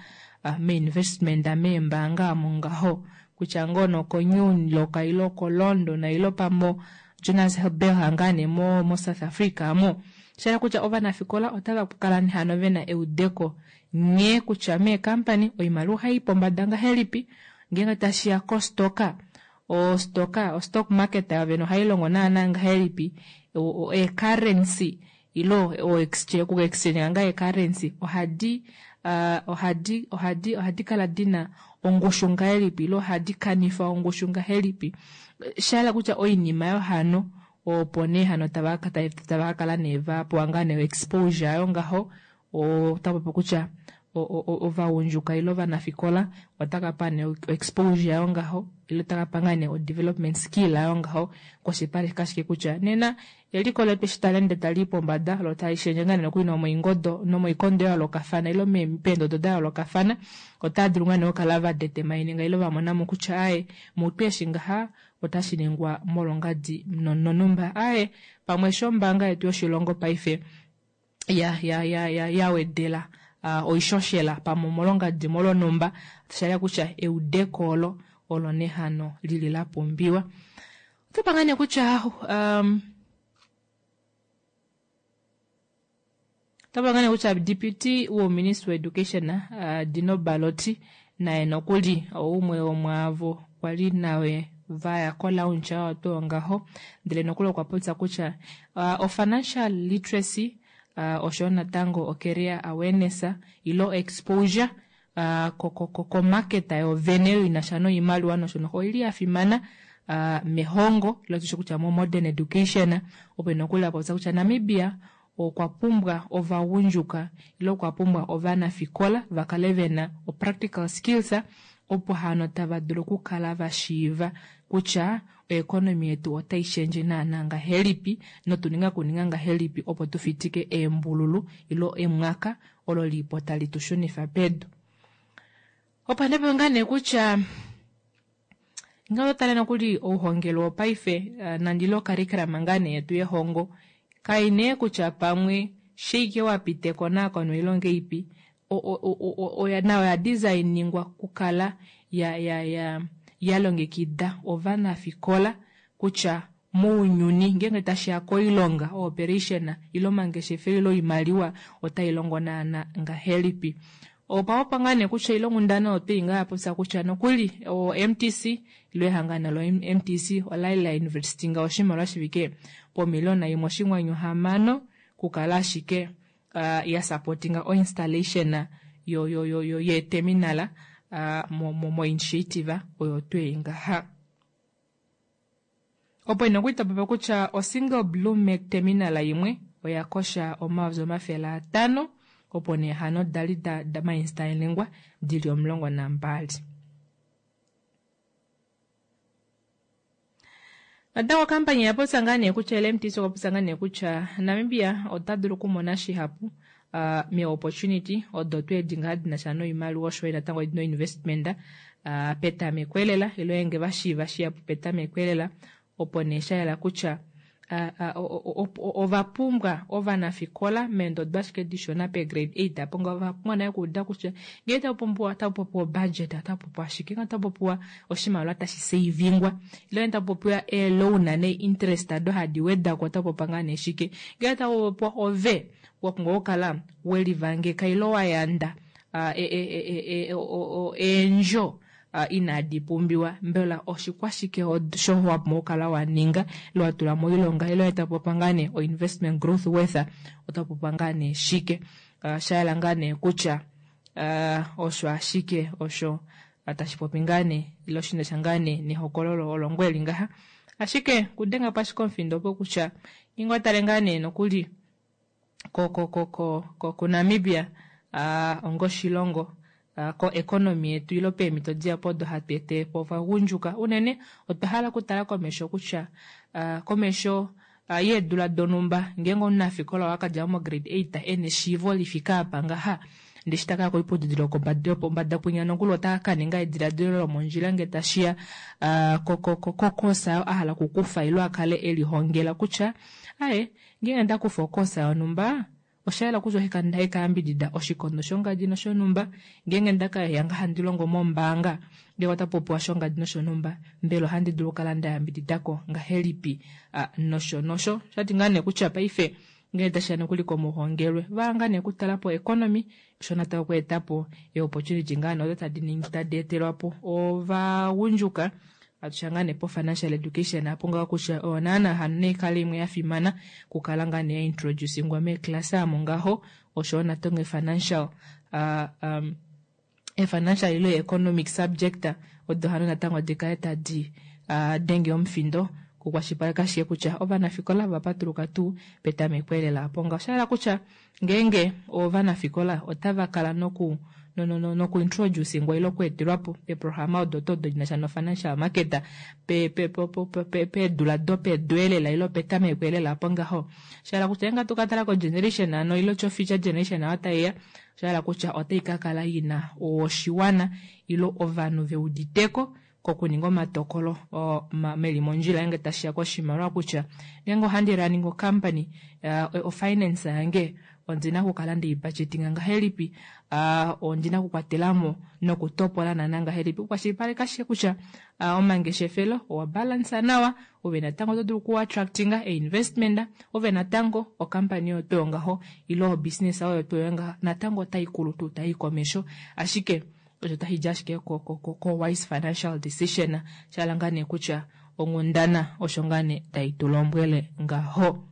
meinvestment meembaanga omo ngaho kutya ngoo noko-New York ile oko-London ile pamo Johannesburg ngaa nee mo South Africa amo, shayela kutya ovanafikola otava kala hano vena eudeko nghee kutya meekampani oimaliwa ohai pombada ngahelipi ngeenge tashiya kostoka, ostoka ostock market yovene ohailongo naana ngahelipi, ee-currency ile oku-exchange ngaa ee-currency ohadi ohadi ohadi ohadi kala dina ongushu ngahelipi ile ohadi kanifa ongushu ngahelipi, shayela kutya oinima oyo hano opo nee hano tava kakala nee vapewa ngaa nee exposure ayo ngaho, otapopi kutya ovagundjuka ile ovanafikola otakapa nee exposure ayo ngaho ile otakapa ngaa nee o-development skill ayo ngaho kwashilipaleka ashike kutya nena eliko letu eshi tali ende tali i pombada lo tali shendje ngaa nee nokuli nomoingodo nomoikondo ya yoolokafana ile peendodo da yoolokafana otava dulu ngaa nee okukala vadetermininga ile vamonamo kutya aaye mutu eshi ngaha otashi ningwa molwongadi nonumba aaye pamwe eshi ombaanga yetu yoshilongo paife ya ya ya ya yawedela oishoshela pamwe omolwongadi molwonumba shayela kutya eudeko olo olo nehano lili la pumbiwa. Otopanga nee kutya um, otopanga nee kutya deputy woministry of education uh, Dino Balotti naye nokuli oumwe womwaavo kwali nawe vaya ko-launch oyo tuu ngaho, ndele nokuli okwa popya kutya uh, o-financial literacy uh, oshoyo natango o-career awareness ile exposure uh, komarket yovene oyo inasha noimaliwa nosho noho oili ya fimana uh, mehongo ile tushe kutya mo modern education, opo nokuli apopya kutya Namibia okwa pumbwa ovagundjuka ile okwa pumbwa ovanafikola vakale vena o-practical skills opo hano tava dulu okukala vashiiva kutya oeconomy yetu otai shendje naana ngahelipi notuninga kuninga ngahelipi opo tufitike eembululu ile emwaka olo lipo tali tu shunifa pedu. Opo nee ngaa nee kutya ngee otale nokuli ouhongelwe wopaife nande ile ocurriculum ngaa nee yetu yehongo kai nee kutya pamwe sheike wapita ekonakono ile ongeipi nayo oya designingwa kukala ya ya ya yalongekida ovanafikola kutya mounyuni ngeenge tashiya koilonga ooperation ile omangeshefelo ile oimaliwa otai longo naana ngahelipi. Opa ngaa nee kutya ile onghundana oyo twei ngaa yapopya kutya nokuli o-M T C ile ehangano lo-M T C olali la investinga oshimaliwa shifike pomiliona imwe oshinghwanyu hamano kukala ashike uh, ya supportinga o-installation yo yo yo yo yeeterminal uh, mo, mo, mo initiative oyo twei ngaha. Opo ina okuitapopa kutya o single blue mac terminal imwe oya kosha omayovi omafele atano opo nee hano dali da, da mainstallingwa dili omulongo nambali. Natango okampani oya popya ngaa nee kutya L M T C okwa popya ngaa nee kutya Namibia ota dulu okumona shihapu uh, me-opportunity odo tweedi ngaa dina sha noimaliwa osho yo natango no investment uh, petameko elela ilo enge vashiiva shihapu petameko elela opo nee sha yela kutya ova pumbwa ovanafikola meendodo ashike dishona pe grade eight apo nga ova pumbwa naye okuuda kutya ngee tapu pumbiwa tapu popiwa budget tapu popiwa ashike nga tapu popiwa oshimaliwa tashi savingwa ile tapu popiwa ee-loan nee-interest ado hadi wedako tapu popiwa ngaa nee shike ngee tapu popiwa ove wa pumbwa okukala welivangeka ile wa yanda eendjo inadi pumbiwa mbela oshikwashike osho wa pumbwa okukala wa ninga ile wa tula moilonga ile tapu popiwa ngaa nee o-investment growth worth otapu popiwa ngaa nee shike sha yela ngaa nee kutya osho ashike osho tashi popi ngaa nee ile oshinasha ngaa nee nehokololo olo ngweli ngaha ashike kudenga po ashike omufindo opo kutya ingo tale ngaa nee nokuli ko ko ko ko ko Namibia ongoshilongo ko economy yetu ilo peemhito dihapu odo hatu ete po ovagundjuka unene otwa hala okutala komesho kutya komesho yeedula donhumba ngeenge omunafikola wakadja mo grade eight ena eshiivo lifika apa ngaha ndee shi taka koiputudilo yopombada kwinya nokuli otaka ka ninga ediladilo lomondjila ngee tashiya kokosa ayo a hala okukufa ilo a kale elihongela kutya aye ngeenge ndakufa okosa yonhumba osha yela kutya ohaika yambidida oshikondo shongadi noshonhumba ngeenge ndakaya nga handi longo mombaanga ngee ota popiwa shongadi noshonhumba mbela ohandi dulu okukala nda yambididako ngahelipi nosho nosho shati ngaa nee kutya paife ngee tashiya nokuli komuhongelwe vaanga nee okutala po economy osho natango okweetapo e-opportunity ngaa nee odo tadi ningi tadi etelwa po ovagundjuka atusha ngaa nee po financial education apo ngaho kutya oyo naana hano neikale imwe ya fimana kukala ngaa nee ya introducingwa meeklasa amo ngaho osho natango financial uh, um, e-financial ilo economic subject odo hano natango dikale tadi uh, denge omufindo kukwashilipaleka ashike kutya ovanafikola va patuluka tuu petameko elela apo ngaho. Osha yela kutya ngeenge ovanafikola otava kala noku no no no noku introducingwa ile okweetelwapo eprograma odo to odo dinasha no financial market pe pe pe pe pe peedula dopedu elela ile petameko elela apo ngaho. Osha yela kutya ngeenge tukatala ko generation ano ile cho future generation ayo taiya osha yela kutya otai ka kala ina oshiwana ile ovanhu veuditeko kokuninga omatokolo meli mondjila ngeenge tashiya koshimaliwa kutya ngeenge ohandi running ocompany uh, ofinance yange ondina okukala ndei-budgetinga ngahelipi uh, ondina okukwatelamo nokutopola nana ngahelipi okukwashilipaleka ashike kutya uh, omangeshefelo owa balansa nawa ove natango oto dulu okuattractinga e-investment ove natango okampani oyo toyo ngaho ile obusiness oyo toyo ngaho natango otai kulu tuu tai komesho ashike osho tashi di ashike ko, ko, ko, ko wise financial decision shala ngaa nee kutya onghundana osho ngaa nee tai tu lombwele ngaho.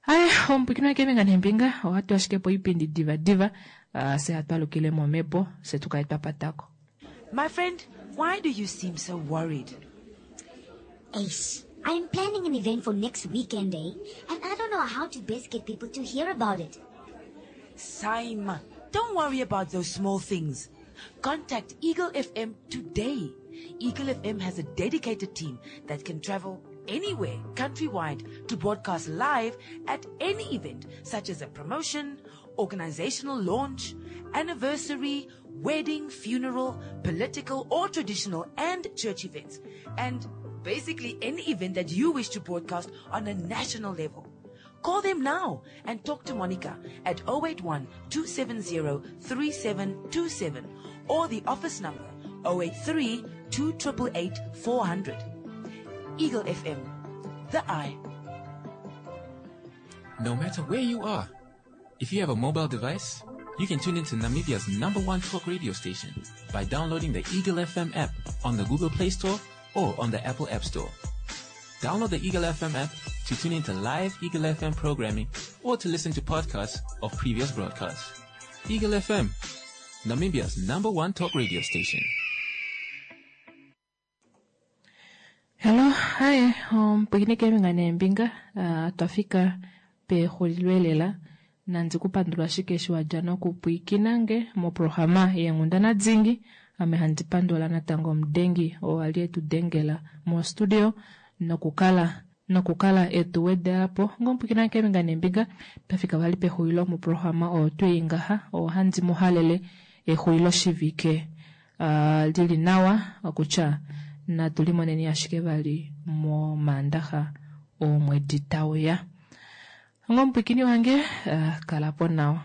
Aye, omupwikino keembinga neembinga ohatu ashike po oipindi diva diva uh, se hatu alukile momhepo se tukale twa patako.
My friend, why do you seem so worried?
Ace, I'm planning an event for next weekend, eh? And I don't know how to best get people to hear about it.
Saima, don't worry about those small things. Contact Eagle F M today. Eagle F M has a dedicated team that can travel anywhere countrywide to broadcast live at any event such as a promotion, organizational launch, anniversary, wedding, funeral, political or traditional and church events, and basically any event that you wish to broadcast on a national level. Call them now and talk to Monica at oh eight one, two seven zero, three seven two seven or the office number oh eight three, two triple eight, four hundred. Eagle F M, the eye.
No matter where you are, if you have a mobile device, you can tune into Namibia's number one talk radio station by downloading the Eagle F M app on the Google Play Store or on the Apple App Store. Download the Eagle F M app to tune into live Eagle F M programming or to listen to podcasts of previous broadcasts. Eagle F M, Namibia's number one talk radio station.
Hello, hi, omupwiikini keembinga neembinga uh, twafika pexulilo elela nandi kupandula ashike eshi wadja nokupwiikina nge moprograma yeenghundana dingi ame handi pandula natango omudengi oo ali etu dengela mostudio nokukala nokukala etu wedelapo ngomupwiikina keembinga neembinga twafika vali pexulilo moprograma oyo twii ngaha ohandi muhalele exulilo shivike uh, lili nawa okutya natu limoneni ashike vali momaandaxa omwedi tauya ngomupwiikini wange uh, kalapo nawa.